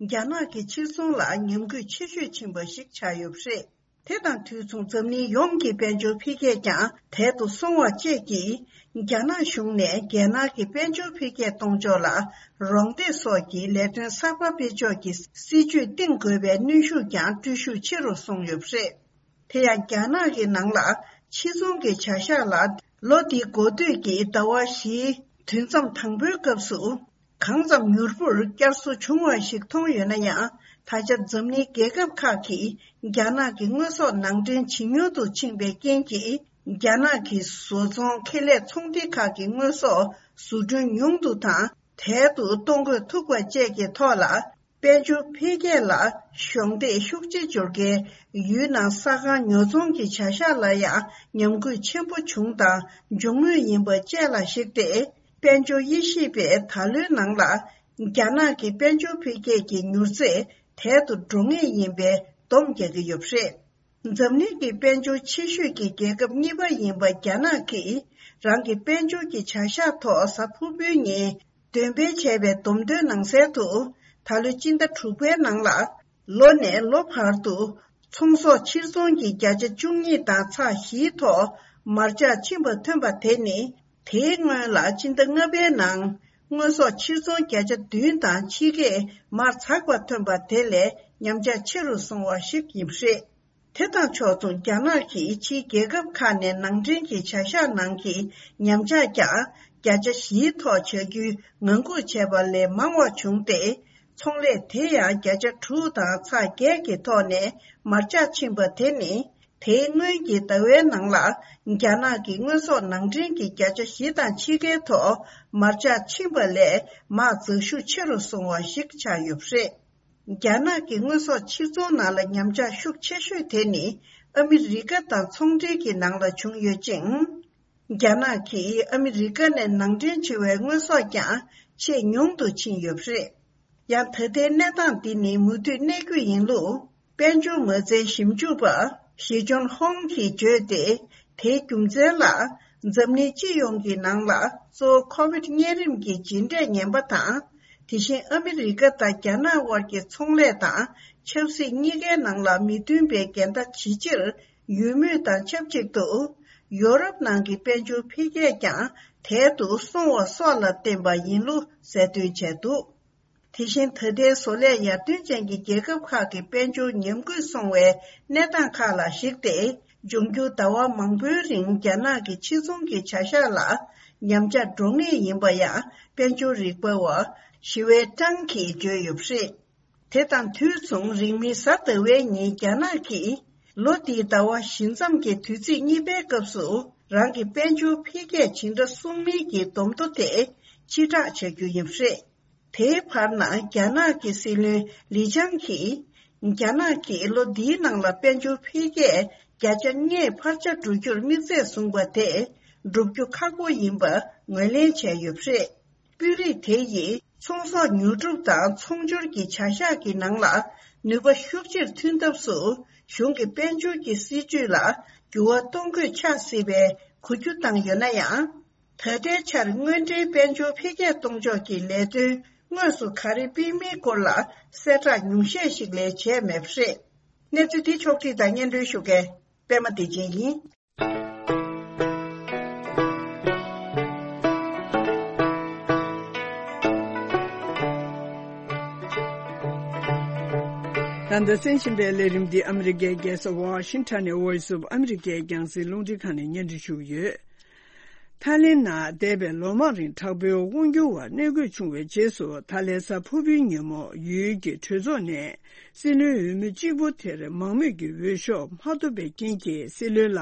རྒྱ་ནག་གི་ཕྱིར་ཚོང་ལ་ཉམས་རྒུད་ཆེ་ཤོས་ཕྱིན་པ་ཞིག་ཆགས་ཡོད་པ་རེད། དེ་དང་དུས་མཚུངས་འཛམ་གླིང་ཡོངས་ཀྱི་དཔལ་འབྱོར་འཕེལ་རྒྱས་ཀྱང་དལ་དུ་སོང་བ་བཅས་ཀྱིས་རྒྱ་ནག་གཞུང་ནས་རྒྱལ་ནང་གི་དཔལ་འབྱོར་འཕེལ་རྒྱས་གཏོང་ཕྱོགས་ལ་རོགས་འདེགས་སོགས་ཀྱི་ལས་དོན་གསར་པ་སྤེལ་ཕྱོགས་ཀྱི་སྲིད་ཇུས་བཏིང་དགོས་པའི་གནོན་ཤུགས་ཀྱང་སྤྲོད་ཤུགས་ཆེ་རུ་སོང་ཡོད་པ་རེད། དེ་ཡང་རྒྱ་ནག་གི་ནང་ལ་ཕྱིར་ཚོང་གི་བྱ་གཞག་ལ་ལོ་འདིའི་འགོ་སྟོད་ཀྱི་ཟླ་བ་བཞིའི་དུས་མཚམས་དང་པོའི་སྐབས་སུ། གང་ཙམ་མྱུར་པོར་བསྐྱར་གསོ་བྱུང་བ་ཞིག་མཐོང་ཡོད་ན་ཡང་། ད་ཆ་འཛམ་གླིང་རྒྱལ་ཁབ་ཁག་གིས་རྒྱ་ནག་གི་དངོས་ཟོག་ནང་འདྲེན་ཇེ་ཉུང་དུ་ཕྱིན་པའི་རྐྱེན་གྱིས། རྒྱ་ནག་གི་བཟོ་ཚོང་ཁེ་ལས་ཚོང་སྡེ་ཁག་གི་དངོས་ཟོག་བཟོ་སྐྲུན་ཉུང་དུ་དང་དལ་དུ་གཏོང་དགོས་ཐུག་པ་བཅས་ཀྱི་ཐོག་ལ། དཔལ་འབྱོར་འཕེལ་རྒྱས་ལ་གཞོགས་འདེགས་ཤུགས་ཆེ་འབྱོར་མཁན་ཡུལ་ནང་ས་ཁང་ཉོ་ཚོང་གི་བྱ་གཞག་ལ་ཡང་ཉམས་རྒུད་ཆེན་པོ་བྱུང་དང་འབྱུང་མུས་ཡིན་པ་བཅས་ལ་གཞིགས་ཏེ། དཔལ་འབྱོར་དབྱེ་ཞིབ་པས་ད་ལོའི་ནང་ལ་རྒྱ་ནག་གི་དཔལ་འབྱོར་འཕེལ་རྒྱས་ཀྱི་མྱུར་ཚད་དལ་དུ་འགྲོ་ངེས་ཡིན་པའི་སྡོམ་རྒྱག་གི་ཡོད་པ་རེད། འཛམ་གླིང་གི་དཔལ་འབྱོར་ཆེ་ཤོས་ཀྱི་རྒྱལ་ཁབ་གཉིས་པ་ཡིན་པ་རྒྱ་ནག་གིས་རང་གི་དཔལ་འབྱོར་གྱི་བྱ་གཞག་ཐོག་གཟའ་ཕུར་བུའི་ཉིན། འདོན་སྤེལ་བྱས་པའི་བསྡོམས་ཐོན་ནང་གསལ་དུ། ད་ལོའི་སྤྱི་ཟླ་དྲུག་པའི་ནང་ལ། ལོ་ནས་ལོ་བར་དུ། ཚོང་ཟོག་ཕྱིར་ཚོང་གི་བརྒྱ་ཆ་བཅུ་གཉིས་དང་ཚེག་བཞིའི་ཐོག་མར་ཆག་ཕྱིན་པ་ཐོན་པ་དེ་ནི། དེའི་སྔོན་ལ་སྤྱི་ཟླ་ལྔ་པའི་ནང་། དངོས་ཟོག་ཕྱིར་ཚོང་བརྒྱ་ཆ་བདུན་དང་ཕྱེད་ཀས་མར་ཚགས་པ་ཐོན་པ་དེ་ལས་ཉམས་ཆག་ཆེ་རུ་སོང་བ་ཞིག་ཡིན་པ་རེད། དེ་དང་ཕྱོགས་མཚུངས་རྒྱ་ནག་གིས་ཕྱིའི་རྒྱལ་ཁབ་ཁག་ནས་ནང་འདྲེན་གྱི་བྱ་གཞག་ནང་གི་ཉམས་ཆག་ཀྱང་བརྒྱ་ཆ་བཞིའི་ཐོག་བྱ་རྒྱུའི་ངང་སྒུག་བྱས་པ་ལས་མང་བ་བྱུང་སྟེ། ཚོང་ལས་དེ་ཡང་བརྒྱ་ཆ་དྲུག་དང་ཚེག་བརྒྱད་ཀྱི་ཐོག་ནས་མར་ཆག་ཕྱིན་པ་དེ་ནི། དེའི་སྔོན་གྱི་ཟླ་བའི་ནང་ལ་རྒྱ་ནག་གི་དངོས་ཟོག་ནང་འདྲེན་གྱི་བརྒྱ་ཆ་བཞི་དང་ཕྱེད་ཀའི་ཐོག་མར་ཆག་ཕྱིན་པ་ལས་མར་འཛེག་ཤུགས་ཆེ་རུ་སོང་བ་ཞིག་ཆགས་ཡོད་པ་རེད། རྒྱ་ནག་གི་དངོས་ཟོག་ཕྱིར་ཚོང་ནང་ལ་ཉམས་ཆག་ཤུགས་ཆེ་ཤོས་དེ་ནི་ཨ་མི་རི་ཀ་དང་ཚོང་འབྲེལ་གྱི་ནང་ལ་བྱུང་ཡོད་ཅིང་། རྒྱ་ནག་གིས་ཨ་མི་རི་ཀ་ནས་ནང་འདྲེན་བྱེད་པའི་དངོས་ཟོག་ཀྱང་ཆེས་ཉུང་དུ་ཕྱིན་ཡོད་པ་རེད། ཡང་ད་ལྟའི་གནས་སྟངས་འདི་ནི་མུ་མཐུད་གནས་རྒྱུ་ཡིན་ལུགས། དཔལ་འབྱོར་མ་རྩའི་ཞིབ་འཇུག་པ་ཞི་ཅོན་ཧོང་གིས་བརྗོད་དེ། དེའི་རྒྱུ་མཚན་ལ། འཛམ་གླིང་སྤྱི་ཡོངས་ཀྱི་ནང་ལ་གཙོ་བོ་ཁོ་བིད་གཉན་རིམས་ཀྱི་རྗེས་འབྲས་ངན་པ་དང་། དེ་བཞིན་ཨ་མི་རི་ཀ་དང་རྒྱ་ནག་དབར་གྱི་ཚོང་ལས་དང་ཆབ་སྲིད་གཉིས་ཀའི་ནང་ལ་མི་མཐུན་པའི་འགལ་ཟླ་ཇེ་ཆེར་ཡོད་མུས་དང་ཆབས་ཅིག་ཏུ། ཡོ་རོབ་ནང་གི་དཔལ་འབྱོར་འཕེལ་རྒྱས་ཀྱང་དལ་དུ་སོང་བ་སོགས་ལ་བརྟེན་པ་ཡིན་ལུགས་གསལ་སྟོན་བྱས་འདུག་དེ་བཞིན་ད་ལྟའི་བཟོ་ལས་ཡར་ཐོན་ཅན་གྱི་རྒྱལ་ཁབ་ཁག་གི་དཔལ་འབྱོར་ཉམས་རྒུད་སོང་བའི་གནས་སྟངས་ཁག་ལ་གཞིགས་ཏེ། འབྱུང་འགྱུར་ཟླ་བ་མང་པོའི་རིང་རྒྱ་ནག་གི་ཕྱིར་ཚོང་གི་བྱ་གཞག་ལ་ཉམས་ཆག་འགྲོ་ངེས་ཡིན་པ་ཡང་དཔལ་འབྱོར་རིག་པ་བ་ཞི་ཝེ་ཀྲང་གིས་བརྗོད་ཡོད་པ་རེད། དེ་དང་དུས་མཚུངས་རིང་མིན་གཟའ་ཟླ་བའི་ཉིན་རྒྱ་ནག་གིས། ལོ་འདིའི་ཟླ་བ་བཞི་མཚམས་ཀྱི་དུས་ཚིགས་གཉིས་པའི་སྐབས་སུ་རང་གི་དཔལ་འབྱོར་འཕེལ་རྒྱས་ཇི་འདྲ་སོང་མིན་གྱི་བསྡོམས་ཐོ་དེ་ཕྱིར་བསྒྲགས་བྱ་རྒྱུ་ཡིན་པ་རེད། དེའི་བར་ན་རྒྱ་ནག་གི་སྲིད་བློན་ལི་ཆང་གིས། རྒྱ་ནག་གིས་ལོ་འདིའི་ནང་ལ་དཔལ་འབྱོར་འཕེལ་རྒྱས་བརྒྱ་ཆ་ལྔས་འཕར་ཆ་འགྲོ་རྒྱུར་དམིགས་ཚད་བཟུང་བ་དེ་འགྲུབ་རྒྱུ་ཁག་པོ་ཡིན་པ་ངོས་ལེན་བྱས་ཡོད་པ་རེད། དཔོན་རིགས་དེ་ཡིས་ཚོང་ཟོག་ཉོ་སྒྲུབ་དང་ཚོང་སྦྱོར་གྱི་བྱ་གཞག་གི་ནང་ལ་ནུས་པ་ཤུགས་ཆེར་ཐོན་ཐབས་སུ་གཞུང་གི་དཔལ་འབྱོར་གྱི་སྲིད་ཇུས་ལ་འགྱུར་བ་གཏོང་དགོས་ཆགས་སྲིད་པའི་གོ་རྒྱུ་བཏང་ཡོད་ན་ཡང་། ད་ལྟའི་ཆར་དངོས་འབྲེལ་དཔལ་འབྱོར་འཕེལ་རྒྱས་གཏོང་ཕྱོགས་ཀྱི་ལས་དོན་དངོས་སུ་ག་རེ་སྤེལ་མིན་སྐོར་ལ་གསལ་བསྒྲགས་ཉུང་ཤས་ཤིག་ལས་བྱས་མེད་པ་རེད། གནས་ཚུལ་འདི་ཕྱོགས་བསྒྲིགས་དང་སྙན་སྒྲོན་ཞུ་མཁན་པད་མ་བདེ་ཆེན་ཡིན། ད་ལྟ་གསན་བཞིན་པའི་ལས་རིམ་འདི་ཨ་མི་རི་ཀའི་རྒྱལ་ས་ཝ་ཤིང་ཊོན་ནས་Voice of America་རྒྱང་སྲིང་རླུང་འཕྲིན་ཁང་ནས་སྙན་སྒྲོན་ཞུ་གི་ཡོད། ཐའི་ལེན་ནང་འདས་པའི་ལོ་མང་རིང་དྲག་པོའི་དབང་སྒྱུར་བ་གནས་དགོས་བྱུང་བའི་རྗེས་སུ། ཐའི་ལེན་གཟའ་ཕུར་བུའི་ཉིན་མོ་ཡུལ་གྱི་གྲོས་ཚོགས་ནས་སྲིད་བློན་འོས་མི་གཅིག་པུ་དེར་མང་མོས་ཀྱི་འོས་ཤོག་མ་ཐོབ་པའི་རྐྱེན་གྱིས། སྲིད་བློན་ལ་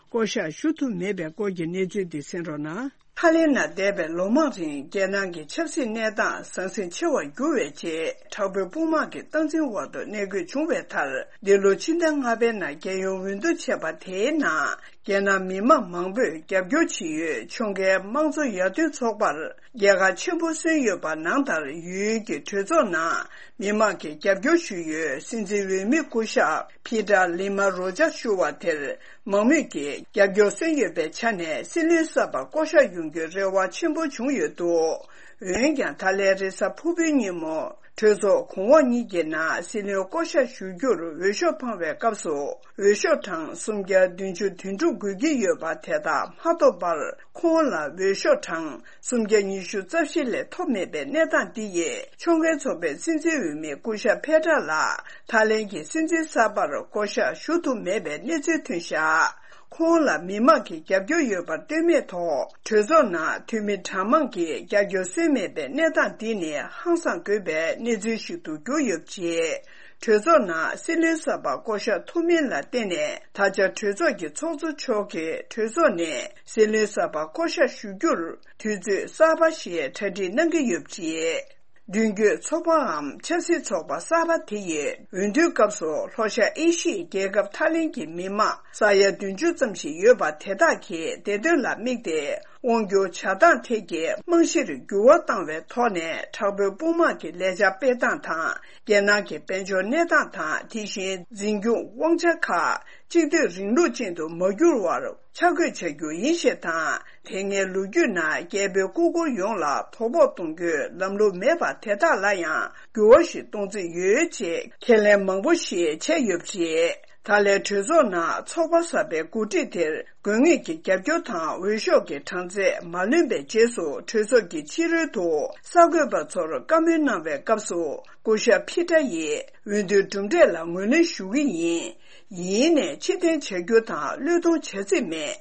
བསྐོ་གཞག་ཞུ་ཐུབ་མེད་པའི་སྐོར་གྱི་གནས་ཚུལ་འདི་གསན་རོགས་གནང་། ཐའི་ལེན་ནང་འདས་པའི་ལོ་མང་རིང་རྒྱལ་ནང་གི་ཆབ་སྲིད་གནས་སྟངས་ཟང་ཟིང་ཆེ་བར་གྱུར་བའི་རྗེས། དྲག་པོའི་དཔུང་དམག་གི་སྟངས་འཛིན་འོག་ཏུ་གནས་དགོས་བྱུང་བའི་མཐར། འདི་ལོ་ཕྱི་ཟླ་ལྔ་པའི་ནང་རྒྱལ་ཡོངས་འོས་བསྡུ་བྱས་པ་དེའི་ནང་། རྒྱལ་ནང་མི་མང་མང་པོས་རྒྱབ་སྐྱོར་བྱེད་ཡུལ་ཕྱོགས་འགལ་དམངས་གཙོ་ཡར་ཐོན་ཚོགས་པར་རྒྱལ་ཁ་ཆེན་པོ་སོན་ཡོད་པ་ནང་ལྟར། ཡུལ་གྱི་གྲོས་ཚོགས་ནང་མི་མང་གིས་རྒྱབ་སྐྱོར་ཞུ་ཡུལ་སྲིད་འཛིན་འོས་མི་སྐུ་ཞབས་ཕི་ཏྲ་ལི་མ་རོ་ཇཱ་ཞུ་བ་དེར་མང་མོས་ཀྱིས་རྒྱབ་སྐྱོར་སོན་ཡོད་པའི་ཆ་ནས། སྲིད་བློན་གསར་པ་བསྐོ་གཞག་ཡོང་རྒྱུའི་རེ་བ་ཆེན་པོ་བྱུང་ཡོད་འདུག་འོན་ཀྱང་། ད་ལན་རེས་གཟའ་ཕུར་བུའི་ཉིན་མོ། གྲོས་ཚོགས་གོང་འོག་གཉིས་ཀྱི་ནང་སྲིད་བློན་བསྐོ་གཞག་ཞུ་རྒྱུར་འོས་ཤོག་འཕངས་པའི་སྐབས་སུ། འོས་ཤོག་གྲངས་སུམ་བརྒྱ་བདུན་ཅུ་དོན་དྲུག་དགོས་ཀྱི་ཡོད་པ་དེ་དག་མ་ཐོབ་པར། ཁོང་ལ་འོས་ཤོག་གྲངས་སུམ་བརྒྱ་ཉི་ཤུ་རྩ་བཞི་ལས་ཐོབ་མེད་པའི་གནས་སྟངས་འདི་ཡིས། ཕྱོགས་འགལ་ཚོགས་པའི་སྲིད་འཛིན་འོས་མི་སྐུ་ཞབས་ཕེ་ཏྲ་ལགས་ཐའི་ལེན་གྱི་སྲིད་འཛིན་གསར་པར་བསྐོ་གཞག་ཞུ་ཐུབ་མེད་པའི་གནས་ཚུལ་ཐོན་བཞག་ཁོང་ལ་མི་མང་གི་རྒྱབ་སྐྱོར་ཡོད་པར་ལྟོས་མེད་ཐོག་གྲོས་ཚོགས་ནང་འཐུས་མི་གྲངས་མང་གིས་རྒྱབ་སྐྱོར་སོན་མེད་པའི་གནས་སྟངས་འདི་ནི་ཧང་སངས་དགོས་པའི་གནས་ཚུལ་ཞིག་ཏུ་གྱུར་ཡོད་པ་རེད། གྲོས་ཚོགས་ནང་སྲིད་བློན་གསར་པ་བསྐོ་གཞག་ཐུབ་མིན་ལ་བརྟེན་ནས། ད་ཆ་གྲོས་ཚོགས་ཀྱི་ཚོགས་གཙོ་མཆོག་གིས་གྲོས་ཚོགས་ནས་སྲིད་བློན་གསར་པ་བསྐོ་གཞག་ཞུ་རྒྱུར་དུས་ཚོད་གསར་པ་ཞིག་གྲ་སྒྲིག་གནང་གི་ཡོད་པ་རེད། མདུན་སྐྱོད་ཚོགས་པའམ་ཆབ་སྲིད་ཚོགས་པ་གསར་པ་དེ་ཡི་འོས་བསྡུའི་སྐབས་སུ། ལྷོ་ཤར་ཨེ་ཤི་ཡའི་རྒྱལ་ཁབ་ཐའི་ལེན་གྱི་མི་མང་ས་ཡ་བདུན་ཅུ་ཙམ་ཞིག་ཡོད་པ་དེ་དག་གིས་བདེ་དོན་ལ་དམིགས་ཏེ། དབང་སྒྱུར་བྱ་སྟངས་ཐད་ཀྱི་རྨང་གཞིར་འགྱུར་བ་བཏང་བའི་ཐོག་ནས། དྲག་པོའི་དཔུང་དམག་གི་ལས་འཆར་སྤེལ་སྟངས་དང་། རྒྱལ་ནང་གི་དཔལ་འབྱོར་གནས་སྟངས་དང་། དེ་བཞིན་འཛིན་སྐྱོང་དབང་ཆ་ཁག་གཅིག་སྡུད་རིང་ལུགས་ཅན་དུ་མ་འགྱུར་བར་ཆ་བགོས་བྱ་རྒྱུ་ཡིན་ཞེས་དང་། དེ་སྔའི་ལོ་རྒྱུས་ནང་རྒྱལ་པོའི་སྐུ་འཁོར་ཡོངས་ལ་དོ་ཕོག་གཏོང་རྒྱུའི་ལམ་ལུགས་མེད་པ་དེ་དག་ལ་ཡང་འགྱུར་བ་ཞིག་གཏོང་རྩིས་ཡོད་ཅེས་ཁས་ལེན་མང་པོ་ཞིག་བྱས་ཡོད་པ་རེད། ད་ལན་གྲོས་ཚོགས་ནང་ཚོགས་པ་གསར་པའི་འགོ་ཁྲིད་དེར་དགོས་ངེས་ཀྱི་རྒྱབ་སྐྱོར་དང་། འོས་ཤོག་གི་གྲངས་ཚད་མ་ལོན་པའི་རྗེས་སུ། གྲོས་ཚོགས་ཀྱི་ཕྱི་རོལ་དུ་གསར་འགོད་པ་ཚོར་བཀའ་མོལ་གནང་བའི་སྐབས་སུ། སྐུ་ཞབས་ཕི་ཏྲ་ཡིས་འོས་བསྡུའི་གྲུབ་འབྲས་ལ་ངོས་ལེན་ཞུ་གི་ཡིན། ཡིན་ནའི་ཕྱིར་འཐེན་བྱ་རྒྱུ་དང་བློས་གཏོང་བྱ་རྩིས་མེད།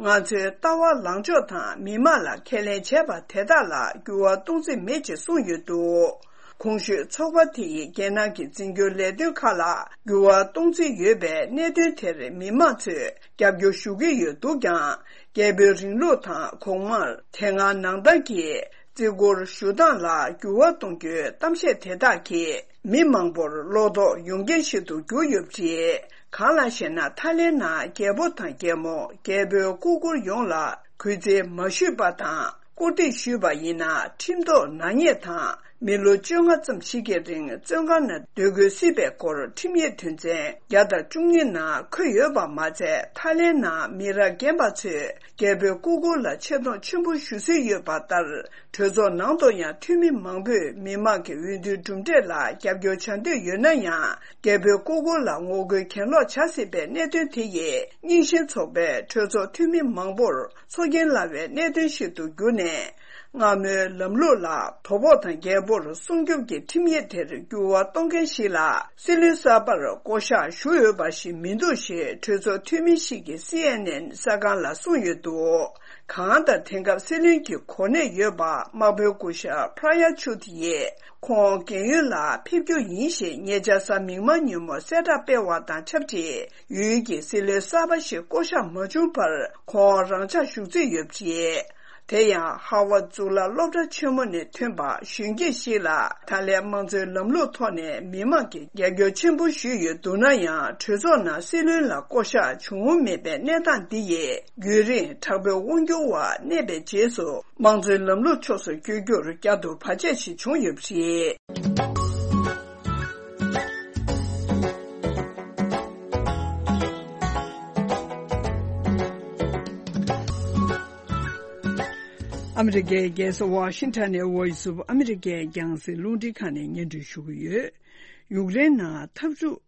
ང་ཚོའི་ལྟ་བ་ལངས་ཕྱོགས་དང་མི་མང་ལ་ཁས་ལེན་བྱས་པ་དེ་དག་ལ་འགྱུར་བ་གཏོང་རྩིས་མེད་ཅེས་གསུངས་ཡོད་འདུག་གོང་ཞུས་ཚོགས་པ་དེ་ཡིས་རྒྱལ་ནང་གི་འཛིན་སྐྱོང་ལས་དོན་ཁག་ལ་འགྱུར་བ་གཏོང་རྩིས་ཡོད་པའི་གནད་དོན་དེར་མི་མང་ཚོས་རྒྱབ་སྐྱོར་ཞུ་གི་ཡོད་འདུག་ཀྱང་། རྒྱལ་པོའི་རིང་ལུགས་དང་གོང་མར་དེ་སྔ་ནང་བསྟན་གྱི་བརྩི་བཀུར་ཞུ་སྟངས་ལ་འགྱུར་བ་གཏོང་རྒྱུའི་གཏམ་བཤད་དེ་དག་གིས་མི་མང་པོར་བློ་དོགས་ཡོང་རྐྱེན་ཞིག་ཏུ་གྱུར་ཡོད་པ་རེད། གང་ལགས་ཤེ་ན། ཐའི་ལེན་ནང་རྒྱལ་པོ་དང་རྒྱལ་མོ། རྒྱལ་པོའི་སྐུ་འཁོར་ཡོངས་ལ་གུས་བརྩི་མ་ཞུས་པ་དང་། སྐུར་འདེབས་ཞུས་པ་ཡིན་ན་ཁྲིམས་ཐོག་ནག་ཉེས་དང་། མི་ལོ་བཅོ་ལྔ་ཙམ་ཞིག་གི་རིང་བཙོན་ཁང་ནང་སྡོད་དགོས་སྲིད་པའི་སྐོར་ཁྲིམས་ཡིག་དོན་ཚན་བརྒྱ་དང་བཅུ་གཉིས་ནང་འཁོད་ཡོད་པ་མ་ཚད། ཐའི་ལེན་ནང་མི་རབས་རྒན་པ་ཚོས་རྒྱལ་པོའི་སྐུ་འཁོར་ལ་ཆེ་མཐོང་ཆེན་པོ་ཞུ་སྲོལ་ཡོད་པ་ལྟར། གྲོས་ཚོགས་ནང་དུ་ཡང་འཐུས་མི་མང་པོས་མི་མང་གི་འོས་བསྡུའི་གྲུབ་འབྲས་ལ་རྒྱབ་སྐྱོར་བྱ་འདོད་ཡོད་ན་ཡང་། རྒྱལ་པོའི་སྐུ་འཁོར་ལ་ངོ་རྒོལ་གྱེན་ལོག་བྱ་སྲིད་པའི་གནད་དོན་དེ་ཡིས། རྙིང་ཞེན་ཚོགས་པའི་གྲོས་ཚོགས་འཐུས་མི་མང་པོར་ཚོར་སྐྱེན་སླ་བའི་གནད་དོན་ཞིག་ཏུ་གྱུར་ནས། སྔ་མོའི་ལམ་ལུགས་ལ་དོ་ཕོག་དང་རྒྱལ་པོར་སྲུང་སྐྱོབ་ཀྱི་ཁྲིམས་ཡིག་དེར་འགྱུར་བ་གཏོང་མཁན་ཞིག་ལ་སྲིད་བློན་གསར་པར་བསྐོ་གཞག་ཞུ་འོས་པ་ཞིག་མི་འདུག་ཞེས་གྲོས་ཚོགས་འཐུས་མི་ཞིག་གིས་སི་ཨེན་ཨེན་གསར་ཁང་ལ་གསུངས་ཡོད་འདུག་གང་ལྟར་དེང་སྐབས་སྲིད་བློན་གྱི་གོ་གནས་ཡོད་པ་དམག་དཔོན་སྐུ་ཞབས་Prayuth Chan་ཡིས་ཁོང་རྒས་ཡོལ་ལ་ཕེབས་རྒྱུ་ཡིན་ཞེས་ཉེ་ཆར་གཟའ་མིག་དམར་ཉིན་མོ་གསལ་བསྒྲགས་སྤེལ་བ་དང་ཆབས་ཅིག་ཡུལ་གྱི་སྲིད་བློན་གསར་པ་ཞིག་བསྐོ་གཞག་མ་བྱུང་བར་ཁོང་རང་འཇགས་བཞུགས་རྩིས་ཡོད་པ་རེད། དེ་ཡང་ཧ་ཝར་གཙུག་ལག་སློབ་གྲྭ་ཆེན་མོ་ནས་ཐོན་པ་གཞོན་སྐྱེས་ཤིག་ལ་ད་ལན་དམངས་གཙོའི་ལམ་ལུགས་ཐོག་ནས་མི་མང་གིས་རྒྱབ་སྐྱོར་ཆེན་པོ་ཞུས་ཡོད་འདུག་ན་ཡང་གྲོས་ཚོགས་ནང་སྲིད་བློན་ལ་བསྐོ་གཞག་བྱུང་མེད་པའི་གནས་སྟངས་འདི་ཡིས་རྒྱུན་རིང་དྲག་པོའི་དབང་སྒྱུར་འོག་གནས་པའི་རྗེས་སུ་དམངས་གཙོའི་ལམ་ལུགས་ཕྱོགས་སུ་བསྐྱོད་རྒྱུར་བསྐྱར་དུ་བར་ཆད་ཞིག་བྱུང་ཡོད་པ་རེད། ཨ་མི་རི་ཀའི་རྒྱལ་ས་ཝ་ཤིང་ཊོན་ནས་Voice of America་རྒྱང་སྲིང་རླུང་འཕྲིན་ཁང་ནས་སྙན་སྒྲོན་ཞུ་གི་ཡོད། ཡུཀ་རེན་ནང་འཐབ་འཁྲུག་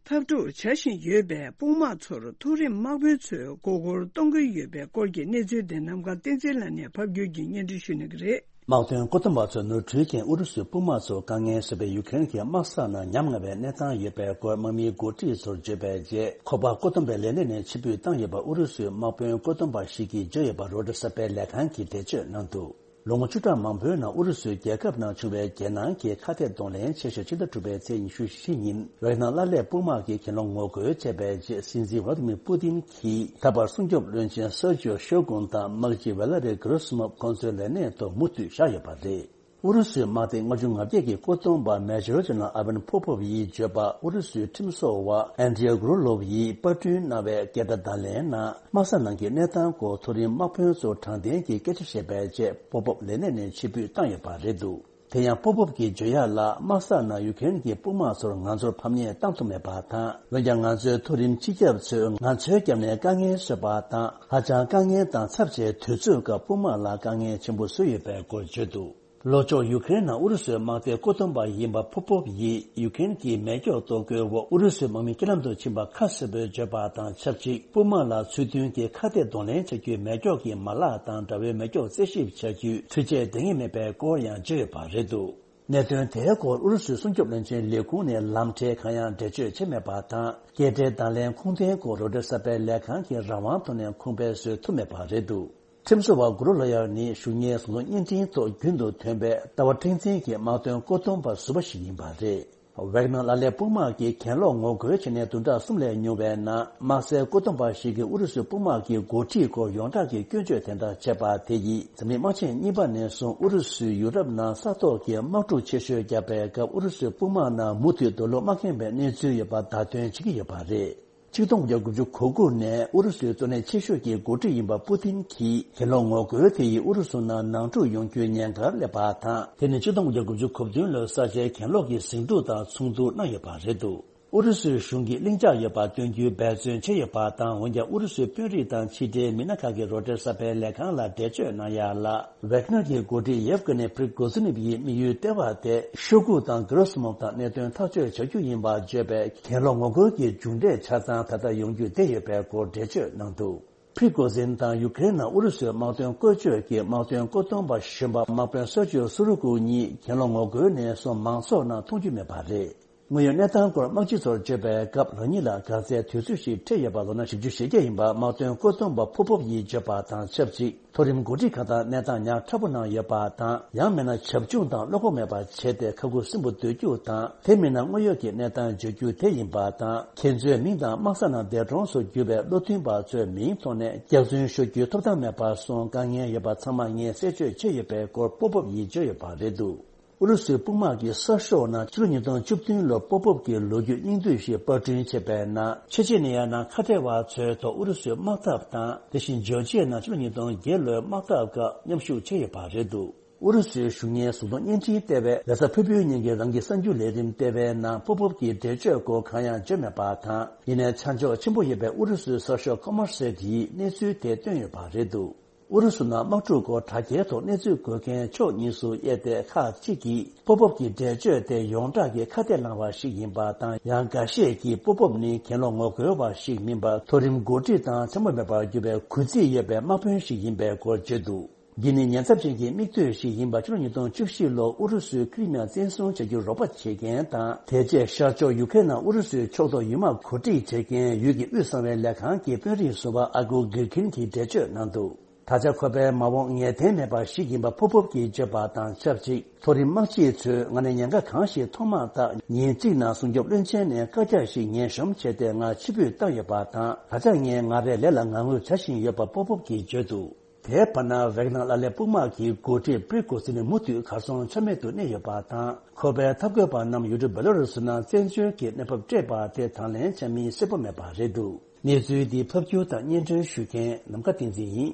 འཐབ་འཁྲུག་བྱ་བཞིན་ཡོད་པའི་དཔུང་དམག་ཚོར་མཐོ་རིམ་དམག་དཔོན་ཚོས་མགོ་སྐོར་གཏོང་གི་ཡོད་པའི་སྐོར་གྱི་གནས་ཚུལ་དེ་ནམ་མཁའ་བསྟན་འཛིན་ལགས་ནས་ཕབ་སྒྱུར་གྱིས་སྙན་སྒྲོན་ཞུ་གནང་གི་རེད། དམག་དོན་བཀོད་འདོམས་པ་ཚོས་ནོར་འཁྲུལ་རྐྱེན་ཨུ་རུ་སུའི་དཔུང་དམག་ཚོར་དཀའ་ངལ་བཟོས་པའི་ཡུཀ་རེན་གྱི་དམག་ས་ནང་ཉམས་དམའ་བའི་གནས་སྟངས་ཡོད་པའི་སྐོར་དམག་མིའི་འགོ་ཁྲིད་ཚོར་བརྗོད་པའི་རྗེས། ཁོག་པ་བཀོད་འདོམས་པའི་ལས་གནས་ནས་ཕྱིར་འབུད་བཏང་ཡོད་པ་ཨུ་རུ་སུའི་དམག་དཔོན་བཀོད་འདོམས་པ་ཞིག་གིས་བརྗོད་ཡོད་པ་རོའི་ཊར་གསར་པའི་ལས་ཁང་གིས་འགྲེལ་བརྗོད་གནང་འདུག་ལོ་ངོ་བཅུ་ཕྲག་མང་པོའི་ནང་ཨུ་རུ་སུའི་རྒྱལ་ཁབ་ནང་བྱུང་བའི་རྒྱལ་ནང་གི་ཁ་གཏད་གདོང་ལེན་ཆེ་ཤོས་ཕྱི་ཟླ་དྲུག་པའི་ཚེས་ཉི་ཤུ་བཞི་ཉིན་ཝེག་ནར་ལ་ལས་དཔུང་དམག་གི་གྱེན་ལོག་ངོ་རྒོལ་བྱས་པའི་རྗེས། སྲིད་འཛིན་ཝ་ལ་ཏི་མིར་པུ་ཏིན་གྱིས་ད་བར་སྲུང་སྐྱོབ་བློན་ཆེན་སར་ཇོ་ཤོ་གུན་དང་དམག་སྤྱི་ཝེ་ལ་རི་གྷི་རོ་སི་མོབ་ཁོང་ཚོའི་ལས་གནས་ཐོག་མུ་མཐུད་བཞག་ཡོད་པ་རེད། ཨུ་རུ་སུའི་དམག་སྡེ་ལྔ་བཅུ་ང་བརྒྱད་ཀྱི་བཀོད་གཏོང་པ་མེ་ཇོར་ཇེ་ནེ་རལ་ཨ་ཝན་པོ་པོབ་ཡིས་བརྗོད་པར། ཨུ་རུ་སུའི་ཁྲིམས་བཟོ་བ་ཨན་དྲི་ཡ་གུ་རུ་ལོབ་ཡིས་པར་སྐྲུན་གནང་བའི་སྐད་བརྡ་བརྡ་ལན་ནང་། དམག་ས་ནང་གི་གནས་སྟངས་སྐོར་མཐོ་རིམ་དམག་དཔོན་ཚོར་དྲང་བདེན་གྱི་སྐད་ཆ་བཤད་པའི་རྗེས། པོ་པོབ་ལས་གནས་ནས་ཕྱིར་འབུད་བཏང་ཡོད་པ་རེད་འདུག་དེ་ཡང་པོ་པོབ་ཀྱིས་བརྗོད་ཡག་ལ། དམག་ས་ནང་ཡུ་ཀེ་རེན་གྱི་དཔུང་དམག་ཚོར་ང་ཚོར་ཕམ་ཉེས་བཏང་ཐུབ་མེད་པ་དང་། འོན་ཀྱང་ང་ཚོའི་མཐོ་རིམ་སྤྱི་ཁྱབ་ཚོས་ང་ཚོའི་རྒྱབ་ནས་དཀའ་ངལ་བཟོས་པ་དང་། ཧ་ཅང་དཀའ་ངལ་དང་ཚབས་ཆེའི་དུས་ཚོད་སྐབས་དཔུང་དམག་ལ་དཀའ་ངལ་ཆེན་པོ་བཟོས་ཡོད་པའི་སྐོར་བརྗོད་འདུག་ལྷོ་ཕྱོགས་ཡུ་ཀེ་རེན་ནང་ཨུ་རུ་སུའི་དམག་སྡེ་བཀོད་གཏོང་པ་ཡིན་པ་པོ་པོབ་ཡིས། ཡུ་ཀེ་རེན་གྱི་མེ་སྒྱོགས་གཏོར་རྒོལ་འོག་ཨུ་རུ་སུའི་དམག་མི་རྐྱེན་ལམ་དུ་ཕྱིན་པ་ཁ་གསལ་པོས་བརྗོད་པ་དང་ཆབས་ཅིག་དཔུང་དམག་ལ་ཚུལ་མཐུན་གྱི་ཁ་གཏད་གདོང་ལེན་བྱ་རྒྱུའི་མེ་སྒྱོགས་ཀྱི་མ་ལག་དང་འདྲ་བའི་མེ་སྒྱོགས་རྩད་ཞིབ་བྱ་རྒྱུའི་འཕྲུལ་ཆས་འདང་ངེས་མེད་པའི་སྐོར་ཡང་བརྗོད་ཡོད་པ་རེད་འདུག་གནད་དོན་དེའི་སྐོར་ཨུ་རུ་སུའི་སྲུང་སྐྱོབ་བློན་ཆེན་ལས་ཁུངས་ནས་ལམ་ཁྲལ་གང་ཡང་འགྲེལ་བརྗོད་བྱས་མེད་པ་དང་། སྐད་སྒྲའི་བརྡ་ལན་ཁུངས་ལྡན་སྐོར་རོའི་ཊར་གསར་པའི་ལས་ཁང་གིས་རང་དབང་ཐོག་ནས་ཁུངས་སྤེལ་བཟོ་ཐུབ་མེད་པ་རེད་འདུག་ཁྲིམས་བཟོ་བ་གུ་རུ་ལོ་ཡར་ནི་གཞུང་གཉེར་ཟུང་འབྲེལ་བརྙན་འཕྲིན་ཐོག་རྒྱུན་དུ་ཐོན་པའི་ལྟ་བ་མཁྲེགས་འཛིན་གྱི་དམག་དོན་བཀོད་གཏོང་པ་ཟུར་པ་ཞིག་ཡིན་པ་རེད། ཝེག་ནར་ལ་ལས་དཔུང་དམག་གིས་གྱེན་ལོག་ངོ་རྒོལ་བྱས་ནས་བདུན་ཕྲག་གསུམ་ལས་ཉུང་བའི་ནང་། དམག་སའི་བཀོད་འདོམས་པ་ཞིག་གིས་ཨུ་རུ་སུའི་དཔུང་དམག་གི་འགོ་ཁྲིད་སྐོར་ཡོངས་གྲགས་ཀྱི་སྐྱོན་བརྗོད་དེ་འདྲ་བྱས་པ་དེ་ཡིས། འཛམ་གླིང་དམག་ཆེན་གཉིས་པ་ནས་བཟུང་ཨུ་རུ་སུས་ཡུ་རོབ་ནང་ས་ཐོག་གི་དམག་འཁྲུག་ཆེ་ཤོས་བརྒྱབ་པའི་སྐབས། ཨུ་རུ་སུའི་དཔུང་དམག་ནང་མུ་མཐུད་རྡོ་ལུག་མ་འཁེལ་བའི་གནས་ཚུལ་ཡོད་པ་བརྡ་སྟོན་བྱེད་ཀྱི་ཡོད་པ་རེད། ཆིག་སྟོང་དགུ་བརྒྱ་དགུ་བཅུ་གོ་དགུ་ནས་ཨུ་རུ་སུའི་གཙོ་གནད་ཆེ་ཤོས་ཀྱི་འགོ་ཁྲིད་ཡིན་པ་པུ་ཏིན་གྱིས། གྱེན་ལོག་ངོ་རྒོལ་དེ་ཡིས་ཨུ་རུ་སུ་ནང་ནང་འཁྲུག་ཡོང་རྒྱུའི་ཉེན་ཁར་སླེབས་པ་དང་། དེ་ནི་ཆིག་སྟོང་དགུ་བརྒྱ་དགུ་བཅུ་གོ་བདུན་ལོའི་ས་ཆའི་གྱེན་ལོག་གི་ཟིང་འཁྲུག་དང་མཚུངས་བསྡུར་གནང་ཡོད་པ་རེད་འདུག་ཨུ་རུ་སུའི་གཞུང་གིས་ལྷིང་འཇགས་ཡོད་པ་སྟོན་རྒྱུའི་འབད་བརྩོན་བྱས་ཡོད་པ་དང་། འོན་ཀྱང་ཨུ་རུ་སུའི་དཔོན་རིགས་དང་ཕྱི་འབྲེལ་མི་སྣ་ཁག་གིས་རོའི་ཊར་གསར་པའི་ལས་ཁང་ལ་འགྲེལ་བརྗོད་གནང་ཡག་ལ། ཝེག་ནར་གྱི་འགོ་ཁྲིད་ཡེབ་ཀི་ནི་པྲི་གོ་ཛི་ནིབ་ཡི་དམིགས་ཡུལ་ལྟེ་བ་དེ་ཤོ་གུ་དང་གི་རོ་སི་མོབ་དང་གནད་དོན་ཐག་གཅོད་བྱ་རྒྱུ་ཡིན་པ་བརྗོད་པའི་གྱེན་ལོག་ངོ་རྒོལ་གྱི་མཇུག་འབྲས་ཆ་ཚང་ད་ལྟ་ཡོང་རྒྱུ་བསྡད་ཡོད་པའི་སྐོར་འགྲེལ་བརྗོད་གནང་འདུག་པྲི་གོ་ཛིན་དང་ཡུ་ཀེ་རེན་ནང་ཨུ་རུ་སུའི་དམག་དོན་བཀོལ་སྤྱོད་ཀྱི་དམག་དོན་བཀོད་གཏོང་པ་གཞོན་པ་དམག་དཔོན་སར་ཇིའོ་སུ་རུ་ཀུ་གཉིས་གྱེན་ལོག་ངོ་རྒོལ་ནས་བཟུང་མང་ཚོགས་ནང་མཐོང་རྒྱུ་མེད་པ་རེད། དངོས་ཡོད་གནས་སྟངས་སྐོར་དམག་སྤྱི་ཚོར་བརྗོད་པའི་སྐབས། རང་ཉིད་ལ་ག་ཚད་དུས་ཚོད་ཞིག་འཕྲད་ཡོད་པ་ལོ་ན་བཞི་བཅུ་ཞེ་བརྒྱད་ཡིན་པ་དམག་དོན་བཀོད་གཏོང་པ་པོ་པོབ་ཡིས་བརྗོད་པ་དང་ཆབས་ཅིག་མཐོ་རིམ་འགོ་ཁྲིད་ཁག་དང་གནས་སྟངས་ཉག་ཕྲ་པོ་ནང་ཡོད་པ་དང་། ཡང་མིན་ན་བྱབ་ཆུང་དང་བློ་ཁོག་མེད་པ་བྱས་ཏེ་ཁ་ཁུ་སིམ་པོ་སྡོད་རྒྱུ་དང་། དེ་མིན་ན་དངོས་ཡོད་ཀྱི་གནས་སྟངས་བརྗོད་རྒྱུ་དེ་ཡིན་པ་དང་། ཁྱེད་ཚོའི་མིང་དང་དམག་ས་ནང་འདས་གྲོངས་སུ་གྱུར་པའི་བློ་མཐུན་པ་ཚོའི་མིང་ཐོག་ནས་སྐྱག་རྫུན་ཤོད་རྒྱུའི་ཐོབ་ཐང་མེད་པར་སོང་དཀའ་ངལ་ཡོད་པ་ཚང་མ་ངས་གསལ་བརྗོད་བྱས་ཡོད་པའི་སྐོར་པོ་པོབ་ཡིས་བརྗོད་ཡོད་པ་རེད་འདུག་ཨུ་རུ་སུའི་དཔུང་དམག་གི་གསར་ཤོག་ནང་ཕྱི་ལོ་ཉིས་སྟོང་བཅུ་བདུན་ལོར་པོ་པོབ་ཀྱི་ལོ་རྒྱུས་སྙིང་བསྡུས་ཤིག་པར་སྐྲུན་བྱས་པའི་ནང་། ཆེ་ཆེ་ནི་ཡ་ནང་ཁ་བྲལ་བ་ཚོའི་ཐོག་ཨུ་རུ་སུའི་དམག་འཐབ་དང་། དེ་བཞིན་ཇོར་ཇི་ཡའི་ནང་ཕྱི་ལོ་ཉིས་སྟོང་བརྒྱད་ལོའི་དམག་འཐབ་སྐབས་མཉམ་ཞུགས་བྱས་ཡོད་པ་རེད་འདུག་ཨུ་རུ་སུའི་གཞུང་གཉེར་གཟུགས་མཐོང་བརྙན་འཕྲིན་ལྟེ་བས་རེས་གཟའ་ཕུར་བུའི་ཉིན་གྱི་རང་གི་གསར་འགྱུར་ལས་རིམ་ལྟེ་བའི་ནང་པོ་པོབ་ཀྱི་འགྲེལ་བརྗོད་སྐོར་གང་ཡང་བརྗོད་མེད་པ་དང་། ཡིན་ནའི་ཆ་འཇོག་ཆེན་པོ་ཡོད་པའི་ཨུ་རུ་སུའི་གསར་ཤོག་ཀོ་མར་སེཊ་ཡིས་གནས་ཚུལ་དེ་བཏོན་ཡོད་པ་རེད་འདུག་ཨུ་རུ་སུ་ནང་དམག་འཁྲུག་སྐོར་དྲ་རྒྱའི་ཐོག་གནས་ཚུལ་འགོད་མཁན་ཕྱོགས་གཉིས་སུ་དབྱེ་སྟེ། ཁག་ཅིག་གིས་པོ་པོབ་ཀྱི་འགྲེལ་བརྗོད་དེ་ཡོངས་གྲགས་ཀྱི་ཁ་གཏད་བླངས་པ་ཞིག་ཡིན་པ་དང་། ཡང་འགའ་ཤས་ཀྱིས་པོ་པོབ་ནི་གྱེན་ལོག་ངོ་རྒོལ་བ་ཞིག་མིན་པར། མཐོ་རིམ་འགོ་ཁྲིད་དང་འཚེ་མེད་པར་གྱུར་པའི་གུས་བརྩི་ཡོད་པའི་དམག་དཔོན་ཞིག་ཡིན་པའི་སྐོར་བརྗོད་འདུག་འདི་ནི་ཉེན་ཚབས་ཅན་གྱི་མིག་ལྟོས་ཤིག་ཡིན་པ། ཕྱི་ལོ་ཉིས་སྟོང་བཅུ་བཞི་ལོར་ཨུ་རུ་སུས་ཁི་རི་མི་ཡ་བཙན་བཟུང་བྱ་རྒྱུར་རོགས་པ་བྱེད་མཁན་དང་། དེ་རྗེས་ཤར་ཕྱོགས་ཡུ་ཀེ་རེན་ནང་ཨུ་རུ་སུའི་ཕྱོགས་གཏོགས་ཡུལ་དམག་གོ་སྒྲིག་བྱེད་མཁན་ཡུལ་གྱི་དབུས་གསང་བའི་ལས་ཁང་གི་དཔོན་རིགས་ཟུར་པ་ཨ་གུ་གིར་ཁིན་གྱིས་འགྲེལ་བརྗོད་གནང་འདུག་ད་ཆ་ཁོ་པའི་མ་འོངས་ངེས་གཏན་མེད་པ་ཞིག་ཡིན་པ་ཕོབ་ཕོབ་ཀྱིས་བརྗོད་པ་དང་ཆབས་ཅིག་མཐོ་རིམ་དམག་སྤྱི་ཚོས་ང་ནི་ཉེན་ཁ་གང་ཞིག་མཐོང་མ་ཐག་ཉིན་གཅིག་ནང་སྲུང་སྐྱོབ་བློན་ཆེན་ནས་བཀའ་རྒྱ་ཞིག་ཉན་ཤོམ་བྱས་ཏེ་ང་ཕྱིར་འབུད་བཏང་ཡོད་པ་དང་། ད་ཆ་ངས་ང་རའི་ལས་ལ་ངར་ངར་བྱ་བཞིན་ཡོད་པ་ཕོབ་ཕོབ་ཀྱིས་བརྗོད་འདུག་དེའི་བར་ན་ཝེག་ནར་ལ་ལས་དཔུང་དམག་གི་འགོ་ཁྲིད་པྲི་གོ་ཟིན་ནི་མུ་མཐུད་གར་སོང་ཆ་མེད་དུ་གནས་ཡོད་པ་དང་། ཁོ་པའི་འཐབ་རྒོལ་པ་རྣམས་ཡུལ་གྲུ་བེ་ལ་རུ་སུ་ནང་བཙན་བྱོལ་གྱི་གནས་བབ་སྤྲད་པ་དེ་དང་ལེན་བྱ་མིན་གསལ་པོ་མེད་པ་རེད་འདུག་གནས་ཚུལ་འདི་ཕབ་སྒྱུར་དང་སྙན་སྒྲོན་ཞུ་མཁན་ནམ་མཁའ་བསྟན་འཛིན་ཡིན།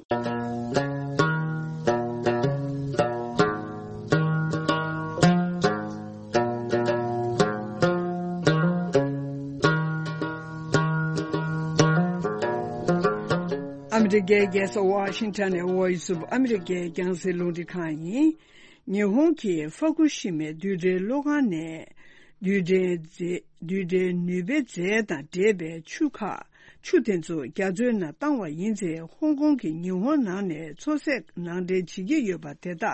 ཨ་མི་རི་ཀའི་རྒྱལ་ས་ཝ་ཤིང་ཊོན་ནས་Voice of America་རྒྱང་སྲིང་རླུང་འཕྲིན་ཁང་ཡིན། ཉི་ཧོང་གིས་ཧྥུ་ཀུ་ཤི་མའི་རྡུལ་ཕྲན་གློག་ཁང་ནས་རྡུལ་ཕྲན་རྫས་རྡུལ་ཕྲན་ནུས་པའི་རྫས་དང་འདྲེས་པའི་ཆུ་ཁག་ཆུ་དེ་ཚོ་རྒྱ་མཚོའི་ནང་བཏང་བ་ཡིན་ཚེ། ཧོང་ཀོང་གིས་ཉི་ཧོང་ནང་ནས་མཚོ་ཟས་ནང་འདྲེན་བྱེད་ཀྱི་ཡོད་པ་དེ་དག་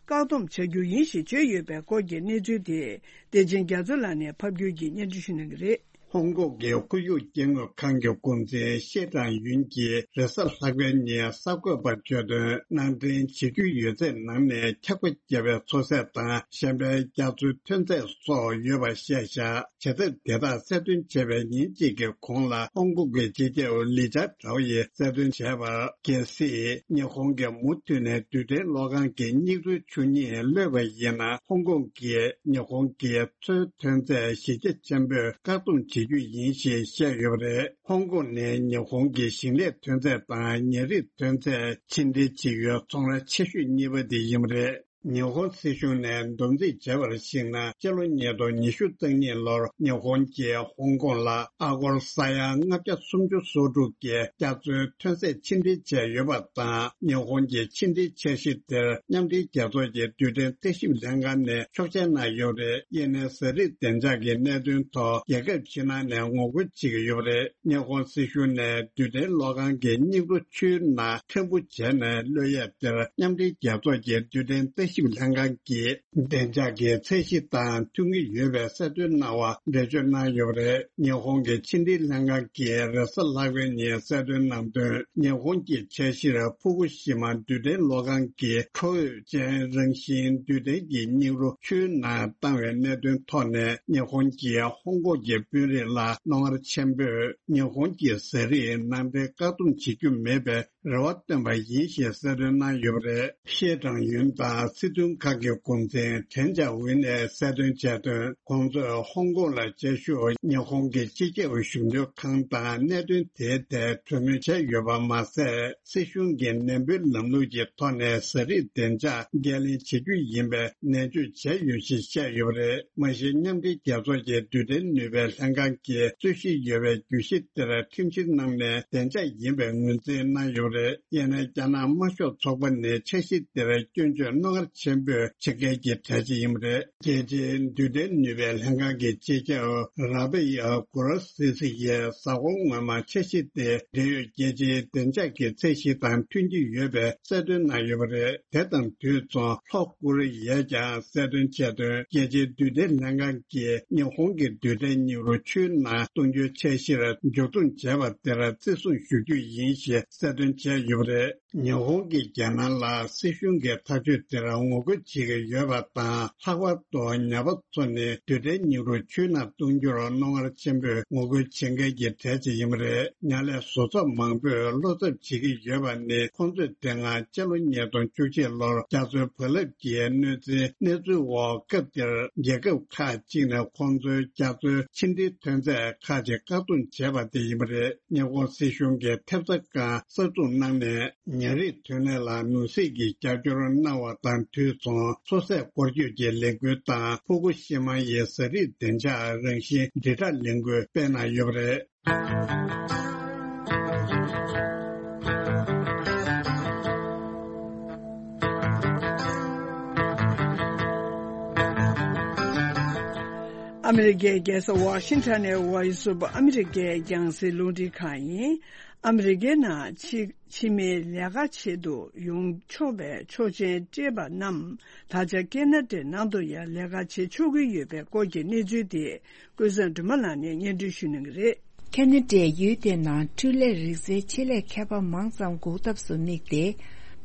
བཀག་སྡོམ་བྱ་རྒྱུ་ཡིན་ཞེས་བརྗོད་ཡོད་པའི་སྐོར་གྱི་གནས་ཚུལ་དེ། བདེ་ཆེན་རྒྱ་མཚོ་ལགས་ནས་ཕབ་སྒྱུར་གྱིས་སྙན་སྒྲོན་ཞུ་གནང་གི་རེད། ཧོང་ཀོང་གི་ཁོར་ཡུག་སྐྱེ་དངོས་ཁང་གི་འགོ་འཛིན་ཤེ་ཀྲང་ཡུན་གྱིས་རེས་གཟའ་ལྷག་པའི་ཉིན་གསར་འགོད་པར་བརྗོད་དོན། ནང་འདྲེན་བྱེད་རྒྱུ་ཡོད་ཚད་ནང་ནས་འཁྱག་པ་བརྒྱབ་པའི་མཚོ་ཟས་དང་གཞན་པའི་རྒྱ་མཚོའི་ཐོན་རྫས་སོགས་ཡོད་པ་བཤད་བཞག་བྱེད་ཐབས་དེ་དག་གསལ་སྟོན་བྱས་པའི་ཉིན་གཅིག་གི་གོང་ལ། ཧོང་ཀོང་གི་སྤྱི་ཁྱབ་ལི་ཅཱ་ཀྲའོ་ཡིས་གསལ་སྟོན་བྱས་པར། གལ་སྲིད་ཉི་ཧོང་གིས་མུ་མཐུད་ནས་རྡུལ་ཕྲན་གློག་ཁང་གི་སྙིགས་རོའི་ཆུ་གཉིས་གློད་པ་ཡིན་ན། ཧོང་ཀོང་གིས་ཉི་ཧོང་གི་མཚོའི་ཐོན་རྫས་གཞི་རྒྱ་ཆེན་པོས་བཀག་སྡོམ་བྱེད་རྒྱུ་ཡིན་ཞེས་བཤད་ཡོད་པ་རེད། ཧོང་ཀོང་ནི་ཉི་ཧོང་གི་ཞིང་ལས་ཐོན་རྫས་དང་ཉ་རིགས་ཐོན་རྫས་ཕྱི་འདྲེན་བྱེད་ཡུལ་ཚོང་ར་ཆེ་ཤོས་གཉིས་པ་དེ་ཡིན་པ་རེད། ཉི་ཧོང་སྲིད་གཞུང་ནས་བསྡོམས་རྩིས་བྱས་པར་གཞིགས་ན། སྤྱི་ལོ་ཉིས་སྟོང་ཉི་ཤུ་རྩ་གཉིས་ལོར་ཉི་ཧོང་གིས་ཧོང་ཀོང་ལ་ཨ་སྒོར་ས་ཡ་ལྔ་བརྒྱ་སུམ་ཅུ་སོ་དྲུག་གི་རྒྱ་མཚོའི་ཐོན་རྫས་ཕྱི་འདྲེན་བྱས་ཡོད་པ་དང་། ཉི་ཧོང་གི་ཕྱི་འབྲེལ་འཆར་གཞི་དེར་མཉམ་འབྲེལ་རྒྱལ་ཚོགས་ཀྱི་རྡུལ་ཕྲན་ལྟ་ཞིབ་ལྷན་ཁང་ནས་ཆོག་མཆན་གནང་ཡོད་རེད། དབྱིན་ནའི་ཟས་རིགས་བདེ་འཇགས་ཀྱི་གནད་དོན་ཐོག་རྒྱལ་ཁབ་ཕྱི་ནང་ནས་ངོ་རྒོལ་བྱེད་ཀྱི་ཡོད་པ་རེད། ཉི་ཧོང་སྲིད་གཞུང་ནས་རྡུལ་ཕྲན་གློག་ཁང་གི་སྙིགས་རོ་ཆུའི་ནང་ཕྲན་བུ་བྱས་ནས་གློད་ཡས་དེར་མཉམ་འབྲེལ་རྒྱལ་ཚོགས་ཀྱི་རྡུལ་ཕྲན་ལྟ་ཞིབ་ལྷན་ཁང་གིས། བདེ་འཇགས་ཀྱི་ཚད་གཞི་དང་མཐུན་གྱི་ཡོད་པའི་གསལ་སྟོན་གནང་བ་འགྲེལ་བརྗོད་གནང་ཡོད་པ་རེད། ཉི་ཧོང་གི་ཕྱི་འབྲེལ་ལྷན་ཁང་གིས་རེས་གཟའ་ལྷག་པའི་ཉིན་གསལ་སྟོན་གནང་དོན། ཉི་ཧོང་གི་འཆར་གཞིར་ཕུ་ཀུ་ཤི་མ་རྡུལ་ཕྲན་གློག་ཁང་གི་ཁྲོ་འོད་ཅན་རང་བཞིན་རྡུལ་ཕྲན་གྱི་སྙིགས་རོ་ཆུའི་ནང་བཏང་བའི་གནད་དོན་ཐོག་ནས། ཉི་ཧོང་གིས་ཧོང་ཀོང་གི་དཔོན་རིགས་ལ་རྣོ་ངར་ཆེན་པོས་ཉི་ཧོང་གི་ཟས་རིགས་ནང་འདྲེན་བཀག་སྡོམ་བྱེད་རྒྱུ་མེད་པའི་རེ་བ་བཏོན་པ་ཡིན་ཞེས་གསལ་སྟོན་གནང་ཡོད་པ་རེད། ཤེ་ཀྲང་ཡུན་དང་སྲིད་དོན་ཁག་གི་འགོ་འཛིན་ཁྲེན་ཅཱ་ཝུན་ནས་གསལ་སྟོན་བྱས་དོན། ཁོང་ཚོས་ཧོང་ཀོང་ལ་བཅའ་བཞུགས་ཉི་ཧོང་གི་སྤྱི་ཁྱབ་གཞོན་ནུ་ཁང་དང་གནད་དོན་དེའི་ཐད་གྲོས་མོལ་བྱས་ཡོད་པ་མ་ཟད། སྲིད་གཞུང་གིས་ནན་པོའི་ལམ་ལུགས་ཀྱི་ཐོག་ནས་ཟས་རིགས་བདེ་འཇགས་འགན་ལེན་བྱེད་རྒྱུ་ཡིན་པའི་ནན་བརྗོད་བྱས་ཡོད་ཞེས་བཤད་ཡོད་པ་རེད། མ་གཞི་མཉམ་འབྲེལ་རྒྱལ་ཚོགས་ཀྱི་རྡུལ་ཕྲན་ནུས་པའི་ལྷན་ཁང་གིས་རྩོད་གཞི་ཡོད་པའི་གྱོད་གཞི་དེར་ཁྲིམས་གཞི་གནང་ནས་བདེ་འཇགས་ཡིན་པའི་ངོས་འཛིན་གནང་ཡོད་པ་རེད། ཡིན་ནའི་རྒྱ་ནག་དམར་ཤོག་ཚོགས་པ་ནི་འཆར་གཞི་དེར་སྐྱོན་བརྗོད་རྣོ་ངར་ཆེན་པོས་བྱེད་མཁན་གྱི་གྲས་ཤིག་ཡིན་པ་རེད། རྒྱལ་སྤྱིའི་རྡུལ་ཕྲན་ནུས་པའི་ལྷན་ཁང་གི་སྤྱི་ཁྱབ་ར་པེ་ཡ་གུ་རོ་སི་སི་ཡིས་གཟའ་འཁོར་སྔོན་མ་འཆར་གཞི་དེ་འབྲེལ་ཡོད་རྒྱལ་སྤྱིའི་བདེ་འཇགས་ཀྱི་ཚད་གཞི་དང་མཐུན་གྱི་ཡོད་པའི་གསལ་སྟོན་གནང་ཡོད་པ་རེད། དེ་དང་དུས་མཚུངས་ལྷོ་ཀོ་རི་ཡས་ཀྱང་གསལ་སྟོན་བྱས་དོན། རྒྱལ་སྤྱིའི་རྡུལ་ཕྲན་ལྷན་ཁང་གིས་ཉི་ཧོང་གི་རྡུལ་ཕྲན་སྙིགས་རོ་ཆུའི་ནང་གཏོང་རྒྱུའི་འཆར་གཞིར་མཇུག་སྡོམ་བྱས་པ་དེར་བརྩི་སྲུང་ཞུ་རྒྱུ་ཡིན་ཞེས་གསལ་སྟོན་བྱས་ཡོད་པ་རེད། ཉི་ཧོང་གིས་རྒྱ་ནག་ལ་སྲིད་གཞུང་གི་ཐག་གཅོད་དེར་ངོ་རྒོལ་བྱེད་ཀྱི་ཡོད་པ་དང་། ལྷག་པར་དུ་ཉ་པ་ཚོ་ནི་རྡུལ་ཕྲན་སྙིགས་རོ་ཆུའི་ནང་གཏོང་རྒྱུར་རྣོ་ངར་ཆེན་པོས་ངོ་རྒོལ་བྱེད་མཁན་གྱི་གྲས་ཅིག་ཡིན་པ་རེད། ཉ་ལས་བཟོ་ཚོགས་མང་པོས་བློ་འཚབ་བྱེད་ཀྱི་ཡོད་པ་ནི། ཁོང་ཚོས་དེ་སྔ་སྤྱི་ལོ་ཉིས་སྟོང་བཅུ་གཅིག་ལོར་རྒྱ་མཚོའི་བག་ལེབ་ཀྱི་གནོད་འཚེའི་གནས་ཚུལ་འོག་སྐབས་དེར་རྒྱལ་ཁབ་ཁག་ཅིག་ནས་ཁོང་ཚོའི་རྒྱ་མཚོའི་ཕྱི་འབྲེལ་ཐོན་རྫས་ཁག་ཅིག་བཀག་སྡོམ་བྱས་པ་དེ་ཡིན་པ་རེད། ཉི་ཧོང་སྲིད་གཞུང་གིས་ཐེབས་རྩ་ཁང་གསར་འཛུགས་གནང་ནས། ཉ་རིགས་ཐོན་ལས་ལ་མུ་ཟིག་གིས་རྒྱབ་སྐྱོར་གནང་བ་དང་དུས་མཚུངས། མཚོ་ཟས་སྐོར་སྐྱོད་ཀྱི་ལས་འགུལ་དང་། ཕུ་ཀུ་ཤི་མ་ཡི་ཟས་རིགས་བདེ་འཇགས་རང་བཞིན་དྲིལ་བསྒྲགས་ལས་འགུལ་སྤེལ་གནང་ཡོད་པ་རེད། ཨ་མི་རི་ཀའི་རྒྱལ་ས་ཝ་ཤིང་ཊོན་ནས་Voice of America་རྒྱང་སྲིང་རླུང་འཕྲིན་ཁང་ཡིན། ཨ་མི་རི་ཀའི་ནང་ཕྱི་ཕྱི་མིའི་ལས་ཀ་བྱེད་དུ་ཡོང་ཆོག་པའི་ཆོག་མཆན་སྤྲད་པ་རྣམས། ད་ཆ་ཀེ་ན་ཌའི་ནང་དུ་ཡང་ལས་ཀ་བྱེད་ཆོག་གི་ཡོད་པའི་སྐོར་གྱི་གནས་ཚུལ་དེ། ཀུན་བཟང་སྒྲོལ་མ་ལགས་ནས་སྙན་སྒྲོན་ཞུ་གནང་གི་རེད། ཁེ་ན་ཌའི་ཡུལ་དེའི་ནང་འཕྲུལ་ལས་རིག་རྩལ་ཆེད་ལས་མཁས་པ་མང་ཙམ་འགུག་ཐབས་སུ་དམིགས་ཏེ།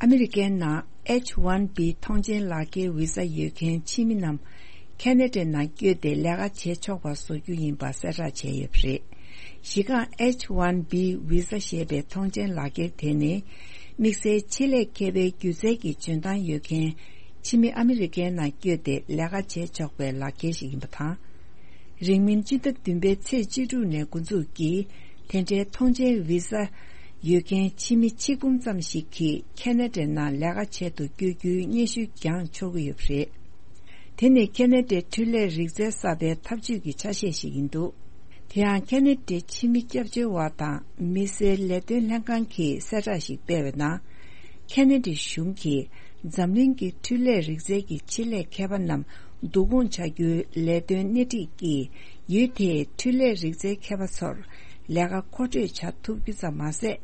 ཨ་མི་རི་ཀའི་ནང་H one B ཐོངས་མཆན་ལག་འཁྱེར་བི་ཟ་ཡོད་མཁན་ཕྱི་མི་རྣམས་ཁེ་ན་ཌའི་ནང་བསྐྱོད་དེ་ལས་ཀ་བྱེད་ཆོག་པ་བཟོ་རྒྱུ་ཡིན་པ་གསལ་བསྒྲགས་བྱས་ཡོད་པ་རེད། གཞི་རྐང་H one B བི་ཟ་ཞེས་པའི་ཐོངས་མཆན་ལག་འཁྱེར་དེ་ནི། དམིགས་བསལ་ཆེད་ལས་མཁས་པའི་སྒྱུ་རྩལ་གྱི་འཇོན་ཐང་ཡོད་མཁན་ཕྱི་མི་ཨ་མི་རི་ཀའི་ནང་བསྐྱོད་དེ་ལས་ཀ་བྱེད་ཆོག་པའི་ལག་འཁྱེར་ཞིག་ཡིན་པ་དང་། རིང་མིན་སྤྱི་ཟླ་བདུན་པའི་ཚེས་བཅུ་དྲུག་ནས་འགོ་འཛུགས་ཀྱིས། དེ་འདྲའི་ཐོངས་མཆན་བི་ཟ་ཡོད་མཁན་ཕྱི་མི་ཆིག་འབུམ་ཙམ་ཞིག་གིས་ཁེ་ན་ཌའི་ནང་ལས་ཀ་བྱེད་དུ་བསྐྱོད་རྒྱུའི་སྙན་ཞུ་བརྒྱངས་ཆོག་གི་ཡོད་པ་རེད། དེ་ནི་ཁེ་ན་ཌའི་འཕྲུལ་ལས་རིག་རྩལ་གསར་པའི་འཐབ་ཇུས་ཀྱི་ཆ་ཤས་ཤིག་ཡིན་འདུག་དེ་ཡང་ཁེ་ན་ཌའི་ཕྱི་མི་སྐྱབས་བཅོལ་བ་དང་མི་སེར་ལས་དོན་ལྷན་ཁང་གིས་གསལ་བསྒྲགས་ཤིག་སྤེལ་བའི་ནང་། ཁེ་ན་ཌའི་གཞུང་གིས་འཛམ་གླིང་གི་འཕྲུལ་ལས་རིག་རྩལ་གྱི་ཆེད་ལས་མཁས་པ་རྣམས་བསྡུ་སྐོང་བྱ་རྒྱུའི་ལས་དོན་སྣེ་ཁྲིད་ཀྱིས་ཡུལ་དེའི་འཕྲུལ་ལས་རིག་རྩལ་མཁས་པ་ཚོར་ལས་ཀ་མཁོ་སྤྲོད་བྱ་ཐུབ་རྒྱུ་ཙམ་མ་ཟད།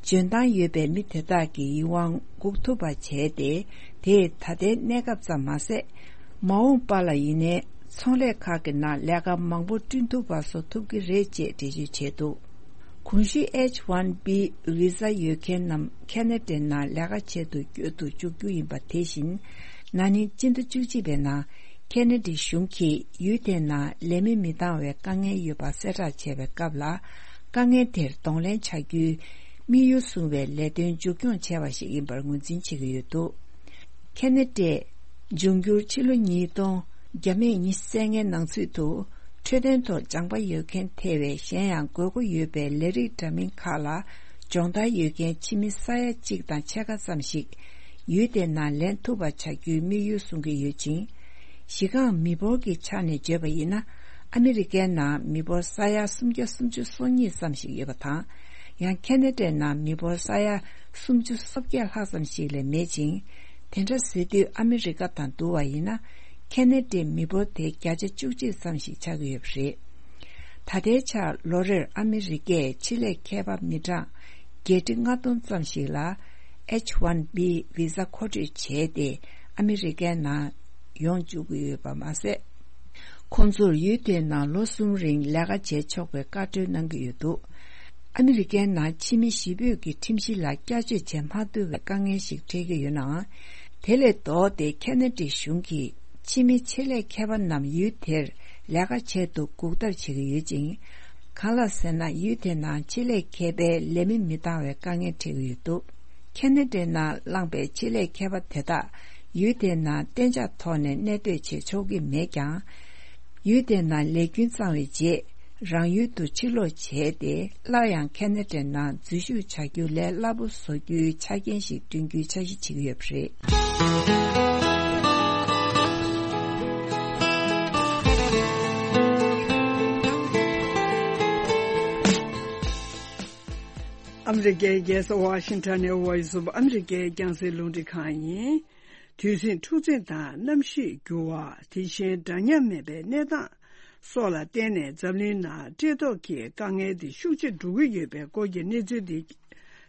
འཇོན་ཐང་ཡོད་པའི་མི་དེ་དག་གི་ཡིད་དབང་འགུག་ཐུབ་པ་བྱས་ཏེ། དེས་ད་ལྟའི་གནས་སྐབས་ཙམ་མ་ཟད། མ་འོངས་པ་ལ་ཡིན་ནའི་ཚོང་ལས་ཁག་གི་ནང་ལས་ཀ་མང་པོ་བསྐྲུན་ཐུབ་པ་བཟོ་ཐུབ་ཀྱི་རེད་ཅེས་འགྲེལ་བརྗོད་བྱས་འདུག་གོང་ཞུས་H one B བི་ཟ་ཡོད་མཁན་རྣམས་ཁེ་ན་ཌའི་ནང་ལས་ཀ་བྱེད་དུ་བསྐྱོད་དུ་འཇུག་རྒྱུ་ཡིན་པ་དེ་བཞིན། ན་ནིང་སྤྱི་ཟླ་བཅུ་གཅིག་པའི་ནང་ཁེ་ན་ཌའི་གཞུང་གིས་ཡུལ་དེའི་ནང་ལས་མི་མི་འདང་བའི་དཀའ་ངལ་ཡོད་པ་གསལ་བསྒྲགས་བྱས་པའི་སྐབས་ལ། དཀའ་ངལ་དེར་གདོང་ལེན་བྱ་རྒྱུའི་དམིགས་ཡུལ་བཟུང་བའི་ལས་དོན་མཇུག་སྐྱོང་བྱས་པ་ཞིག་ཡིན་པར་ངོས་འཛིན་བྱེད་ཀྱི་ཡོད་འདུག་ཁེ་ན་ཌའི་འབྱུང་འགྱུར་ཕྱི་ལོ་ཉིས་སྟོང་བརྒྱ་མེད་ཉི་ཤུ་རྩ་ལྔའི་ནང་ཚུད་དུ། འཕྲོད་བསྟེན་ཐོག་སྦྱངས་པ་ཡོད་མཁན་ཐེ་བའི་གཞན་ཡང་དགོས་མཁོ་ཡོད་པའི་ལས་རིགས་འདྲ་མིན་ཁག་ལ་སྦྱོང་བརྡར་ཡོད་མཁན་ཕྱི་མི་ས་ཡ་གཅིག་དང་ཕྱེད་ཀ་ཙམ་ཞིག་ཡུལ་དེའི་ནང་ལེན་ཐུབ་པ་བྱ་རྒྱུའི་དམིགས་ཡུལ་བཟུང་གི་ཡོད་ཅིང་། གཞི་རྐང་མི་འབོར་གྱི་ཆ་ནས་བརྗོད་པ་ཡིན་ན། ཨ་མི་རི་ཀའི་ནང་མི་འབོར་ས་ཡ་སུམ་བརྒྱ་སུམ་ཅུ་སོ་གཉིས་ཙམ་ཞིག་ཡོད་པ་དང་། ཡང་ཁེ་ན་ཌའི་ནང་མི་འབོར་ས་ཡ་སུམ་ཅུ་སོ་བརྒྱད་ལྷག་ཙམ་ཞིག་ལས་མེད་ཅིང་། དེ་འདྲ་ཟེར་དུས་ཨ་མི་རི་ཀ་དང་བསྡུར་བ་ཡིན་ན། ཁེ་ན་ཌའི་མི་འབོར་དེ་བརྒྱ་ཆ་བཅུ་གཅིག་ཙམ་ཞིག་ཆགས་ཀྱི་ཡོད་པ་རེད། ད་ལྟའི་ཆར་ལོ་རེར་ཨ་མི་རི་ཀས་ཆེད་ལས་མཁས་པ་མི་གྲངས་བརྒྱད་ཁྲི་ལྔ་སྟོང་ཙམ་ཞིག་ལ་H one B བི་ཟ་མཁོ་སྤྲོད་བྱས་ཏེ་ཨ་མི་རི་ཀའི་ནང་ཡོང་བཅུག་གི་ཡོད་པ་མ་ཟད། ཁོང་ཚོར་ཡུལ་དེའི་ནང་ལོ་གསུམ་རིང་ལས་ཀ་བྱེད་ཆོག་པའི་བཀའ་འཁྲོལ་གནང་གི་ཡོད་འདུག་ཨ་མི་རི་ཀའི་ནང་ཕྱི་མི་གཞིས་སྤོས་ཀྱི་ཁྲིམས་གཞི་ལ་བསྐྱར་བཅོས་བྱེད་མ་ཐུབ་པའི་དཀའ་ངལ་ཞིག་འཕྲད་ཀྱི་ཡོད་ནའང་། དེ་ལས་ལྡོག་སྟེ་ཁེ་ན་ཌའི་གཞུང་གིས་ཕྱི་མི་ཆེད་ལས་མཁས་པ་རྣམས་ཡུལ་དེར་ལས་ཀ་བྱེད་དུ་འགུག་ཐབས་བྱེད་ཀྱི་ཡོད་ཅིང་། གང་ལགས་ཟེར་ན་ཡུལ་དེ་ནང་ཆེད་ལས་མཁས་པའི་ལས་མི་མི་འདང་བའི་དཀའ་ངལ་འཕྲད་ཀྱི་ཡོད་འདུག་ཁེ་ན་ཌའི་ནང་བླངས་པའི་ཆེད་ལས་མཁས་པ་དེ་དག་ཡུལ་དེའི་ནང་གཏན་འཇགས་ཐོག་ནས་གནས་སྡོད་བྱེད་ཆོག་གི་མེད་ཀྱང་། ཡུལ་དེའི་ནང་ལས་རྒྱུན་གཙང་བའི་རྗེས་རང་ཡུལ་དུ་ཕྱིར་ལོག་བྱས་ཏེ། སླར་ཡང་ཁེ་ན་ཌའི་ནང་འཛུལ་ཞུགས་བྱ་རྒྱུ་ལས་སླ་པོ་བཟོ་རྒྱུའི་ཆ་རྐྱེན་ཞིག་བསྐྲུན་རྒྱུའི་འཆར་གཞི་བྱེད་ཀྱི་ཡོད་པ་རེད། ཨ་མི་རི་ཀའི་རྒྱལ་ས་ཝ་ཤིང་ཊོན་ནས་Voice of America རྒྱང་སྲིང་རླུང་འཕྲིན་ཁང་ཡིན། དུས་ཟིང་འཁྲུག་འཛིང་དང་གནམ་གཤིས་འགྱུར་བ། དེ་བཞིན་འདྲ་མཉམ་མེད་པའི་གནས་སྟངས་སོགས་ལ་བརྟེན་ནས་འཛམ་གླིང་ནང་བཀྲེས་ལྟོགས་ཀྱི་དཀའ་ངལ་དེ་ཤུགས་ཆེ་འགྲོ་གི་ཡོད་པའི་སྐོར་གྱི་གནས་ཚུལ་དེ་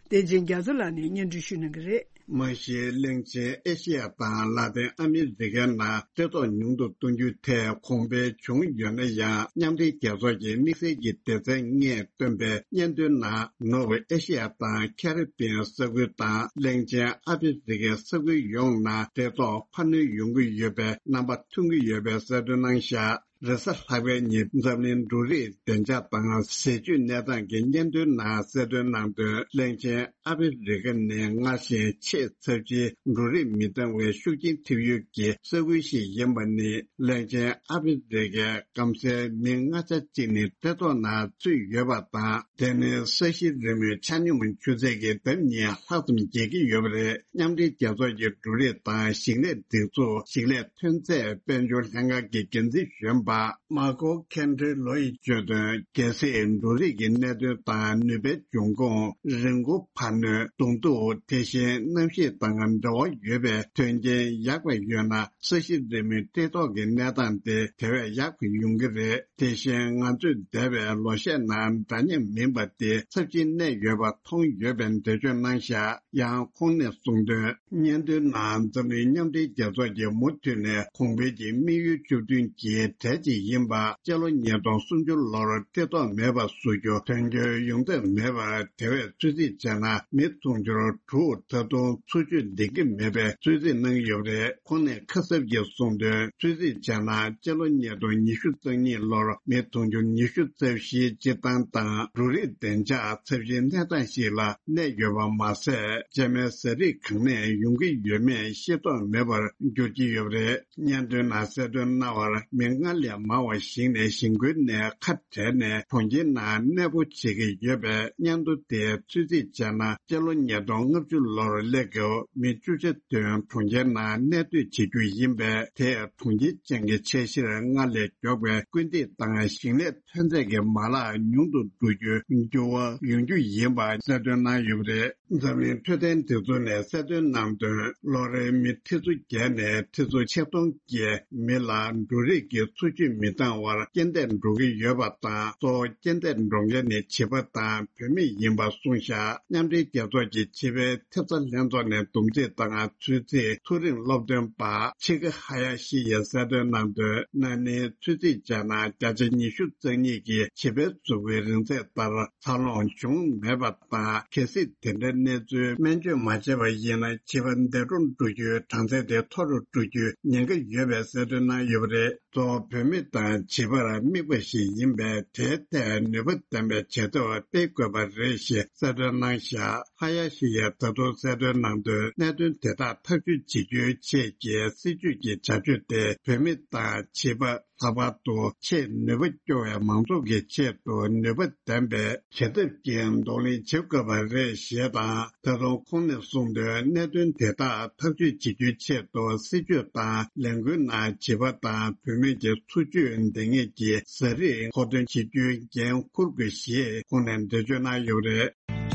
བསྟན་འཛིན་རྒྱ་མཚོ་ལགས་ནས་སྙན་སྒྲོན་ཞུ་གནང་གི་རེད། མ་གཞི་གླིང་ཆེན་ཨེ་ཤེ་ཡ་དང་ལ་ཏིན་ཨ་མི་རི་ཀའི་ནང་བཀྲེས་ལྟོགས་ཉུང་དུ་གཏོང་རྒྱུའི་ཐད་གོང་འཕེལ་བྱུང་ཡོད་ན་ཡང་། མཉམ་འབྲེལ་རྒྱལ་ཚོགས་ཀྱི་དམིགས་བསལ་གྱི་སྡེ་ཚན་ལྔས་བཏོན་པའི་སྙན་ཐོའི་ནང་། ནུབ་ཨེ་ཤེ་ཡ་དང་ཁ་རི་བི་ཡན་ས་ཁུལ་དང་གླིང་ཆེན་ཨ་ཕི་རི་ཀའི་ས་ཁུལ་ཡོངས་ནང་བཀྲེས་ལྟོགས་འཕར་སྣོན་ཡོང་གི་ཡོད་པའི་རྣམ་པ་ཐོན་གྱི་ཡོད་པའི་གསལ་སྟོན་གནང་བཞག་རེས་གཟའ་ལྷག་པའི་ཉིན་འཛམ་གླིང་འབྲུ་རིགས་བདེ་འཇགས་དང་ཟས་བཅུད་གནས་སྟངས་ཀྱི་སྙན་ཐོའི་ནང་གསལ་སྟོན་གནང་དོན། གླིང་ཆེན་ཨ་ཕི་རི་ཀ་ནི་སྔར་བཞིན་ཆེས་ཚབས་ཆེའི་འབྲུ་རིགས་མི་འདང་བའི་ཤུགས་རྐྱེན་ཐེབས་ཡུལ་གྱི་ས་ཁུལ་ཞིག་ཡིན་པ་ནི། གླིང་ཆེན་ཨ་ཕི་རི་ཀའི་སྐམ་སའི་མི་ལྔ་ཆ་གཅིག་ནི་བཀྲེས་ལྟོགས་ནང་ཚུད་ཡོད་པ་དང་། དེ་ནི་ས་གཞི་རི་མོའི་ཆ་སྙོམས་ཆུ་ཚད་ཀྱི་ལྡབ་གཉིས་ལྷག་ཙམ་རྒྱས་ཀྱི་ཡོད་པ་རེད། མཉམ་འབྲེལ་རྒྱལ་ཚོགས་ཀྱི་འབྲུ་རིགས་དང་ཞིང་ལས་སྒྲིག་འཛུགས་ཞིང་ལས་ཐོན་རྫས་དཔལ་འབྱོར་ལྷན་ཁང་གི་འགན་འཛིན་གཞོན་པ་མ་ཀོ་ཁེན་ཌི་ལོ་ཡིས་བརྗོད་དོན། གལ་སྲིད་འབྲུ་རིགས་ཀྱི་གནད་དོན་དང་ནུས་པའི་འབྱུང་ཁུངས། རིན་གོང་འཕར་སྣོན། གདོང་ཐུག་དེ་བཞིན་གནམ་གཤིས་དང་འབྲེལ་བ་ཡོད་པའི་དོན་རྐྱེན་ཡག་པ་ཡོད་ན། ས་གཞི་རི་མོའི་བཀྲེས་ལྟོགས་ཀྱི་གནས་སྟངས་དེ་དེ་བས་ཡག་པ་ཡོང་གི་རེད། དེ་བཞིན་ང་ཚོས་འདས་པའི་ལོ་ཤས་ནང་འདྲ་མཉམ་མིན་པ་དེ་ཚབས་ཆེན་གནས་ཡོད་པ་མཐོང་ཡོད་པའི་འགྲེལ་བརྗོད་གནང་བཞག་ཡང་ཁོང་ནས་གསུངས་དོན། སྙན་ཐོའི་ནང་འཛམ་གླིང་མཉམ་འབྲེལ་རྒྱལ་ཚོགས་ཀྱིས་མུ་མཐུད་ནས་གོང་འཕེལ་གྱི་དམིགས་ཡུལ་བཅུ་བདུན་གྱི་གྲས་ ཅིག་ཡིན་པ། སྤྱི་ལོ་ཉིས་སྟོང་སུམ་ཅུ་ལོར་ཐེ་གཏོགས་མེད་པ་བཟོ་རྒྱུ་དོན་འཁྱོལ་ཡོང་ཐབས་མེད་པར། དེ་བས་ཚོད་རྩིས་བྱས་ན་མི་དུང་ཕྱུར་དྲུག་ད་དུང་འཚོ་བཅུད་ལྡན་གྱི་མེད་པའི་ཚོད་རྩིས་གནང་ཡོད་པ་རེད། ཁོང་ནས་ཁ་གསབ་ཀྱིས་གསུངས་དོན། ཚོད་རྩིས་བྱས་ན་སྤྱི་ལོ་ཉིས་སྟོང་ཉི་ཤུ་རྩ་གཉིས་ལོར་མི་དུང་ཕྱུར་ཉི་ཤུ་རྩ་བཞིའི་སྤྱིར་བཏང་དང་འབྲུ་རིགས་བདེ་འཇགས་ཚབས་ཆེའི་གནས་སྟངས་ཤིག་ལ་གནས་ཡོད་པ་མ་ཟད། སྤྱན་མའི་ཟས་རིགས་གང་ནས་ཡོང་གི་ཡོད་མེད་ཤེས་རྟོགས་མེད་པར་འགྱུར་གྱི་ཡོད་པ་རེད། སྙན་ཐོའི་ནང་གསལ་སྟོན་གནང་བར། མི་སྔར་ལས་མང་བ་ཞིག་ནས་གཞིས་ཁུལ་ནས་ཁ་བྲལ་ནས་གྲོང་ཁྱེར་ནང་གནས་སྤོ་བྱེད་ཀྱི་ཡོད་པས། སྙན་ཐོ་དེའི་ཚོད་རྩིས་བྱས་ན། སྤྱི་ལོ་ཉིས་སྟོང་ལྔ་བཅུ་ལོར་སླེབས་སྐབས་མི་བཅུ་ཆ་བདུན་གྲོང་ཁྱེར་ནང་གནས་སྡོད་བྱེད་རྒྱུ་ཡིན་པས། དེས་གྲོང་ཁྱེར་ཅན་གྱི་ཆ་གཞིར་སྔར་ལས་མགྱོགས་པའི་སྐུལ་འདེད་དང་ཞིང་ལས་ཐོན་རྫས་ཀྱི་མ་ལག་ཉུང་དུ་འགྲོ་རྒྱུའི་འགྱུར་བ་ཡོང་རྒྱུ་ཡིན་པ་གསལ་སྟོན་གནང་ཡོད་པ་རེད། འཛམ་གླིང་འཕྲོད་བསྟེན་སྒྲིག་འཛུགས་ནས་གསལ་སྟོན་གནང་དོན། ལོ་རེའི་མི་ཁྲི་ཚོ་བརྒྱད་ནས་ཁྲི་ཚོ་ཆིག་སྟོང་བརྒལ་མི་ལ་འབྲུ་རིགས་ཀྱི་འཚོ་བཅུད་མི་འདང་བར་རྐྱེན་འདས་འགྲོ་གི་ཡོད་པ་དང་། གཙོ་བོ་རྐྱེན་འདས་འགྲོ་མཁན་ནི་བྱིས་པ་དང་བུད་མེད་ཡིན་པ་གསུངས་བཞག་མཉམ་འབྲེལ་རྒྱལ་ཚོགས་ཀྱི་བྱིས་པའི་ཐེབས་རྩ་ལྷན་ཚོགས་ནས་བསྡོམས་རྩིས་དང་ཚོད་རྩིས་མཐོ་རིམ་སློབ་སྟོན་པ་ཆི་ཀ་ཧ་ཡ་ཤི་ཡིས་གསལ་སྟོན་གནང་དོན། ན་ནིང་ཚོད་རྩིས་བྱས་ན་བརྒྱ་ཆ་ཉི་ཤུ་རྩ་གཉིས་ཀྱིས་བྱིས་པའི་གཟུགས་པོའི་རིང་ཚད་ལྟར། འཚར་ལོངས་བྱུང་མེད་པ་དང་། གལ་སྲིད་དེ་འདྲའི་གནས་ཚུལ་སྨན་བཅོས་མ་བྱས་པ་ཡིན་ན། བྱིས་པ་འདས་གྲོངས་འགྲོ་རྒྱུའི་གྲངས་ཚད་དེ་མཐོ་རུ་འགྲོ་རྒྱུའི་ཉེན་ཁ་ཡོད་པའི་གསལ་སྟོན་གནང་ཡོད་པ་རེད། གཙོ་བོ་བུད་མེད་དང་བྱིས་པར་དམིགས་པ་ཞིག་ཡིན་པས། དེའི་ཐད་ནུས་པ་ལྡན་པའི་བྱེད་ཐབས་སྤེལ་དགོས་པ་རེད་ཞེས་གསལ་སྟོན་གནང་བཞག་ཧ་ཡ་ཤི་ཡས་ད་དུང་གསལ་སྟོན་གནང་དོན། གནད་དོན་དེ་དག་ཐག་གཅོད་བྱེད་རྒྱུའི་ཆེད་ཀྱི་སྲིད་ཇུས་ཀྱི་བྱ་སྤྱོད་དེ་བུད་མེད་དང་བྱིས་པ། ལྷག་པར་དུ་ཆེས་ནུས་པ་སྐྱོ་བའི་མང་ཚོགས་ཀྱི་ཆེད་དུ་ནུས་པ་ལྡན་པའི་བྱེད་ཐབས་ཀྱིས་གདོང་ལེན་བྱེད་དགོས་པ་རེད་ཞེས་དང་། ད་དུང་ཁོང་ནས་གསུངས་དོན། གནད་དོན་དེ་དག་ཐག་གཅོད་བྱེད་རྒྱུའི་ཆེད་དུ་སྲིད་ཇུས་དང་ལས་འགུལ་ནང་བྱིས་པ་དང་བུད་མེད་ཀྱི་འཚོ་བཅུད་ལྡན་ངེས་ཀྱི་ཟས་རིགས་མཁོ་འདོན་བྱེད་རྒྱུའི་འགན་འཁུར་དགོས་ཞེས་ཁོང་ནས་འགྲེལ་བརྗོད་གནང་ཡོད་པ་རེད།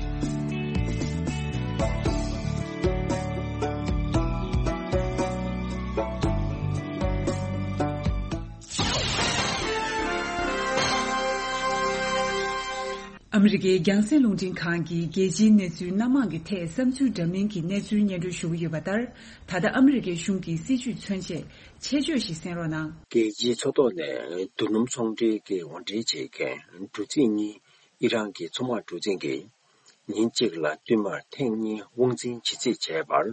ཨ་མི་རི་ཀའི་རྒྱང་སྲིང་རླུང་འཕྲིན་ཁང་གིས་རྒྱལ་སྤྱིའི་གནས་ཚུལ་སྣ་མང་གི་ཐད་བསམ་ཚུལ་འདྲ་མིན་གྱི་གནས་ཚུལ་སྙན་སྒྲོན་ཞུ་གི་ཡོད་པ་ལྟར། ད་ལྟ་ཨ་མི་རི་ཀའི་གཞུང་གི་སྲིད་ཇུས་མཚོན་ཆེད་ཆེད་བརྗོད་ཞིག་གསན་རོགས་གནང་། རྒྱལ་སྤྱིའི་མཚོ་ཐོག་ནས་རྡོ་སྣུམ་ཚོང་འབྲེལ་གྱི་དབོར་འདྲེན་བྱེད་མཁན་འབྲུ་འཛིན་གཉིས་ཨི་རན་གྱི་མཚོ་དམག་གྲུ་གཟིངས་ཀྱིས་ཉིན་གཅིག་ལ་བསྟུད་མར་ཐེངས་གཉིས་དབང་འཛིན་བྱེད་རྩིས་བྱས་པར།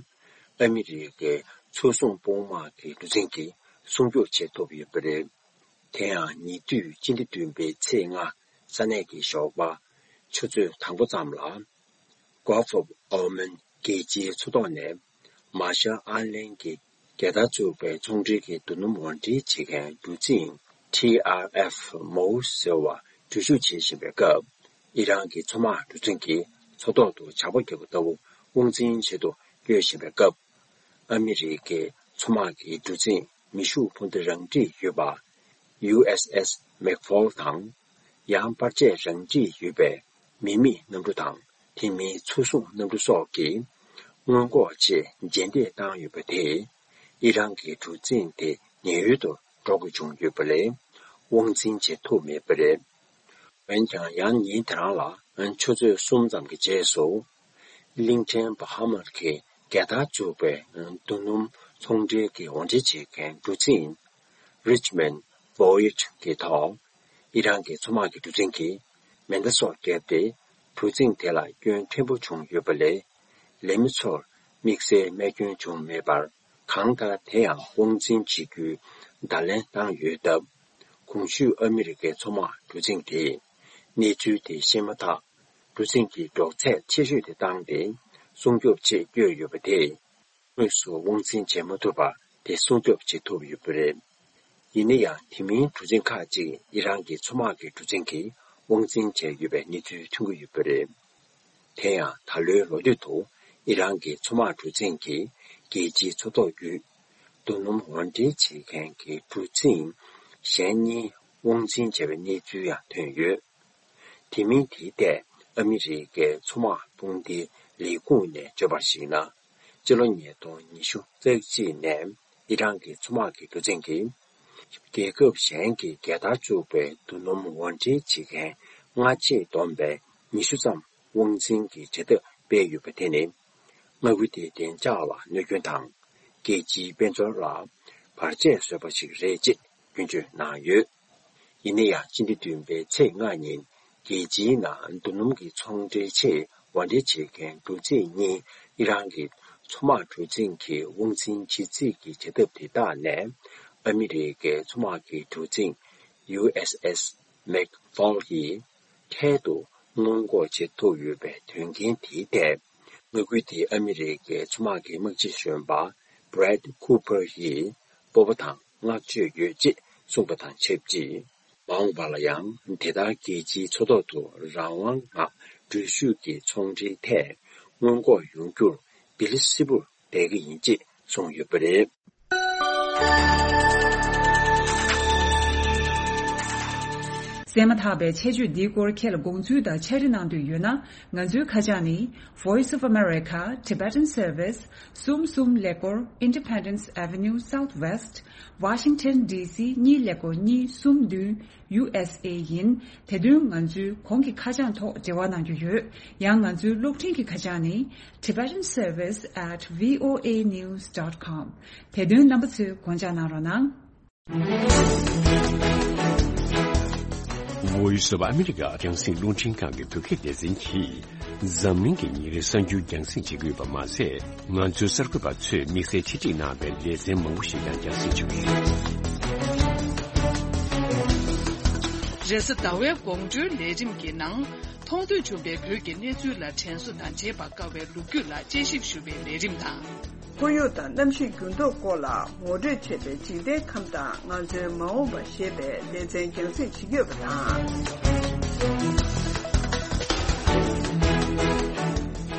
ཨ་མི་རི་ཀའི་མཚོ་སྲུང་དཔུང་དམག་གི་གྲུ་གཟིངས་ཀྱིས་སྲུང་སྐྱོབ་བྱེད་ཐུབ་ཡོད་པ་རེད། དེ་ཡང་ཉེ་དུས་སྤྱི་ཟླ་བདུན་པའི་ཚེས་ལྔ་ས་གནས་ཀྱི་ཞོགས་པ་ཆུ་ཚོད་དང་པོ་ཙམ་ལ། Gulf of Oman རྒྱལ་སྤྱིའི་མཚོ་ཐོག་ནས་མར་ཤལ་ཨའི་ལན་གྱི་རྒྱལ་དར་བཙུགས་པའི་ཚོང་འབྲེལ་གྱི་རྡོ་སྣུམ་དབོར་འདྲེན་བྱེད་མཁན་གྲུ་གཟིངས་ཊི་ཨར་ཨེཕ་མོ་ཟེར་བ་འགྲུལ་བཞུད་བྱེད་བཞིན་པའི་སྐབས། ཨི་རན་གྱི་མཚོ་དམག་གྲུ་གཟིངས་ཀྱིས་མཚོ་ཐོག་ཏུ་ཇག་པ་བརྒྱབ་པ་ལྟ་བུ་དབང་འཛིན་བྱེད་དུ་བསྐྱོད་བཞིན་པའི་སྐབས། ཨ་མི་རི་ཀའི་མཚོ་དམག་གི་གྲུ་གཟིངས་མེ་ཤུགས་འཕུར་མདའ་རང་འཁྲིད་ཡོད་པ། ཡུ་ཨེས་ཨེས་མེག་ཕོལ་དང་། ཡང་པར་ཆས་རང་འཁྲིད་ཡོད་པའི་མི་མེད་གནམ་གྲུ་དང་། དེ་མིན་མཚོ་སྲུང་གནམ་གྲུ་སོགས་ཀྱིས་སྔོན་འགོག་ཆེད་རྗེས་འདེད་བཏང་ཡོད་པ་དེས། ཨི་རན་གྱི་གྲུ་གཟིངས་དེ་ཉེན་གཡོལ་དུ་འགྲོ་དགོས་བྱུང་ཡོད་པ་ལས། དབང་འཛིན་བྱེད་ཐུབ་མེད་པ་རེད། འོན་ཀྱང་། ཡང་ཉིན་དེ་རང་ལ་ཆུ་ཚོད་གསུམ་ཙམ་གྱི་རྗེས་སུ། གླིང་ཕྲན་བྷ་ཧ་མར་གྱི་རྒྱལ་དར་བཙུགས་པའི་རྡོ་སྣུམ་ཚོང་འབྲེལ་གྱི་དབོར་འདྲེན་བྱེད་མཁན་གྲུ་གཟིངས་Richmond Voyage གྱི་ཐོག་ཨི་རན་གྱི་མཚོ་དམག་གི་གྲུ་གཟིངས་ཀྱིས་མེ་མདའ་སོགས་བརྒྱབ་སྟེ། གྲུ་གཟིངས་དེ་ལ་སྐྱོན་ཕྲན་བུ་བྱུང་ཡོད་པ་ལས། ལས་མི་ཚོར་དམིགས་བསལ་རྨས་སྐྱོན་བྱུང་མེད་པར། གང་ལྟར། དེ་ཡང་དབང་འཛིན་བྱེད་རྒྱུའི་བརྡ་ལན་བཏང་ཡོད་སྟབས། གོང་ཞུས་ཨ་མི་རི་ཀའི་མཚོ་དམག་གྲུ་གཟིངས་དེས་གནས་ཚུལ་དེ་ཤེས་མ་ཐག་གྲུ་གཟིངས་ཀྱི་འགྲོ་ཚད་ཆེ་ཤོས་དེ་བཏང་སྟེ། སྲུང་སྐྱོབ་ཆེད་བསྐྱོད་ཡོད་པ་དེས། དངོས་སུ་དབང་འཛིན་བྱེད་མ་ཐུབ་པར་དེ་སྲུང་སྐྱོབ་བྱེད་ཐུབ་ཡོད་པ་རེད། ཡིན་ན་ཡང་། དེ་མིན་གྲུ་གཟིངས་ཁག་ཅིག་ཨི་རན་གྱི་མཚོ་དམག་གི་གྲུ་གཟིངས་ཀྱིས་དབང་འཛིན་བྱས་ཡོད་པའི་གནས་ཚུལ་ཐོན་གྱི་ཡོད་པ་རེད། དེ་ཡང་། ད་ལོའི་ལོ་སྟོད་དུ་ཨི་རན་གྱི་མཚོ་དམག་གྲུ་གཟིངས་ཀྱིས་རྒྱལ་སྤྱིའི་མཚོ་ཐོག་བརྒྱུད་རྡོ་སྣུམ་དབོར་འདྲེན་བྱེད་མཁན་གྱི་གྲུ་གཟིངས་གཞན་གཉིས་དབང་འཛིན་བྱས་པའི་གནས་ཚུལ་ཡང་ཐོན་ཡོད། དེ་མིན། དེའི་ཐད་ཨ་མི་རི་ཀའི་མཚོ་དམག་དཔུང་སྡེའི་ལས་ཁུངས་ནས་བརྗོད་པར་གཞིགས་ན། སྤྱི་ལོ་ཉིས་སྟོང་ཉི་ཤུ་རྩ་གཅིག་ནས་ཨི་རན་གྱི་མཚོ་དམག་གི་གྲུ་གཟིངས་ཀྱིས། རྒྱལ་ཁབ་གཞན་གྱི་རྒྱལ་དར་བཙུགས་པའི་རྡོ་སྣུམ་དབོར་འདྲེན་བྱེད་མཁན་སྔ་རྗེས་བསྡོམས་པའི་ཉི་ཤུ་ཙམ་དབང་འཛིན་གྱི་བྱེད་ཐབས་སྤེལ་ཡོད་པ་དེ་ནི། མངའ་ཁུལ་དེའི་བདེ་འཇགས་ལ་གནོད་སྐྱོན་དང་། རྒྱལ་སྤྱིའི་དཔལ་འབྱོར་ལ་བར་ཆད་བཟོས་པ་ཞིག་རེད་ཅེས་ སྐྱོན་བརྗོད་གནང་ཡོད། ཡིན་ན་ཡང་སྤྱི་ཟླ་བདུན་པའི་ཚེས་ལྔ་ཉིན་རྒྱལ་སྤྱིའི་ནང་རྡོ་སྣུམ་གྱི་ཚོང་འབྲེལ་ཆེད་དབོར་འདྲེན་བྱེད་མཁན་འབྲུ་རྫས་གཉིས་ཨི་རན་གྱི་མཚོ་དམག་གྲུ་གཟིངས་ཀྱི་དབང་འཛིན་བྱེད་རྩིས་ཀྱི་བྱ་ཐབས་དེ་དག་ནས་ཨ་མི་རི་ཀའི་མཚོ་དམག་གི་གྲུ་གཟིངས་ཡུ་ཨེས་ཨེས་མེག་ཕོལ་ཡིས་འཕྲལ་དུ་སྔོན་འགོག་བྱེད་ཐུབ་ཡོད་པའི་དོན་རྐྱེན་དེའི་ཐད། མངའ་ཁུལ་དེའི་ཨ་མི་རི་ཀའི་མཚོ་དམག་གི་དམག་སྤྱི་གཞོན་པ་Brad Cooper་ཡིས་སྤོབས་པ་དང་བསྔགས་བརྗོད་ཡོད་ཅེས་གསུངས་པ་དང་ཆབས་ཅིག། མ་འོངས་པ་ལ་ཡང་དེ་ལྟར་རྒྱལ་སྤྱིའི་མཚོ་ཐོག་ཏུ་རང་དབང་ངང་འགྲུལ་བཞུད་ཀྱི་ཚོང་འབྲེལ་ཐད་སྔོན་འགོག་ཡོང་རྒྱུར་བིལ་གསལ་པོར་བསྡད་ཀྱི་ཡིན་ཅེས་གསུངས་ཡོད་པ་རེད། གསན་མ་ཐག་པའི་ཆེད་བརྗོད་འདིའི་སྐོར་ཁྱེད་ལ་དགོངས་ཚུལ་དང་ཕྱག་བྲིས་གནང་འདོད་ཡོད་ན། ང་ཚོའི་ཁ་བྱང་ནི། Voice of America Tibetan Service། གསུམ་གསུམ་ཀླད་ཀོར། Independence Avenue Southwest། Washington D C གཉིས་ཀླད་ཀོར་གཉིས་གསུམ་བདུན། U S A ཡིན། དེ་དོན་ང་ཚོའི་གོང་གི་ཁ་བྱང་ཐོག་འབྲེལ་བ་གནང་རྒྱུ་ཡོད། ཡང་ང་ཚོའི་གློག་འཕྲིན་གྱི་ཁ་བྱང་ནི། Tibetan Service at V O A news dot com། དེ་དོན་རྣམ་པ་ཚོས་དགོངས་འཇགས་གནང་རོགས་གནང་། Voice of America རྒྱང་སྲིང་རླུང་འཕྲིན་ཁང་གི་བོད་སྐད་སྡེ་ཚན་གྱིས་འཛམ་གླིང་གི་ཉིན་རེའི་གསར་འགྱུར་རྒྱང་སྲིང་བྱེད་ཀྱི་ཡོད་པ་མ་ཟད། ང་ཚོའི་གསར་འགོད་པ་ཚོས་དམིགས་བསལ་ཆེད་སྒྲིག་གནང་བའི་ལེ་ཚན་མང་པོ་ཞིག་ཀྱང་རྒྱང་སྲིང་བྱེད་ཀྱི་ཡོད། རེས་གཟའ་ཟླ་བའི་དགོང་དྲོའི་ལས་རིམ་གྱི་ནང་། མཐོང་ཐོས་བྱུང་བའི་བོད་ཀྱི་གནས་ཚུལ་ལ་དྲན་གསོ་དང་བརྗེད་པར་དཀའ་བའི་ལོ་རྒྱུས་ལ་དཔྱད་ཞིབ་ཞུ་བའི་ལས་རིམ་དང་། ཁོར་ཡུག་དང་གནམ་གཤིས་འགྱུར་ལྡོག་སྐོར་ལ་ངོ་སྤྲོད་བྱས་པའི་འཇིག་རྟེན་ཁམས་དང་ང་ཚོའི་མ་འོངས་པ་ཞེས་པའི་ལེ་ཚན་རྒྱང་སྲིང་བྱེད་ཀྱི་ཡོད་པ་དང་།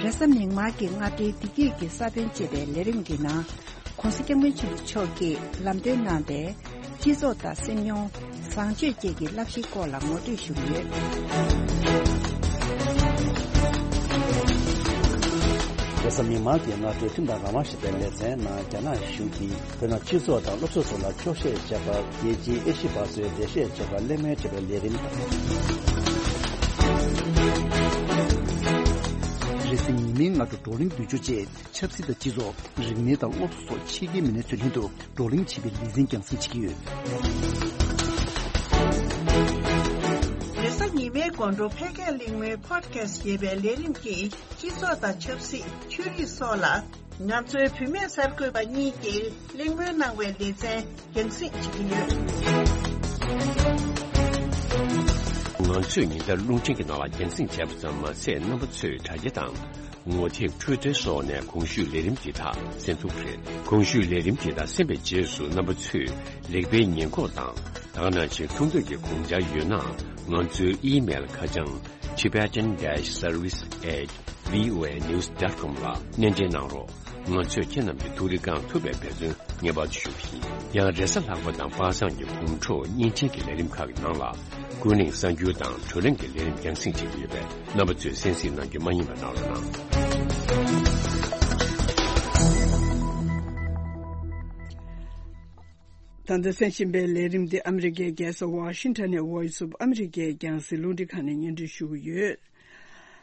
རེས་གཟའ་མིག་དམར་གྱི་སྔ་དྲོའི་བདེ་སྐྱིད་ཀྱི་ས་བོན་ཅེས་པའི་ལས་རིམ་གྱི་ནང་། ༸གོང་ས་༸སྐྱབས་མགོན་ཆེན་པོ་མཆོག་གིས་ལམ་སྟོན་གནང་བའི་སྤྱི་ཚོགས་དང་སེམས་མྱོང་། བཟང་སྤྱོད་བཅས་ཀྱི་བསླབ་གཞིའི་སྐོར་ལ་ངོ་སྤྲོད་ཞུ་གི་ཡོད། རེས་གཟའ་མིག་དམར་གྱི་སྔ་དྲོའི་ཁྲིམས་དང་རང་དབང་ཞེས་པའི་ལེ་ཚན་ནང་རྒྱ་ནག་གཞུང་གིས་བོད་ནང་སྤྱི་ཚོགས་དང་སློབ་གསོ་སོགས་ལ་འཁྱོག་བཤད་བྱས་པར་རྒྱལ་སྤྱིའི་ཨེ་ཤི་ཡ་པ་ཚོས་འགྲེལ་བཤད་བྱས་པར་གླེང་མོལ་བྱས་པའི་ལས་རིམ་དང་། རེས་གཟའ་ཉི་མའི་སྔ་དྲོ་བགྲོ་གླེང་བསྡུས་སྦྱོར་བཅས་ཆབ་སྲིད་དང་སྤྱི་ཚོགས། རིག་གནས་དང་སློབ་གསོ་སོགས་ཕྱི་རྒྱལ་མི་སྣ་ཚོའི་ལྷན་དུ་བགྲོ་གླེང་བྱེད་པའི་ལེ་ཚན་རྒྱང་སྲིང་བྱེད་ཀྱི་ཡོད། རེས་གཟའ་ཉི་མའི་དགོང་དྲོ་ཕལ་སྐད་གླེང་མོལ་Podcast་ཞེས་པའི་ལས་རིམ་གྱིས་སྤྱི་ཚོགས་དང་ཆབ་སྲིད། ཆོས་རིག་སོགས་ལ་ང་ཚོའི་བུད་མེད་གསར་འགོད་པ་གཉིས་ཀྱིས་གླེང་མོལ་གནང་བའི་ལེ་ཚན་རྒྱང་སྲིང་བྱེད་ཀྱི་ཡོད། ང་ཚོས་ཉིན་ལྟར་རླུང་འཕྲིན་གྱི་ནང་ལ་རྒྱང་སྲིང་བྱས་པ་ཙམ་མ་ཟད། རྣམ་པ་ཚོས་དྲ་རྒྱ་དང་། ངོ་དེབ། Twitter་སོགས་ནས་གོང་ཞུས་ལས་རིམ་འདི་དག་གསན་ཐུབ་རེད། གོང་ཞུས་ལས་རིམ་འདི་དག་གསན་པའི་རྗེས་སུ་རྣམ་པ་ཚོས་ལེགས་སྤེལ་ཉེས་འགོག་དང་དེ་ནང་བཞིན་ཐུགས་འདོད་ཀྱི་དགོངས་འཆར་ཡོད་ན། ང་ཚོའི་ཨི་མེལ་ཁ་བྱང་tibetan dash service at voa news dot com་ལ་སྣེ་འདྲེན་གནང་རོགས། ང་ཚོས་ཁྱེད་རྣམས་ཀྱི་ཐུགས་རེ་བསྐང་ཐུབ་པའི་འབད་བརྩོན་ངེས་པར་དུ་ཞུ་གི་ཡིན། ཡང་། རེས་གཟའ་ལྷག་པ་དང་པ་སངས་ཀྱི་དགོང་དྲོ་བརྙན་འཕྲིན་གྱི་ལས་རིམ་ཁག་གི་ནང་ལ། ཀུན་གླེང་གསར་འགྱུར་དང་བགྲོ་གླེང་གི་ལས་རིམ་རྒྱང་སྲིང་བྱེད་ཀྱི་ཡོད་པས། རྣམ་པ་ཚོས་གསན་གཟིགས་གནང་རྒྱུ་མ་བསྙེལ་བ་གནང་རོགས་གནང་། ད་ལྟ་གསན་བཞིན་པའི་ལས་རིམ་འདི་ཨ་མི་རི་ཀའི་རྒྱལ་ས་ཝ་ཤིང་ཊོན་ནས་Voice of America་རྒྱང་སྲིང་རླུང་འཕྲིན་ཁང་ནས་སྙན་སྒྲོན་ཞུ་གི་ཡོད།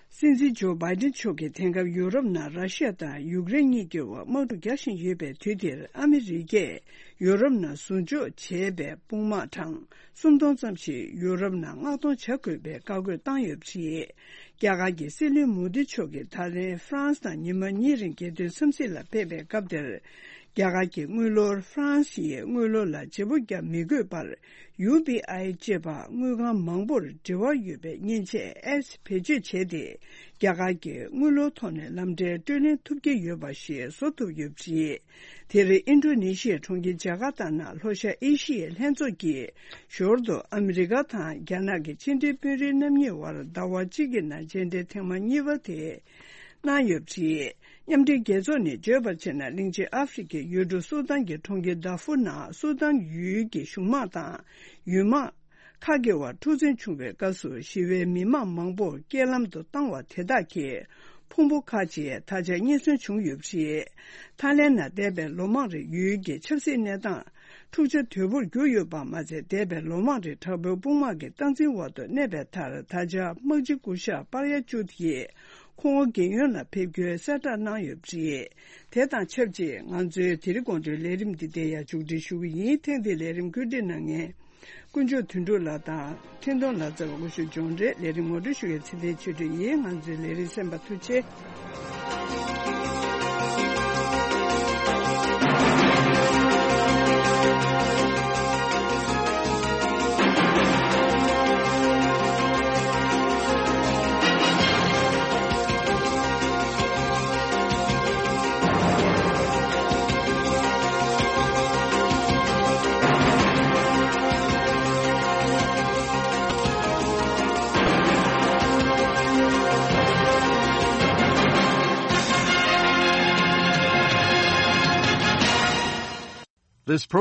སྲིད་འཛིན་ཇོ་བྷའི་ཏིན་མཆོག་གིས་དེང་སྐབས་ཡུ་རོབ་ནང་ར་ཤི་ཡ་དང་ཡུཀ་རེན་གཉིས་ཀྱི་བར་དམག་འཁྲུག་རྒྱག་བཞིན་ཡོད་པའི་དུས་འདིར། ཨ་མི་རི་ཀས་ཡུ་རོབ་ནང་ཟུར་འཇོག་བྱས་པའི་དཔུང་དམག་གྲངས་སུམ་སྟོང་ཙམ་ཞིག་ཡུ་རོབ་ནང་མངགས་གཏོང་བྱ་དགོས་པའི་བཀའ་བཀོད་བཏང་ཡོད་པ་རེད། རྒྱ་གར་གྱི་སྲིད་བློན་མོ་དི་མཆོག་གིས་ད་རིང་ཧྥ་རན་སི་ནང་ཉི་མ་གཉིས་རིང་རྒྱལ་དོན་འཚམས་གཟིགས་ལ་ཕེབས་པའི་སྐབས་དེར། རྒྱ་གར་གྱི་དངུལ་ལོར་ཧྥ་རན་སི་ཡི་དངུལ་ལོར་ལ་བརྗེ་པོ་བརྒྱབ་མི་དགོས་པར། ཡུ་པི་ཨའི་ཅེས་པ་དངུལ་ཁང་མང་པོར་འབྲེལ་བ་ཡོད་པའི་མཉེན་ཆས་ཨེབ་བེད་སྤྱོད་བྱས་ཏེ། རྒྱ་གར་གྱི་དངུལ་ལོར་ཐོག་ནས་ལམ་འབྲས་སྤྲོད་ལེན་ཐུབ་ཀྱི་ཡོད་པ་ཞིག་བཟོ་ཐུབ་ཡོད་པ་རེད། དེ་རིང་ཨིན་ཌོ་ནེ་ཤི་ཡའི་གྲོང་ཁྱེར་ཇ་ཀར་ཏ་ནང་ལྷོ་ཤར་ཨེ་ཤི་ཡའི་ལྷན་ཚོགས་ཀྱིས་ཞོར་དུ་ཨ་མི་རི་ཀ་དང་རྒྱ་ནག་གི་ཕྱི་འབྲེལ་དཔོན་རིགས་རྣམ་གཉིས་དབར་ཟླ་བ་གཅིག་གི་ནང་མཇལ་འཕྲད་ཐེངས་མ་གཉིས་པ་དེ་གནང་ཡོད་པ་རེད། མཉམ་འབྲེལ་རྒྱལ་ཚོགས་ནས་བརྗོད་པར་བྱས་ན། གླིང་ཆེན་ཨ་ཧྥེ་རི་ཁའི་ཡུལ་གྲུ་སུ་དཱན་གྱི་གྲོང་ཁྱེར་དཱ་ཧྥུར་ནང་སུ་དཱན་ཡུལ་གྱི་གཞུང་དམག་དང་ཡུལ་དམག་ཁག་གི་བར་འཁྲུག་འཛིང་བྱུང་བའི་སྐབས་སུ་ཞི་བའི་མི་མང་མང་པོ་རྐྱེན་ལམ་དུ་བཏང་བ་དེ་དག་གི་ཕུང་པོ་ཁག་ཅིག་ད་ཆ་རྙེད་སོན་བྱུང་ཡོད་པ་རེད། ཐའི་ལེན་ནང་འདས་པའི་ལོ་མང་རིང་ཡུལ་གྱི་ཆབ་སྲིད་གནས་སྟངས་འཁྲུག་ཆ་དོད་པོར་གྱུར་ཡོད་པ་མ་ཚད། འདས་པའི་ལོ་མང་རིང་དྲག་པོའི་དཔུང་དམག་གི་སྟངས་འཛིན་འོག་ཏུ་གནས་པའི་མཐར། ད་ཆ་དམག་སྤྱི་སྐུ་ཞབས་པར་ཡ་ཅུད་ཀྱིས། ཁོང་རྒྱལ་ཡོངས་ལ་ཕེབས་རྒྱུའི་གསལ་བསྒྲགས་གནང་ཡོད་པ་རེད། དེ་དང་ཆབས་ཅིག་ང་ཚོའི་དེ་རིང་དགོང་དྲོའི་ལས་རིམ་འདི་དེ་ཡང་མཇུག་སྒྲིལ་ཞུ་གི་ཡིན། ཐེངས་འདིའི་ལས་རིམ་བཀོད་སྒྲིག་གནང་མཁན། དཀོན་མཆོག་དོན་གྲུབ་ལགས་དང་འཕྲིན་གཏོང་ལག་རྩལ་བ་སྐུ་ཞབས་ཇོན་རེད། ལས་རིམ་ངོ་སྤྲོད་ཞུ་མཁན་ཚེ་བརྟན་ཆོས་སྒྲོན་ཡིན། ང་ཚོའི་ལས་རིམ་གསན་པར་ཐུགས་རྗེ་ཆེ། This